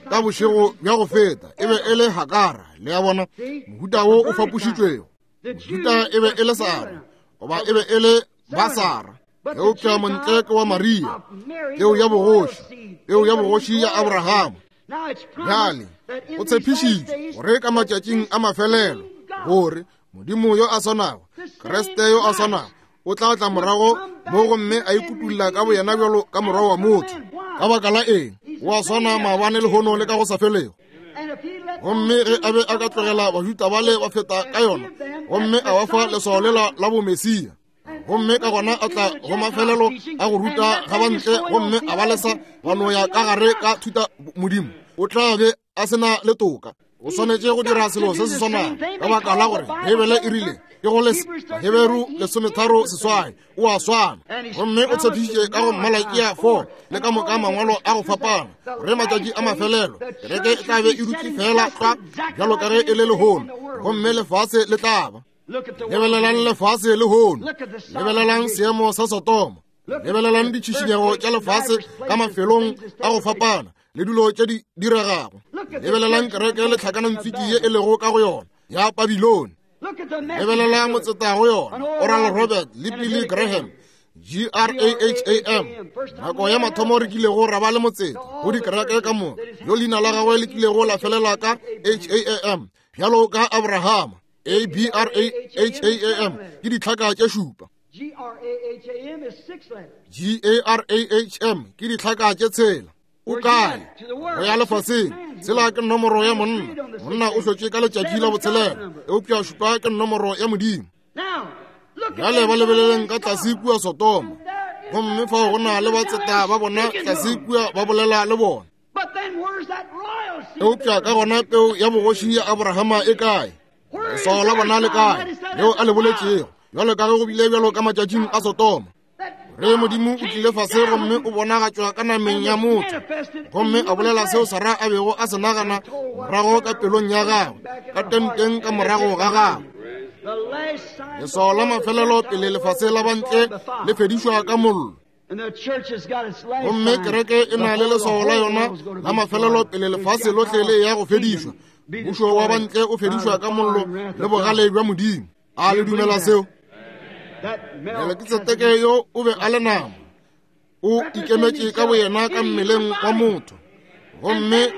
ka bošego bja go feta e be e le Hagara. Le a bona, mohuta wo o fapošitšwego. Mohuta e be e le Sara, goba e be e le Basara, eupša montle ke wa Maria, peo ya bogoši, peo ya bogoši ya Abrahama. Bjale o tshepišitše gore ka matšatšing a mafelelo gore Modimo yo a swanago, Kriste yo a swanago, o tla tla morago mo gomme a ikutulla ka boyena bjalo ka morwa wa motho. Ka baka la eng? O a swana maabane, lehono le ka go sa felego. Gomme ge a be a ka tlogela Bajuda bale ba feta ka yona gomme a ba fa leswao lela la bomesia, gomme ka gona a tla go mafelelo a go ruta ga bantle gomme a ba lesa ba no ya ka gare ka thuta modimo, o tla be a se na le toka. O swanetše go dira selo se se swanago, ka baka la gore Beibele e rile ke go lesa Baheberu 13:8, o a swana. Gomme o tshepišitše ka go Malakia 4 le ka moka mangwalo a go fapana gore matšatši a mafelelo kereke e tla be e dutše fela tlwa bjalo ka ge e le lehono, gomme lefase le tla ba. Lebelelang lefase lehono, lebelelang seemo sa Sodoma, lebelelang ditšhišinyego tša lefase ka mafelong a go fapana le dilo tše di diregago, lebelelang kereke le tlhakanantswiki ye e lego ka go yona ya Babilone, lebelelang motseta go yona Oral Robert le Billy Graham, G-R-A-H-A-M. Nako ya mathomo re kilego ra ba le motseta go dikereke ka moka yo leina la gagwe le kilego la felela ka H-A-M, bjalo ka Abrahama, A-B-R-A-H-A-M ke ditlhaka tše šupa. G-A-R-A-H-M ke ditlhaka tše tshela. O kae? Go ya lefaseng. Tshela ke nomoro ya monna. Monna o hlotše ka letšatši la botshelela, eupša šupa ke nomoro ya Modimo. Bjale ba lebeleleng ka tlase kua Sodoma, gomme fao go na le batseta ba bona tlase kua ba bolela le bona. Eupša ka gona peu ya bogoši ya Abrahama e kae? Leswao la bona le kae leo a le boletšego, bjalo ka ge go bile bjalo ka matšatšing a Sodoma, gore Modimo o tlile fase gomme o bonagatšwa ka nameng ya motho, gomme a bolela seo Sara a bego a se nagana morago ka pelong ya gagwe, ka tenteng ka morago ga gagwe. Leswao la mafelelo pele lefase la bantle le fedišwa ka mollo. Gomme kereke e na le leswao la yona la mafelelo pele lefase lohle le ya go fedišwa. Mmušo wa bantle o fedišwa ka mollo le bogale bja Modimo. A le dumela seo? Melekitsedeke yo o be a le nama, o ikemetše ka boyena ka mmeleng wa motho, gomme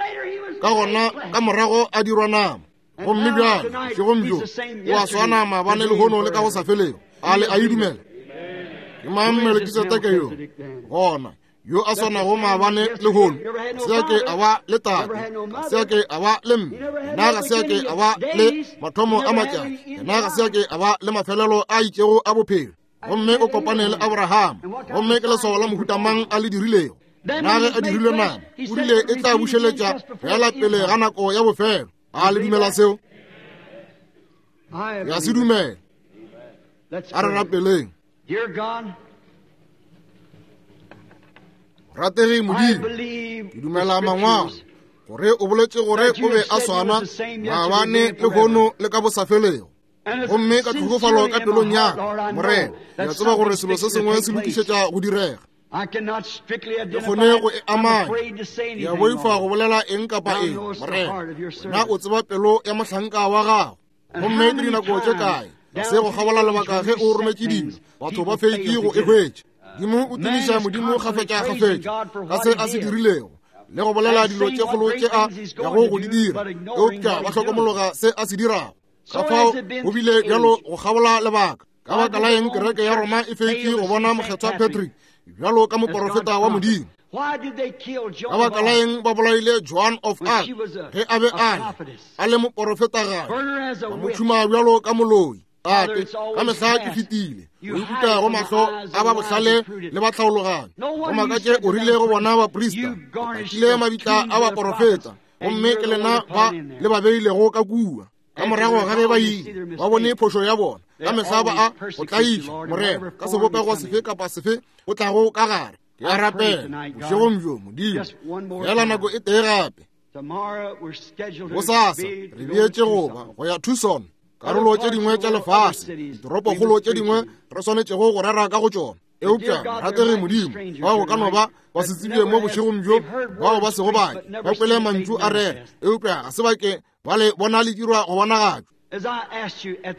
ka gona ka morago a dirwa nama. Gomme bjale bošegong bjo o a swana maabane, lehono le ka go sa felego. A le a e dumela? Ke mang Melekitsedeke yo? Gona Yo a swanago maabane lehono, ga se a ke a ba le tate, ga se a ke a ba le mme, yena ga se a ke a ba le mathomo a matšatši, yena ga se a ke a ba le mafelelo a itšego a bophelo. Gomme o kopane le Abraham, gomme ke leswao la mohuta mang a le dirilego. Na ge a dirilwe nama, o rile e tla bušeletša fela pele ga nako ya bofelo. A le dumela seo? Ya se dumela. A re rapeleng. Rategi Modimo, ke dumela mangwalo gore o boletše gore o be a swana maabane lehono le ka bosafelego. Gomme ka tlhokofalo ka pelong ya ka, Morena, ke a tseba gore selo se sengwe se lokišetša go direga. Ke kgone go e amanya. Ke a boifa go bolela eng kapa eng, Morena. Wena o tseba pelo ya mohlanka wa gago. Gomme ke dinako tše kae ga se go kgabola lebaka ge o rometše dilo, batho ba feitše go e hwetša. Modimo o tumiša Modimo kgafetša-kgafetša ka se a se dirilego le go bolela dilo tše kgolo tše a yago go di dira, eupša ba hlokomologa se a se dirago. Ka fao go bile bjalo go kgabola lebaka. Ka baka la eng kereke ya Roma e feitše go bona Mokgethwa Patrick bjalo ka moporofeta wa Modimo? Ka baka la eng ba bolaile Joan of Arc ge a be a le a le moporofetagadi, ba mo tšhuma bjalo ka moloi? Tate, ka mehla ke fetile o ikuta go mahlo a ba bohlale le ba tlhaologanyo. Go makatše o rile go bona baprista, pakile mabitla a baporofeta, gomme ke lena ba le ba beilego ka kua. Ka morago ga ge ba ile ba bone phošo ya bona, ka mehla ba a go tlaiša, Morena, ka sebopego sefe kapa sefe o tlago ka gare. Ke a rapela bošegong bjo, Modimo, feela nako e tee gape. Bosasa re beetše goba go ya Tucson, karolo tše dingwe tša lefase, ditoropokgolo tše dingwe re swanetšego go rera ka go tšona. Eupša ratege Modimo, bao go ka no ba ba se tsebje mo bošegong bjo, bao ba sego bake ba kwele mantšu a rera, eupša ga se ba ke ba le bona le dirwa go bonagatšwa.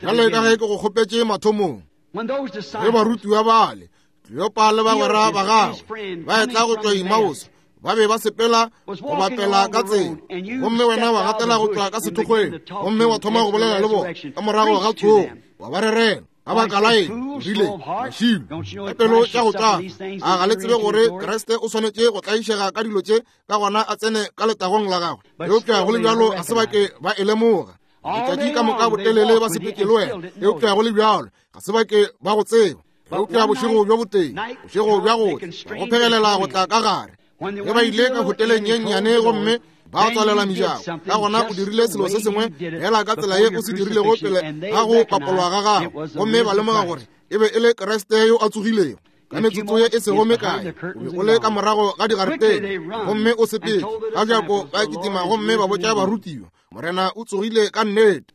Bjale ka ge ke go kgopetše mathomong, ge barutiwa bale Kleopa le bagwera ba gagwe ba etla go tšwa Emmaus, ba be ba sepela go bapela ka tsela, gomme wena wa gatela go tšwa ka sethokgweng gomme wa thoma go bolela le bona ka morago ga tsogo, wa ba rerela. Ka baka la eng o rile, Mašilo, ka pelo tša go tšwafa, a ga le tsebe gore Kriste o swanetše go tlaišega ka dilo tše, ka gona a tsene ka letagong la gagwe? Eupša go le bjalo ga se ba ke ba e lemoga. Letšatši ka moka botelele ba sepetše le wena, eupša go le bjalo ga se ba ke ba go tseba. Eupša bošego bjo botee, bošego bja go tla, go phegelela go tla ka gare, ge ba ile ka hoteleng ye nnyane gomme ba tswalela mejako, ka gona o dirile selo se sengwe fela ka tsela ye o se dirilego pele ga go papolwa ga gago, gomme ba lemoga gore e be e le Kriste yo a tsogilego. Ka metsotso ye e sego mekae o be o le ka morago ga digaretene gomme o sepetše ka bjako, ba kitima gomme ba botša barutiwa, Morena o tsogile ka nnete.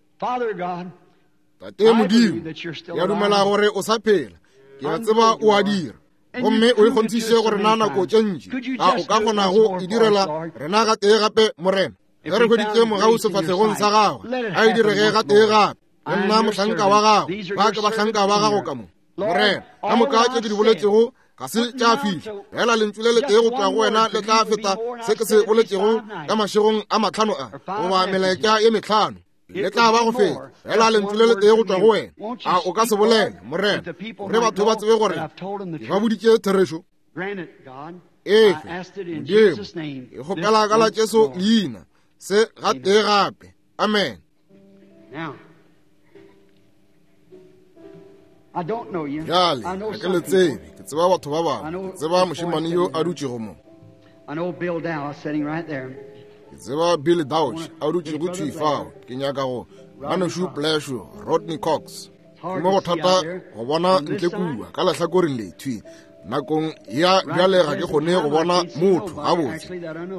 Tate Modimo, ke a dumela gore o sa phela, ke a tseba o a dira, gomme o ikgonthiše gore na nako tše ntši a o ka kgonago e direla rena gatee gape, Morena. Ge re hweditše mogau sefahlegong sa gagwe, a e direge gatee gape. Ke nna mohlanka wa gago, ba ke bahlanka ba gago ka mo. Morena, ka moka tše ke di boletšego ga se tša fihla, fela lentšu le letee go tšwa go wena le tla feta se ke se boletšego ka mašegong a mahlano a, goba melaetša ye mehlano. Le tla ba go feta fela lentšu le letee go tšwa go wena. A o ka se bolele, Morena, gore batho ba tsebe gore ke ba boditše therešo? Efe, Modimo, ke kgopela ka la Jesu leina se gatee gape. Amen. Bjale, ga ke le tsebe, ke tseba batho ba bangwe. Ke tseba mošemane yo a dutšego mo. Ke tseba Bill Dauch a dutšego thwi fao. Ke nyaka go ngwanešu Plesho, Rodney Cox. Ke mo go thata go bona ntle kua ka lehlakoreng le thwi nakong ya bjale, ga ke kgone go bona motho gabotse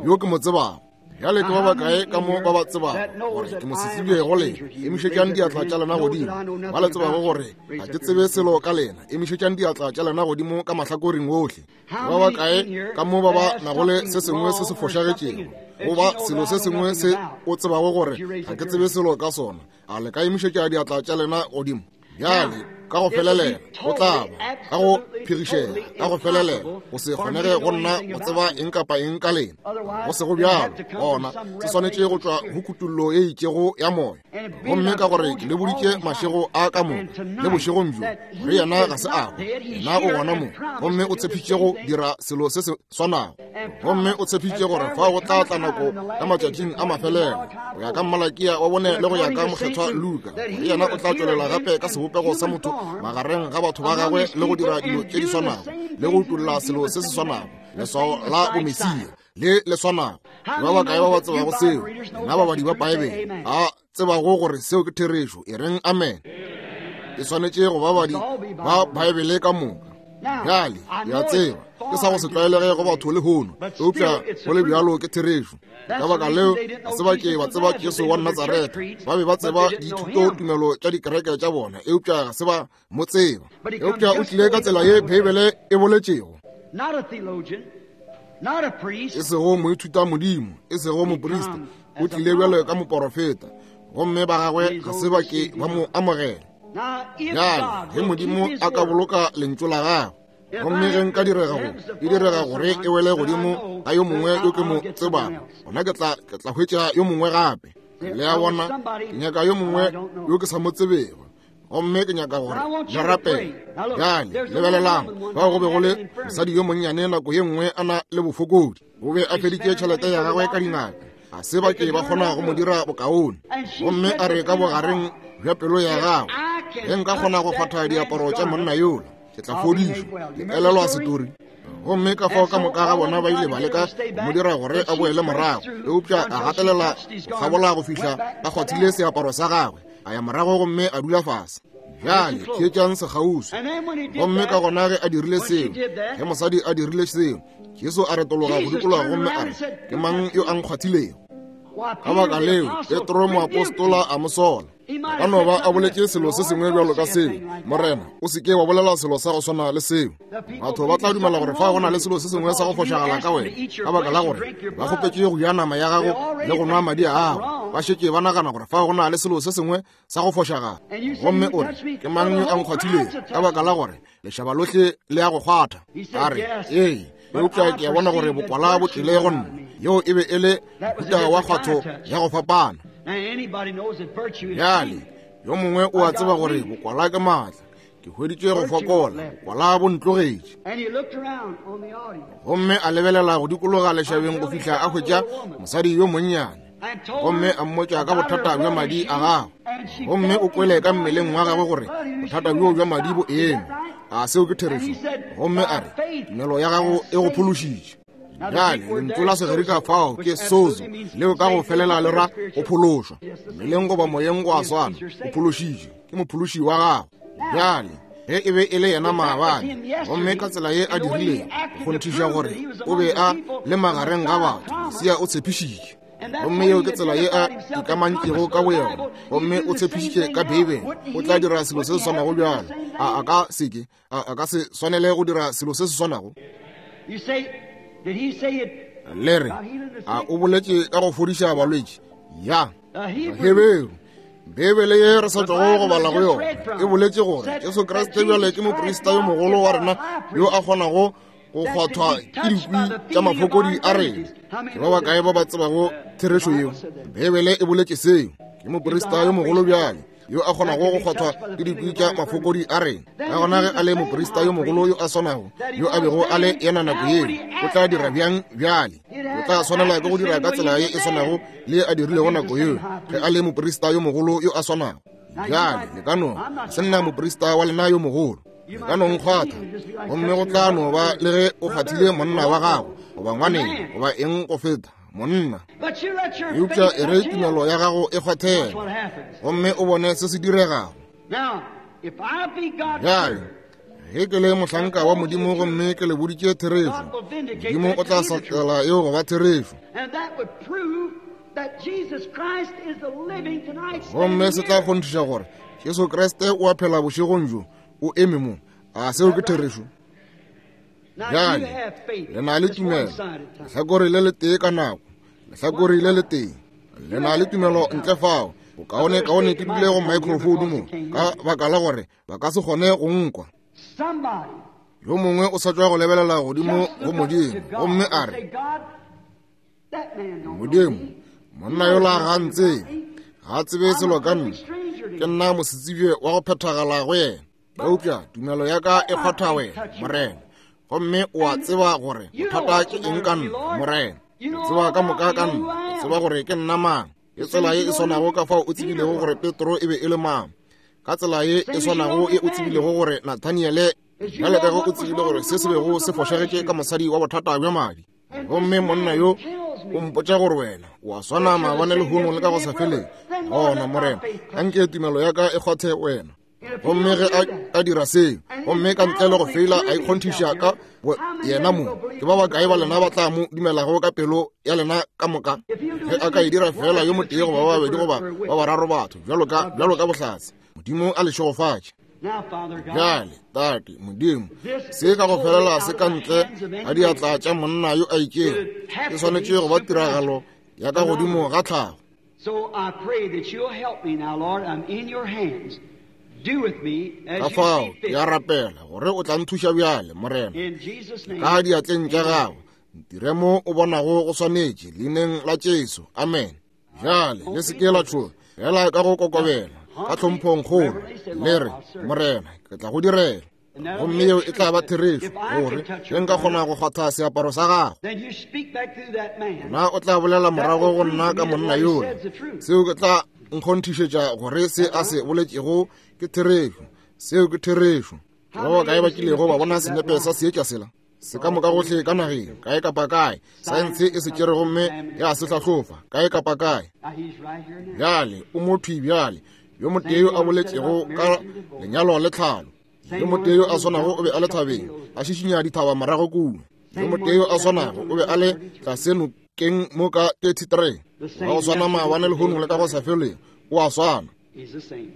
yo ke mo tsebago. Bjale ke ba bakae ka mo ba ba tsebago gore ke mosetsebje go lena? Emišetšang diatla tša lena godimo. Ba le tsebago gore ga ke tsebe selo ka lena, emišetšang diatla tša lena godimo ka mahlakoreng ohle. Ke ba bakae ka mo ba ba nago le se sengwe se se fošagetšego, goba selo se sengwe se o tsebago gore ga ke tsebe selo ka sona? A le ka emišetša diatla tša lena godimo? Bjale Ka go felelela, go tla ba ka go phegišega, ka go felelela, go se kgonege go nna go tseba eng kapa eng ka lena. Go sego bjalo, gona se swanetše go tšwa go kutollo ye itšego ya moya. Gomme ka gore ke le boditše mašego a ka moka le bošegong bjo, gore yena ga se a hwa, yena o gona mo, gomme o tshepišitše go dira selo se se swanago. Gomme o tshepišitše gore fao go tla tla nako ka matšatšing a mafelelo, go ya ka Malakia wa bone le go ya ka Mokgethwa Luka, gore yena o tla tšwelela gape ka sebopego sa motho magareng ga batho ba gagwe le go dira dilo tše di swanago le go utolla selo se se swanago, leswao la bomesia le le swanago. Ke ba bakae ba ba tsebago seo? Lena babadi ba Paebele a tsebago gore seo ke therešo, e reng amen. E swanetše go babadi ba Baebele ka moka. Bjale, ke a tseba ke sa go se tlwaelege go batho lehono, eupša go le bjalo ke therešo. Ka baka leo ga se ba ke ba tseba Jesu wa Natsaretha. Ba be ba tseba dithutotumelo tša dikereke tša bona, eupša ga se ba mo tseba. Eupša o tlile ka tsela ye Beibele e boletšego. E sego moithutamodimo, e sego moprista, o tlile bjalo ka moporofeta, gomme ba gagwe ga se ba ke ba mo amogela. Bjale ge Modimo a ka boloka lentšu la gagwe, gomme ge nka direga go e direga gore e wele godimo ga yo mongwe yo ke mo tsebago, gona ke tla ke tla hwetša yo mongwe gape. Le a bona, ke nyaka yo mongwe yo ke sa mo tsebego, gomme ke nyaka gore le rapele. Bjale lebelelang, fao go be go le mosadi yo monnyane nako ye nngwe a na le bofokodi. O be a feditše tšhelete ya gagwe ka dingaka, ga se ba ke ba kgona go mo dira bokaone. Gomme a re ka bogareng bja pelo ya gagwe, ge nka kgona go kgwatha diaparo tša monna yola, ke tla fodišwa. Le elelwa setori? Gomme ka fao ka moka ga bona ba ile ba leka go mo dira gore a boele morago, eupša a gatelela go kgabola go fihla a kgwathile seaparo sa gagwe, a ya morago gomme a dula fase. Bjale theetšang sekgauswi. Gomme ka gona ge a dirile seo, ge mosadi a dirile seo, Jesu a retologa go dikologa gomme a re, ke mang yo a nkgwathilego? Ka baka leo Petro moapostola a mo sola. A ka no ba a boletše selo se sengwe bjalo ka seo, Morena, o se ke wa bolela selo sa go swana le seo. Batho ba tla dumela gore fa go na le selo se sengwe sa go fošagala ka wena, ka baka la gore ba kgopetše go ja nama ya gago le go nwa madi a gago. Ba šetše ba nagana gore fa go na le selo se sengwe sa go fošagala. Gomme o re, ke mang yo a nkgwathilego? Ka baka la gore lešaba lohle le ya go kgwatha. A re, ee, eupša ke a bona gore bokwala bo tlile go nna. Yeo e be e le mohuta wa kgwatho ya go fapana. Bjale yo mongwe o a tseba gore bokwala ke maatla. Ke hweditše go fokola, bokwala bo ntlogetše. Gomme a lebelela go dikologa lešabeng go fihla a hwetša mosadi yo monnyane, gomme a mmotša ka bothata bja madi a gagwe. Gomme o kwele ka mmeleng wa gagwe gore bothata bjoo bja madi bo eme. A seo ke therešo? Gomme a re, tumelo ya gago e go phološitše. Bjale lentšu la Segerika fao ke sozo, leo ka go felela le ra go phološwa. Mmeleng goba moyeng go a swana, o phološitšwe ke mophološi wa gago. Bjale ge e be e le yena maabane, gomme ka tsela ye a dirilego go kgonthiša gore o be a le magareng ga batho, Mesia o tshepišitše. Gomme yeo ke tsela ye a ikamantšego ka boyena, gomme o tshepišitše ka Beibele o tla dira selo se se swanago bjalo. A a ka se ke? A a ka se swanele go dira selo se se swanago? Le re, a o boletše ka go fodiša balwetši? Ya. Heberu, Beibele ye re sa tšwago go bala go yona e boletše gore Jesu Kriste bjale ke moprista yo mogolo wa rena yo a kgonago go kgwathwa ke dikwi tša mafokodi a rena. Ke ba bakae ba ba tsebago therešo yeo? Beibele e boletše seo. Ke moprista yo mogolo bjale yo a kgonago go kgwathwa ke dikwi tša mafokodi a rena. Ka gona ge a le moprista yo mogolo yo a swanago yo a bego a le yena nako yeo, o tla dira bjang bjale? O tla swanela ke go dira ka tsela ye e swanago le a dirilego nako yeo ge a le moprista yo mogolo yo a swanago. Bjale le ka no se nna moprista wa lena yo mogolo, le ka no nkgwatha, gomme go tla no ba le ge o kgwathile monna wa gago goba ngwaneng goba eng go feta monna. Eupša e re tumelo ya gago e kgwathele, gomme o bone se se diregago. Bjale ge ke le mohlanka wa Modimo gomme ke le boditše therešo, Modimo o tla hlatsela yeo go ba therešo. Gomme se tla kgonthiša gore Jesu Kriste o a phela bošegong bjo, o eme mo. A seo ke therešo? Bjale le na le tumelo, lehlakore le letee ka nako, lehlakore le letee. Le na le tumelo ntle fao. Bokaonekaone ke dule go microphone mo, ka baka la gore ba ka se kgone go nkwa. Yo mongwe o sa tšwa go lebelela godimo go Modimo gomme a re, Modimo, monna yola ga a ntsebe, ga a tsebe selo ka nna, ke nna mosetsebje wa go phethagala go yena, eupša tumelo ya ka e kgwatha wena, Morena, gomme o a tseba gore bothata ke eng ka nna, Morena. O tseba ka moka ka nna, o tseba gore ke nna mang. Ke tsela ye e swanago ka fao o tsebilego gore Petro e be e le mang, ka tsela ye e swanago ye o tsebilego gore Nathaniele, bjale ka ge o tsebile gore se se bego se fošagetše ka mosadi wa bothata bja madi. Gomme monna yo o mpotša gore wena o a swana maabane lehono le ka go sa feleng. Gona, Morena, anke tumelo ya ka e kgwathe wena. Gomme ge a dira seo, gomme ka ntle le go feila a ikgonthiša ka yena mo, ke ba bakae ba lena ba tla mo dumelago ka pelo ya lena ka moka? Ge a ka e dira feela yo motee goba ba babedi goba ba bararo batho, bjalo ka, bjalo ka bohlatse, Modimo a le šegofatše. Bjale, Tate, Modimo, se ka go felela se ka ntle ga diatla tša monna yo a itšego, e swanetše go ba tiragalo ya ka godimo ga tlhago. So I pray that you'll help me now, Lord. I'm in your hands. Do with me as Ka you fao see ke fit. a rapela gore o tla nthuša bjale, Morena, In Jesus' name. ka diatleng tša gago. Ntire mo o bonago go swanetše, leineng la Jesu. Amen. Bjale le se ke la tšhoga, fela ka go kokobela, ka tlhomphongkgolo, le re, Morena, ke tla go direla. Gomme yeo e tla ba therešo, gore ge nka kgona go kgwatha seaparo sa gago, na o tla bolela morago go nna ka monna yola. Seo ke tla nkgonthišetša gore se a se boletšego ke therešo. Seo ke therešo. Ke ba bakae ba kilego ba bona senepe sa seetša sela? Se ka moka gohle ka nageng, kae kapa kae. Saense e se tšere gomme ya se hlahlofa, kae kapa kae. Bjale, o mo thwi bjale, yo motee yo a boletšego ka lenyalo le tlhalo. Yo motee yo a swanago o be a le thabeng, a šišinya dithaba morago kua. Yo motee yo a swanago o be a le tlase nokeng mo ka 33. Wa go swana maabane lehono le ka go sa feleng, o a swana. He's the same.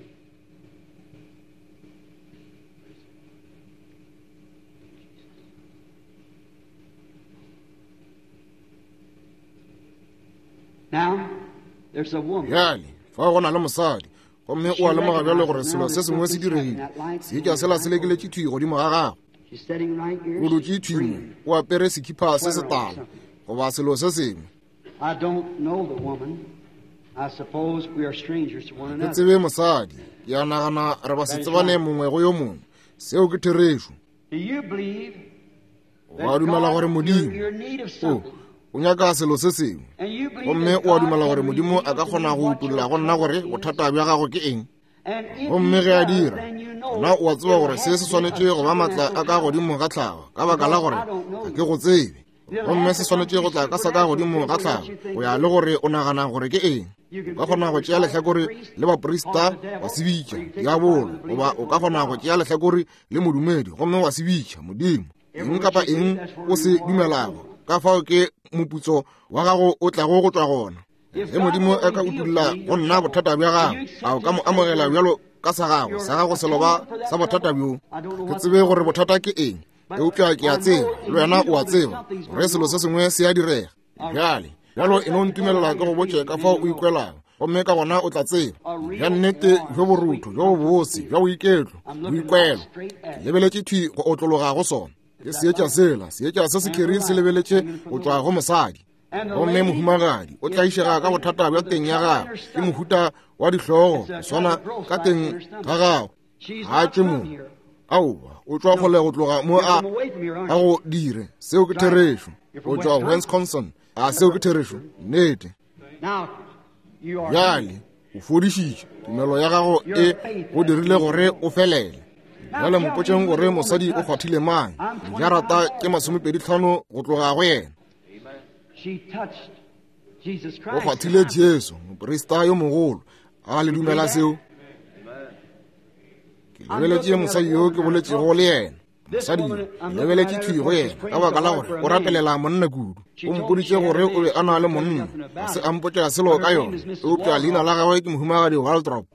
Now, there's a woman. Bjale, fa go na le mosadi, gomme o a lemoga bjale gore selo se sengwe se diregile. Seetša sela se lekeletše thwi godimo ga gagwe. She's sitting right here. O dutše thwi mo, o apere sekhipha se setala goba selo se sengwe. I don't know the woman. I suppose we are strangers to one Ke another. tsebe mosadi, ke a nagana re ba se tsebane mongwe go yo mongwe. Seo ke therešo. Do you believe O a dumela gore Modimo o o nyaka selo se sengwe, gomme o a dumela gore Modimo a ka kgona go utolla go nna gore bothata bja gago ke eng? Gomme ge a dira, gona o a tseba gore se se swanetše go ba maatla a ka godimo ga tlhago, ka baka la gore ga ke go tsebe. Gomme se swanetše go tla ka sa ka godimo ga tlhago, go ya le gore o nagana gore ke eng. O ka kgona go tšea lehlakore le baprista wa se bitša diabolo, goba o ka kgona go tšea lehlakore le modumedi gomme wa se bitša Modimo. Eng kapa eng o se dumelago, ka fao ke moputso wa gago o tlago go tšwa gona. Ge Modimo a ka utolla go nna bothata bja gago, a o ka mo amogela bjalo ka sa gago, sa gago seloba sa bothata bjo? Ke tsebe gore bothata ke eng, eupša ke a tseba, le wena o a tseba, gore selo se sengwe se a direga. Bjale, bjalo e no ntumelela ke go botše ka fao o ikwelago, gomme ka gona o tla tseba bja nnete bjo borutho, bjo bobose, bja boiketlo, boikwelo. Ke lebeletše thwi go otlologa go sona. Ke seetša sela, seetša se sekheri se lebeletše go tšwa go mosadi. Gomme mohumagadi o tlaišega ka bothata bja teng ya gagwe, ke mohuta wa dihlogo go swana ka teng ga gagwe. Ga a tšwe mo. Aowa, o tšwa kgole go tloga mo a a go dire. Seo ke therešo. O tšwa Wisconsin. A seo ke therešo? Nnete. Bjale o fodišitše, tumelo ya gago e go dirile gore o felele. Bjale mpotšeng gore mosadi o kgwathile mang. Dijarata tše 25 go tloga go yena. O kgwathile Jesu, moprista yo mogolo. A le dumela seo? Ke lebeletše mosadi yo ke boletšego le yena. Mosadi yo, ke lebeletše thwi go yena ka baka la gore o rapelela monna kudu. O mpoditše gore o be a na le monna, ga se a mpotša selo ka yona, eupša leina la gagwe ke Mohumagadi Waldrop.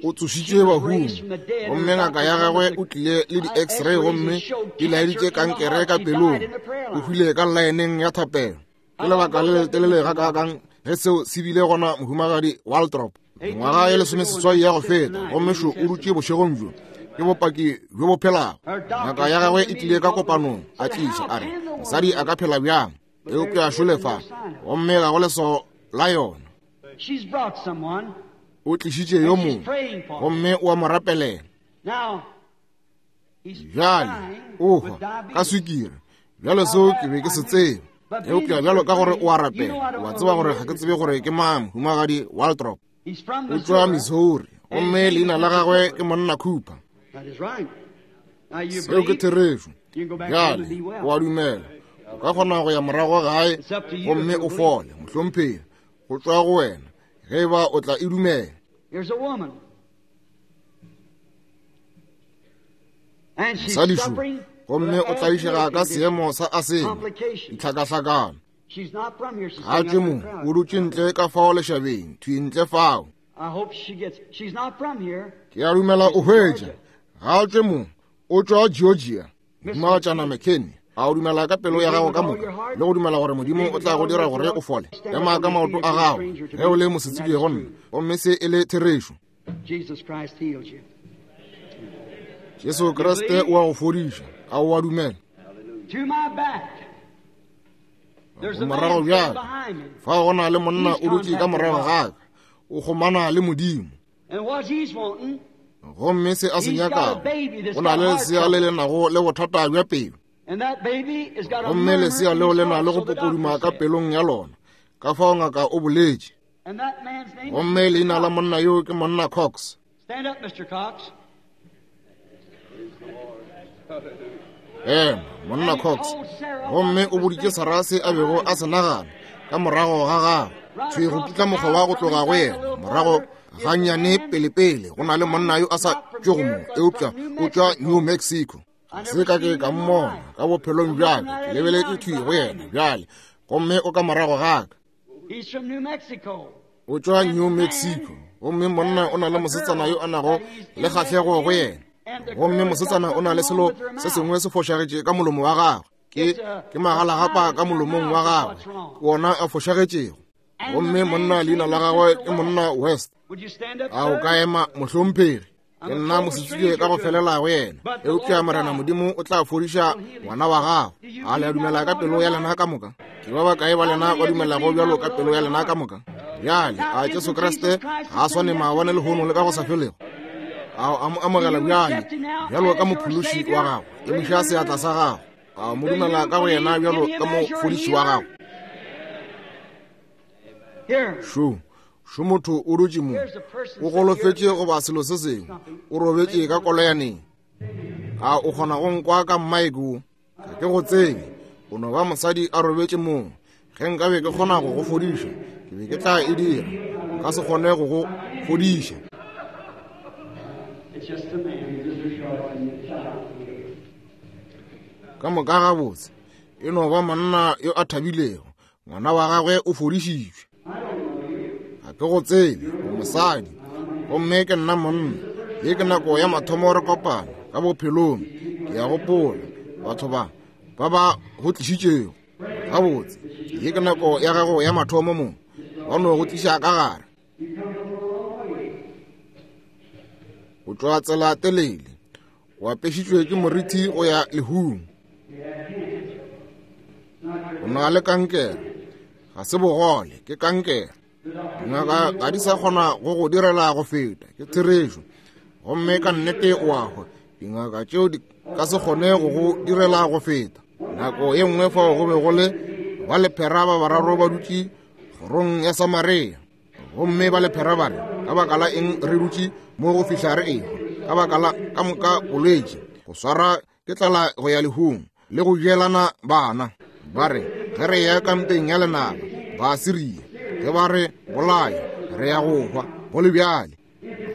O tsošitšwe bahung, gomme ngaka ya gagwe o tlile le di-x-ray gomme di laeditše kankere ka pelong. O hwile ka llaeneng ya thapelo. Ke lebaka le letelele gakaakang ge seo se bile gona, Mohumagadi Waldrop. Mengwaga ye lesomeseswai ya go feta, gomme šo o dutše bošegong bjo. Ke bopaki bjo bo phelago. Ngaka ya gagwe e tlile ka kopanong, a tliša, a re, Mosadi a ka phela bjang? Eupša šole fa, gomme ga go leswao la yona. O tlišitše yo mongwe, gomme o a mo rapelela. Bjale, o hwa ka swikiri. Bjale seo ke be ke se tseba. Eupša bjalo ka gore o a rapela, wa tseba gore ga ke tsebe gore ke mang, Mohumagadi Waldrop. O tšwa Missouri, gomme leina la gagwe ke Monna Cooper. Seo ke therešo. Bjale, o a dumela. O ka kgona go ya morago gae gomme o fole, mohlomphegi. Go tšwa go wena, ge e ba o tla e dumela. Mosadi šo, gomme o tlaišega ka seemo sa asema, ditlhakahlakano. Ga tšwe mo, o dutše ntle ka fao lešabeng, thwi ntle fao. Ke a dumela o hwetša. Ga tšwe mo, o tšwa Georgia. Mohumagatšana McKinney, a o dumela ka pelo ya gago ka moka le go dumela gore Modimo o tla go dira gore o fole? Ema ka maoto a gago ge o le mosetsebje go nna, gomme se e le therešo. Jesu Kriste o a go fodiša. A o a dumela? Morago bjale, fa go na le monna o dutše ka morago ga ka, o kgomana le Modimo. Gomme se a se nyakago, o na le lesea le le nago le bothata bja pelo. Gomme lesea leo le na le go popoduma ka pelong ya lona. Ka fao ngaka o boletše. Gomme leina la monna yo ke monna Cox. Ema, monna Cox. Gomme o boditše Sarah se a bego a se nagana ka morago ga gagwe. Thwi go putla mokgoba go tloga go yena. Morago gannyane pelepele go na le monna yo a sa tšwego mo, eupša o tšwa New Mexico. Ga se ka ke ka mmona ka bophelong bjaka, ke lebeletše thwi go yena bjale, gomme o ka morago ga ka. O tšwa New Mexico. Gomme monna o na le mosetsana yo a nago le kgahlego go yena. Gomme mosetsana o na le selo se sengwe se fošagetše ka molomo wa gagwe. Ke, ke magalagapa ka molomong wa gagwe, ke wona a fošagetšego. Gomme monna leina la gagwe ke monna West. A o ka ema, mohlomphegi? Ke nna mosetsebje ka go felela go yena, eupša Morena Modimo o tla fodiša ngwana wa gago. A le a dumela ka pelo ya lena ka moka? Ke ba bakae ba lena ba dumelago bjalo ka pelo ya lena ka moka? Bjale, a Jesu Kriste ga a swane maabane lehono le ka go sa felego? A o a mo amogela bjale bjalo ka mophološi wa gago? Emiša seatla sa gago. A o mo dumela ka go yena bjalo ka mofodiši wa gago? Šo, šo motho o dutše mo, o golofetše goba selo se sengwe, o robetše ka koloyaneng. A o kgona go nkwa ka mmaeke wo? Ga ke go tsebe, o no ba mosadi a robetše moo. Ge nkabe ke kgona go go fodiša, ke be ke tla e dira. Nka se kgone go go fodiša. Ka moka gabotse, e no ba monna yo a thabilego. Ngwana wa gagwe o fodišitšwe. Ga ke go tsebe, o mosadi, gomme ke nna monna. Ye ke nako ya mathomo re kopana ka bophelong. Ke a gopola batho ba ba ba go tlišitšego. Gabotse, ye ke nako ya gago ya mathomo mo, ba no go tliša ka gare. O tšwa tsela telele, o apešitšwe ke morithi go ya lehung. O na le kankere, ga se bogole, ke kankere. Dingaka ga di sa kgona go go direla go feta, ke therešo. Gomme ka nnete o a hwa. Dingaka tšeo di ka se kgone go go direla go feta. Nako ye nngwe fao go be go le ba lephera ba bararo ba dutše kgorong ya Samaria. Gomme ba lephera ba re, ka baka la eng re dutše mo go fihla re ehwa? Ka baka la ka moka bolwetši, go swara ke tlala go ya lehung, le go jelana bana. Ba re, ge re ya kampeng ya lenaba, Baasiria, ge ba re bolaya, re ya go hwa, go le bjale.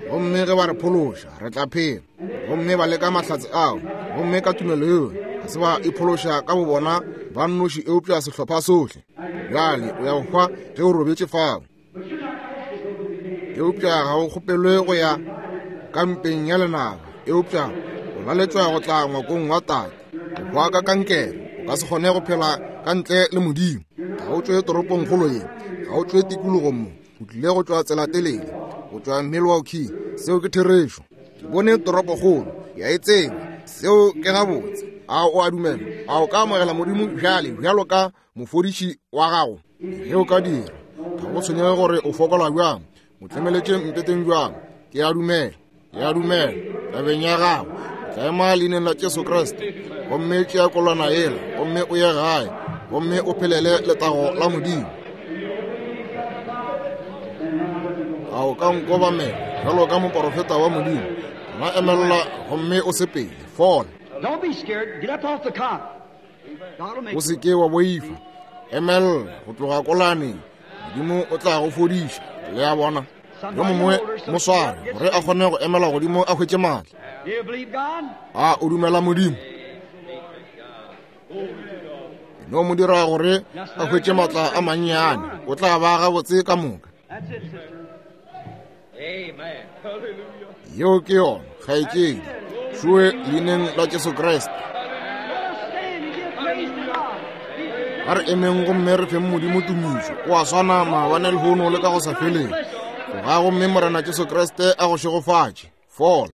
Gomme ge ba re phološa, re tla phela. Gomme ba leka mahlatse ao, gomme ka tumelo yeo, ga se ba iphološa ka bobona ba nnoši, eupša sehlopha sohle. Bjale o ya go hwa ge o robetše fao. Eupša ga o kgopelwe go ya kampeng ya lenaba, eupša o laletšwa go tla ngwakong wa Tate. O hwa ka kankere, o ka se kgone go phela ka ntle le Modimo. Ga o tšwe toropongkgolo ye, ga o tšwe tikologong mo, o tlile go tšwa tsela telele. tšwa Milwaukee. Seo ke therešo. Ke bone toropokgolo, ke a e tseba. Seo ke gabotse. A o a dumela? A o ka amogela Modimo bjale bjalo ka mofodiši wa gago? Ge o ka dira, ga go tshwenyege gore o fokola bjang, o tlemeletše mpeteng bjang, ke a dumela, ke a dumela, tabeng ya gago, o tla ema leineng la Jesu Kriste, gomme tšea kolwana yela, gomme o ye gae, gomme o phelele letago la Modimo. A o ka nkobamela bjalo ka moporofeta wa Modimo? Gona emelela gomme o sepele, fola. Don't be scared. Get up off the cot. O se ke wa boifa. Emelela go tloga kolaneng. Modimo o tla go fodiša. Le a bona? Yo mongwe mo sware gore a kgone go emela godimo a hwetše maatla. A o dumela Modimo? E no mo dira gore a hwetše maatla a mannyane, o tla ba gabotse ka moka. Yeo ke yona, kgaetšedi. Šoe leineng la Jesu Kriste. A re emeng gomme re feng Modimo tumišo. O a swana maabane lehono le ka go sa feleng. Tloga gomme Morena Jesu Kriste a go šegofatše. Fola.